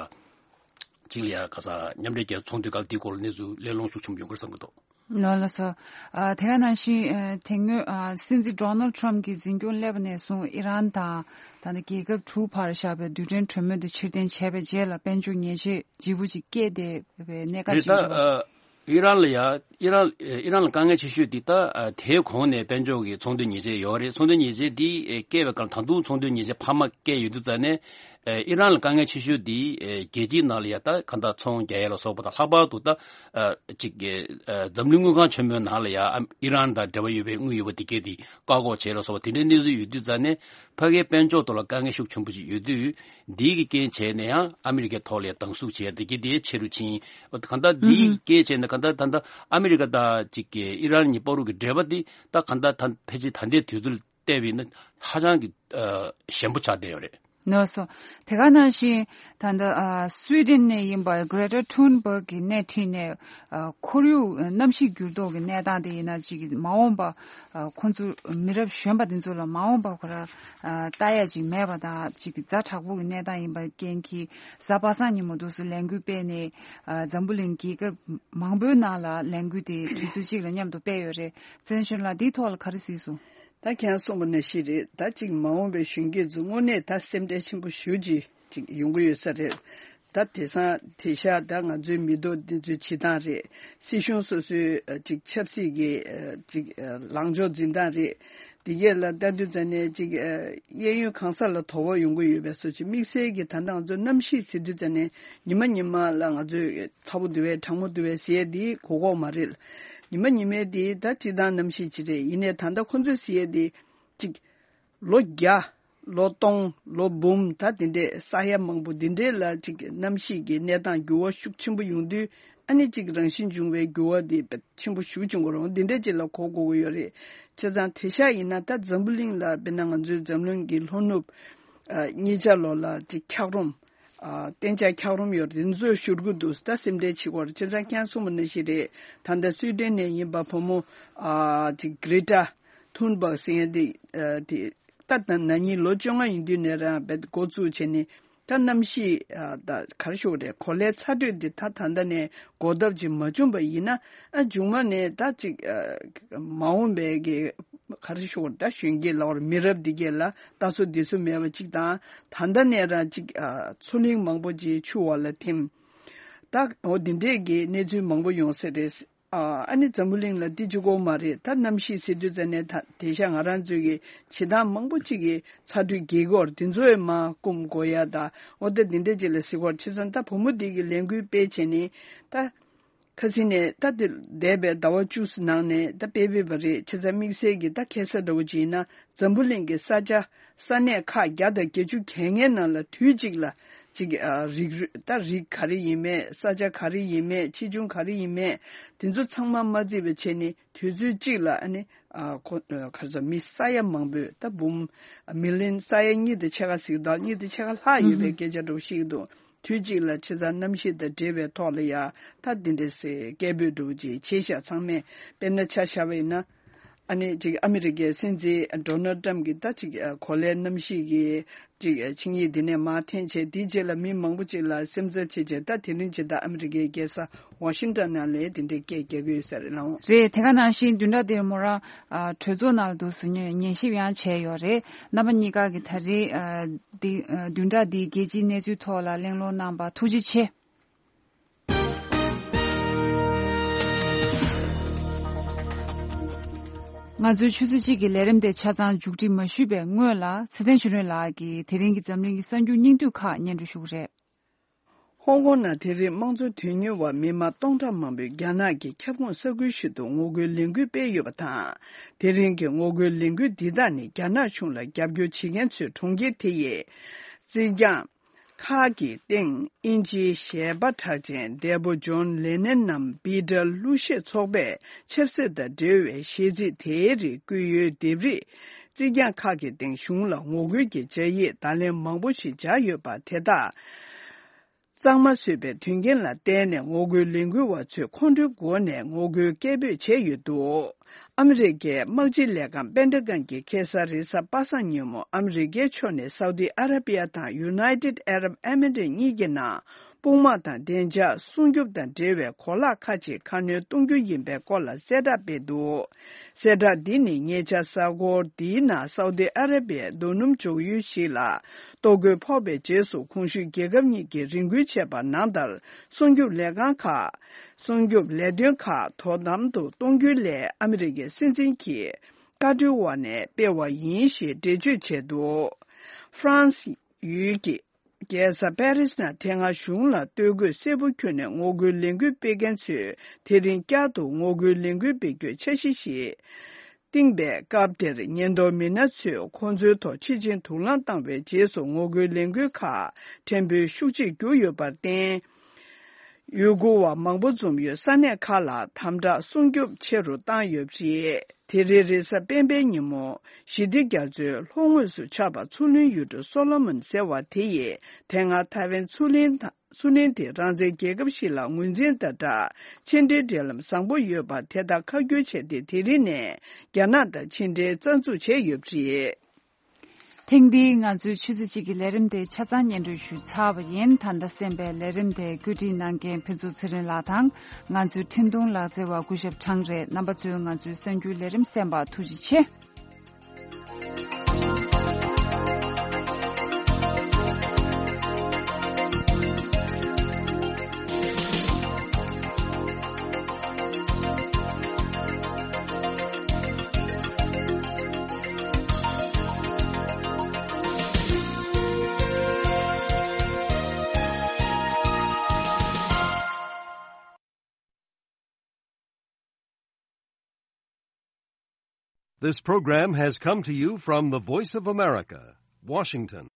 གཅིག་ལ་ཡ་ག་ས་མཉམ་འབྲེལ་རྒྱལ་ཚོགས་ཚོགས་འདུའི་སྐབས་འདིའི་སྐོར་ལ་གནས་ཚུལ་གླེང་སློང་ཤུགས་ཆེན་པོ་ཡོང་གི་རེད་བསམ་གྱི་འདུག། ལགས་ལགས་སོ། ཨ་དེ་ག་ནང་བཞིན་ཨ་དེ་སྔོན་ཨ་སྲིད་འཛིན་ཌོ་ནལ་ཌི་ཊརམ་ཕི་གྱི་འཛིན་སྐྱོང་སླེབས་པ་ནས་བཟུང་ཨི་རན་དང་ད་ལྟ་རྒྱལ་ཁབ་དྲུག་བར་བཞག་པའི་རྡུལ་ཕྲན་གྲོས་མོལ་དེ་ཕྱིར་འཐེན་བྱས་པའི་རྗེས་ལ་དཔལ་འབྱོར་ཉེས་ཆད་ལྗིད་པོ་ཅིག་བསྐྱེད་བསྡད་པའི་གནས་སྐབས་རེད། ཤིག་ད་བྱུང་། ཨ་ཨི་རན་ལ་ཡ་ཨི་རན་ཨི་རན་ལ་དཀའ་ངལ་ཆེ་ཤོས་འདི་ད་ཨ་དེའི་གོང་ནས་དཔལ་འབྱོར་གྱི་ཚོང་དོན་ཉེས་ཆད་ཡོད་རེད། ཚོང་དོན་ཉེས་ཆད་འདི་ཨེ་བསྐྱེད་པའི་སྐབས། ད་དུང་ཚོང་དོན་ཉེས་ཆད་འཕར་མ་བསྐྱེད་ཡོད་དུས་ཙང་ནས། ཨེ་ཨི་རན་ལ་དཀའ་ངལ་ཆེ་ཤོས་འདི་ཨེ་རྒྱལ་སྤྱིའི་ནང་ལ་ཡ་ད་གང་ལྟར་ཚོང་རྒྱག་ཡ་ལ་སོགས་པ་དང་། ལྷག་པར་དུ་ད་ཨ་ཅིག་གི་ཨ་འཛམ་གླིང་དངུལ་ཁང་ཆེན་མོའི་ནང་ལ་ཡ་ཨ་ཨི་རན་དང་འབྲེལ་བ་ཡོད་པའི་དངུལ་ཡོད་པ་དེ་གས་དེ་བཀག་འགོག་བྱས་ལ་སོགས་པ་དེ་འདྲའི་གནས་ཚུལ་ཡོད་དུས་ཙང་ནས། ཕ་གིའི་དཔལ་འབྱོར་ཐོག་ལ་དཀའ་ངལ་ཤུགས་ཆེན་པོ་ཞིག་ཡོད་དུས། འདིའི་གི་རྐྱེན་བྱས་ནས་ཡང་ཨ་མི་རི་ཀའི་ཐོག་ལ་ཡ་སྡང་ཟུག་བྱས་དེ་གས་དེ་ཆེ་རུ་ཕྱིན། གང་ལྟར་འདིའི་གི་རྐྱེན་བྱས་ནས་གང་ལྟར་ད་ལྟ་ཨ་མི་རི་ཀ་དང་ཅིག་གི་ཨི་རན་གཉིས་བར་དུ་གི་འབྲེལ་བ་འདི་ད་གང་ལྟར་ད་ཕལ་ཆེར་ད་ལྟའི་དུས་ཚོད་བལྟས་པ་ཡིན་ན་ཧ་ཅང་གི་ཨ་ཞན་པོ་ཆགས་བསྡད་ཡོད་རེད། ནོར་སོང་། དེ་ག་ནང་བཞིན་ད་ལྟ་ཨ་སུའི་ཌེན་ནས་ཡིན་པ་གྷི་རེ་ཊ་ཐུན་བྷག་གི་སྣེ་ཁྲིད་ནས་ཨ་ཁོར་ཡུག་གནམ་གཤིས་འགྱུར་ལྡོག་གི་གནས་སྟངས་དེ་ཡིན་ན་ཅིག་མ་འོངས་པ་ཨ་ཁོང་ཚོ་མི་རབས་གཞོན་པ་དེ་ཚོ་ལ་མ་འོངས་པ་ཁོ་ར་ཨ་ལྟ་ཡ་ཅིག་མེད་པ་དང་ཅིག་ཛ་དྲག་པོ་གི་གནས་སྟངས་ཡིན་པ་རྐྱེན་གྱིས་གཟའ་པ་སངས་ཉིན་མོ་འདུག་སེ་ལས་འགུལ་སྤེལ་ནས་ཨ་འཛམ་བུ་གླིང་རྒྱལ་ཁབ་མང་པོའི་ནང་ལ་ལས་འགུལ་དེ་དུས་ཚོད་གཅིག་ལ་མཉམ་དུ་སྤེལ་ཡོད་རེད། ཚེ་རིང་ལགས་འདིའི་ཐོག་ལ་ག་རེ་གཟིགས་སོང་། ད་ཁྱེད་རང་གསུངས་པ་ནང་བཞིན་རེད། ད་ཅིག་མ་འོངས་པའི་གཞོན་སྐྱེས་ཚོ་དངོས་གནས་ད་སེམས་ཁྲལ་ཆེན་པོ་ཞེ་པོ་ཅིག་ཅིག་ཡོང་གི་ཡོད་ས་རེད། ད་དེང་སང་དེང་ཤག་ད་ང་ཚོའི་མི་ཐོག་འདི་ཚོའི་བྱེད་སྟངས་རེད། སྲིད་གཞུང་སོ་སོའི་ཨ་ཅིག་ཆབ་སྲིད་ཀྱི་ཨ་ཅིག་ཨ་ལངས་ཕྱོགས་འཛིན་སྟངས་རེད། འདི་གས་ལ་ལྟ་དུས་ཙ་ནས་ཅིག་ཨ་གཡས་གཡོན་གང་ས་ལ་དོ་ཕོག་ཡོང་གི་ཡོད་པའི་བཟོ་ཅིག་དམིགས་བསལ་གྱི་ད་ལྟ་ང་ཚོ་གནམ་གཤིས་ཟེར་དུས་ཙ་ནས་ཉི་མ་ཉི་མ་ལ་ང་ཚོས་ཚ་པོ་འདུག་པས་གྲང་མོ་འདུག་པས་ཟེར་ཡས་འདི་གོ་གོ་མ་རེད། ཉི་མ་ཉི་མའི་འདི་ད་སྤྱིར་བཏང་གནམ་གཤིས་ཅིག་རེད། ཡིན་ནའི་ད་ལྟ་ཁོ་ཚོས་ཟེར་ཡས་འདི་ཅིག་ལོ་བརྒྱ། ལོ་སྟོང་། ལོ་འབུམ། ད་འདི་འདྲས་ས་ཡ་མང་པོ་འདི་འདྲས་ལ་ཅིག་གནམ་གཤིས་ཀྱི་གནས་སྟངས་འགྱུར་བ་ཤུགས་ཆེན་པོ་ཡོང་དུས་ཨ་ནི་ཅིག་རང་བཞིན་འབྱུང་བའི་འགྱུར་བ་འདི་ཆེན་པོ་ཤུགས་ཆེན་པོ་རུང་འདི་འདྲས་ཅིག་ལ་གོ་དགོས་ཀྱི་ཡོད་རེད། བྱས་ཙང་དེང་ཤག་ཡིན་ན་ད་འཛམ་བུ་གླིང་ལ་དཔེར་ན་ང་ཚོའི་འཛམ་གླིང་གི་ལྷོ་ནུབ་ཨ་གཉིས་ཆ་ལོགས་ལ་ཅིག་འཁྱགས་རོམ། ཨ་གཏན་འཇགས་འཁྱགས་རོམ་ཡོད་རེད། འདི་ཚོ་བཞུར་གི་འདུག་ད་སེམས་ཁྲལ་བྱེད་དགོས་རེད། བྱས་ཙང་ཁྱེད་རང་གསུངས་པ་ནང་བཞིན་རེད། ད་ལྟ་སུའི་ཌེན་ནས་ཡིན་པ་བུ་མོ་ཨ་ཅིག་གྷི་རེ་ཊ་ཐུན་བྷག་ཟེར་མཁན་དེ་ཨ་དེ་ད་ད་ན་ནིང་ལོ་བཅོ་ལྔ་ཡིན་དུས་ནས་རང་བེད་འགོ་བཙུགས་བྱས་ནས་ད་གནམ་གཤིས་ཨ་ད་ག་རེ་ཞུ་དགོས་རེད། གོ་ལའི་ཚ་དྲོད་འདི་ད་ད་ལྟ་ནས་འགོག་ཐབས་ཅིག་མ་བྱུང་པ་ཡིན་ན་ཨ་མཇུག་མ་ནས་ད་ཅིག་ཨ་མ་འོངས་པའི་གི་ག་རེ་ཞུ་དགོས་རེད། ད་གཞོན་སྐྱེས་ལ་བར་མི་རབས་འདི་གས་ལ་ད་སོ་འདི་སོ་མེད་པ་ཅིག་དང་ད་ལྟ་ནས་རང་ཅིག་ཨ་མཚོ་གླིང་མང་པོ་ཅིག་ཆུ་འོག་ལ་ཐིམ། ད་འོ་འདི་འདྲས་ཀྱི་གནས་ཚུལ་མང་པོ་ཡོང་ས་རེད། ཨ་ཨ་ནི་འཛམ་བུ་གླིང་ལ་འདི་གཅིག་པོ་མ་རེད། ད་གནམ་གཤིས་ཟེར་དུས་ཙ་ནས་ད་དེང་ཤག་ང་རང་ཚོའི་གི་བྱེད་སྟངས་མང་པོ་ཅིག་གི་ཚ་དྲོད་རྒྱས་ཀྱི་ཡོད་རེད། དེ་ཚོ་ཡང་མར་སྐོམ་དགོས་ཡ་ད་འོ་ད་འདི་འདྲས་ཅིག་ལ་གཟིགས་པར་བྱས་ཙང་ད་བུ་མོ་འདི་གི་ལས་འགུལ་སྤེལ་བྱས་ནས་ད། ཁ་སང་ནས་ད་དེ་འདས་པའི་ཟླ་བ་བཅུ་ནང་ནས་ད་སྤེལ་སྤེལ་བ་རེད། བྱས་ཙང་དམིགས་བསལ་གྱི་ད་ཁ་སང་འདྲ་བོ་ཅིག་ཡིན་ན་འཛམ་བུ་གླིང་གི་ས་ཆ་ས་གནས་ཁག་བརྒྱ་དང་བརྒྱད་ཅུ་གྱ་ལྔའི་ནང་ལ་དུས་གཅིག་ལ་ཅིག་ཨ་རིགས་རུས་ད་རིགས་ག་རེ་ཡིན་མེད། ས་ཆ་ག་རེ་ཡིན་མེད། ཆེ་ཆུང་ག་རེ་ཡིན་མེད། དེ་ཚོ་ཚང་མ་མ་བརྩིས་པ་བྱས་ནས་དུས་ཚོད་གཅིག་ལ་ཨ་ནི་ཨ་ཁོ་ཨ་ག་རེ་ཟེར་མི་ས་ཡ་མང་པོས་ད་འབུམ་མི་ལི་ཡོན་ས་ཡ་གཉིས་དང་ཕྱེད་ཀ་ཟིག་དང་གཉིས་དང་ཕྱེད་ཀ་ལྷག་ཡོད་པའི་སྐད་ཆ་འདྲ་བོ་ཞིག་འདུག་དུས་གཅིག་ལ་ཆེ་ཚང་གནམ་གཤིས་དང་འབྲེལ་བའི་ཐོག་ལ་ཡ་ད་འདི་འདྲ་སེ་སྐད་འབོད་འདྲ་བོ་ཅིག་བྱས་ཤག་ཚང་མས་དཔེར་ན་ཆ་བཞག་པ་ཡིན་ན། ཨ་ནི་ཅིག་ཨ་མི་རི་ཀའི་སྲིད་འཛིན་ཌོ་ནལ་ཊམ་གྱིས་ད་ཅིག་གོ་ལའི་གནམ་གཤིས་ཀྱི་ཅིག་ཆིངས་ཡིག་འདི་ནས་མར་འཐེན་བྱས་དེའི་རྗེས་ལ་མི་མང་པོ་ཅིག་ལ་སེམས་འཚབ་བྱས་བྱས་ད་དེ་རིང་ཇི་ལྟར་ཨ་མི་རི་ཀའི་རྒྱལ་ས་ཝ་ཤིང་ཊོན་ནང་ལ་དེ་འདྲའི་སྐད་རྒྱག་གི་ཡོད་ས་རེད་ལགས། རེད། དེ་ག་ནང་བཞིན་བདུན་ཕྲག་འདིར་མོ་རང་ཨ་གྲོས་ཚོགས་ནང་ལ་འདུག་སེ་ཉན་ཉན་ཞིབ་ཡང་བྱས་ཡོད་རེད། རྣམ་པ་གཉིས་ཀ་གི་ད་རེས་ཨ་འདི་ཨ་བདུན་ཕྲག་འདིའི་རྒྱལ་སྤྱིའི་གནས་ཚུལ་ཐོག་ལ་གླེང་སློང་གནང་བར་ཐུགས་རྗེ་ཆེ། ང་ཚོའི་ཆུ་ཚོད་གཅིག་གི་ལས་རིམ་དེ་ཆ་ཚང་མཇུག་སྒྲིལ་མ་ཞུས་པའི་སྔོན་ལ་ཚེ་བརྟན་ཆོས་སྒྲོན་ལགས་ཀྱིས་དེ་རིང་གི་འཛམ་གླིང་གི་གསར་འགྱུར་སྙིང་བསྡུས་ཁག་སྙན་སྒྲོན་ཞུ་གི་རེད། ཧོང་ཀོང་ནང་དེ་རིང་དམངས་གཙོ་དོན་གཉེར་བ་མི་མང་སྟོང་ཕྲག་མང་པོས་རྒྱ་ནག་གི་ཁྱབ་ཁོངས་ས་ཁུལ་ཞིག་ཏུ་ངོ་རྒོལ་ལས་འགུལ་སྤེལ་ཡོད་པ་དང་། དེ་རིང་གི་ངོ་རྒོལ་ལས་འགུལ་འདི་དག་ནི་རྒྱ་ནག་གཞུང་ལ་རྒྱབ་སྐྱོར་བྱེད་མཁན་ཚོའི་གྲོང་ཁྱེར་དེ་ཡི་རྩིག་གྱང་ཁག་གི་སྟེང་དབྱིན་ཇིའི་གཞས་པ་གྲགས་ཅན་འདས་པོ་ཇོན་ལེ་ནན་ནམ་བྷི་ཊལ་གླུ་གཞས་ཚོགས་པས་ཆབ་སྲིད་དང་འབྲེལ་བའི་གཞས་ཚིག་དེའི་རིགས་བཀོད་ཡོད་ལྡེབས་རིས་རྩིག་གྱང་ཁག་གི་སྟེང་གཞུང་ལ་ངོ་རྒོལ་གྱི་སྦྱར་ཡིག་བརྡ་ལན་མང་པོ་ཞིག་སྦྱར་ཡོད་པ་དེ་དག་གཙང་མ་བཟོས་པའི་དོན་རྐྱེན་ལ་བརྟེན་ནས་ངོ་རྒོལ་ལས་འགུལ་བ་ཚོས་ཁོང་ཁྲོའི་སྒོ་ནས་ངོ་རྒོལ་སྐད་འབོད་བྱས་ཡོད་འདུག་ཨ་མི་རི་ཀའི་དམག་སྤྱི་ལས་ཁང་པེན་ཏ་གོན་གྱིས་ཁ་སང་རེས་གཟའ་པ་སངས་ཉིན་མོ་ཨ་མི་རི་ཀའི་ཕྱོགས་ནས་སའུ་ཏི་ཨ་ར་པི་ཡ་དང་ཡུ་ནའི་ཊེཌ་ཨ་རབ་ཨེ་མི་རེཊ་གཉིས་ཀྱི་ནང་དཔུང་དམག་དང་བདེ་འཇགས་སྲུང་སྐྱོབ་དང་འབྲེལ་བའི་གོ་ལག་ཁག་ཅིག་ཁ་སྣོན་གཏོང་རྒྱུ་ཡིན་པའི་སྐོར་ལ་གསལ་བསྒྲགས་སྤེལ་འདུག་གསལ་བསྒྲགས་འདི་ནི་ཉེ་ཆར་གཟའ་འཁོར་འདིའི་ནང་སའུ་ཏི་ཨ་ར་པི་ཡའི་རྡོ་སྣུམ་འཇོག་ཡུལ་ཞིག་ལ་གཏོར་རྒོལ་ཕོག་པའི་རྗེས་སུ་གོང་ཞུས་རྒྱལ་ཁབ་གཉིས་ཀྱིས་རེ་སྐུལ་བྱས་པ་ནང་ལྟར། སྲུང་སྐྱོབ་ལས་ཁང་ཁག་སྲུང་སྐྱོབ་ལས་དོན་ཁག་དོ་དམ་དུ་གཏོང་རྒྱུའི་སླད་ཨ་མི་རི་ཀའི་སྲིད་འཛིན་གྱིས་བཀའ་འཁྲོལ་འོག་ནས་སྤེལ་བ་ཡིན་ཞེས་འགྲེལ་བརྗོད་བྱས་འདུག་ཧྥ་རན་སི་ཡུལ་གྱི་རྒྱལ་ས་པེ་རིས་ནང་དེ་སྔ་གཞུང་ལ་སྟོད་གོས་སེར་པོ་གྱོན་ནས་ངོ་རྒོལ་ལས་འགུལ་སྤེལ་མཁན་ཚོས་དེ་རིང་བསྐྱར་དུ་ངོ་རྒོལ་ལས་འགུལ་སྤེལ་རྒྱུའི་འཆར་གཞི་ཞིག་བཏིང་པའི་སྐབས་དེར་ཉེན་རྟོག་མི་སྣ་ཚོས་ཁོང་ཚོའི་ཐོག་ཕྱི་ཕྱིར་དུག་རླངས་བཏང་བའི་རྗེས་སུ་ངོ་རྒོལ་ལས་འགུལ་ཁག་ཕྲན་བུ་ཤུགས་ཆེར་གྱུར་ཡོད་པར་བརྟེན། ཡུལ་སྐོར་བ་མང་པོ་འཛོམས་ཡོད་ས་གནས་ཁག་ལ་དམ་དྲག་སྲུང་སྐྱོབ་ཆེ་རུ་བཏང་ཡོད་པ་རེད། དེ་རིང་རེས་གཟའ་སྤེན་པའི་ཉིན་མོ་ཞི་བདེ་རྒྱ་མཚོའི་ལྷོ་ངོས་སུ་ཆགས་པ་མཚོ་གླིང་ཡུལ་གྲུ་སོ་ལོ་མོན་ཟེར་བ་དེ་ཡིས་དེ་སྔ་ཐའེ་ཝན་མཚོ་གླིང་དང་མཚོ་གླིང་དེ་རང་བཙན་རྒྱལ་ཁབ་ཞིག་ལ་ངོས་འཛིན་དང་སྦྲགས་ཕྱི་འབྲེལ་འབྲེལ་ལམ་བཟང་པོ་ཡོད་པ་དེ་དག་ཁ་བསྒྱུར་བྱས་ཏེ། དེ་རིང་ནས་རྒྱ་ནག་དང་ཕྱི་འབྲེལ་རྩ་འཛུགས་བྱས་ཡོད་པ་རེད། ཐེངས་འདིའི་ང་ཚོའི་ཆུ་ཚོད་གཅིག་གི་ལས་རིམ་དེ་ཆ་ཚང་སྙན་སྒྲོན་ཞུས་ཚར་བ་ཡིན། ད་ལྟ་གསན་པའི་ལས་རིམ་དེ་བཀོད་སྒྲིག་གནང་མཁན་ཕུན་ཚོགས་ཚེ་རིང་ལགས་དང་། ང་ཚོའི་འཕྲིན་གཏོང་ལག་རྩལ་བ་སྐུ་ཞབས་ཁྲང་རེད། རྣམ་པ་ཚོས་ང་ཚོའི་གསར་འགྱུར་ལས་རིམ་གསན་པར་ཐུགས་རྗེ་ཆེ། This program has come to you from the Voice of America, Washington.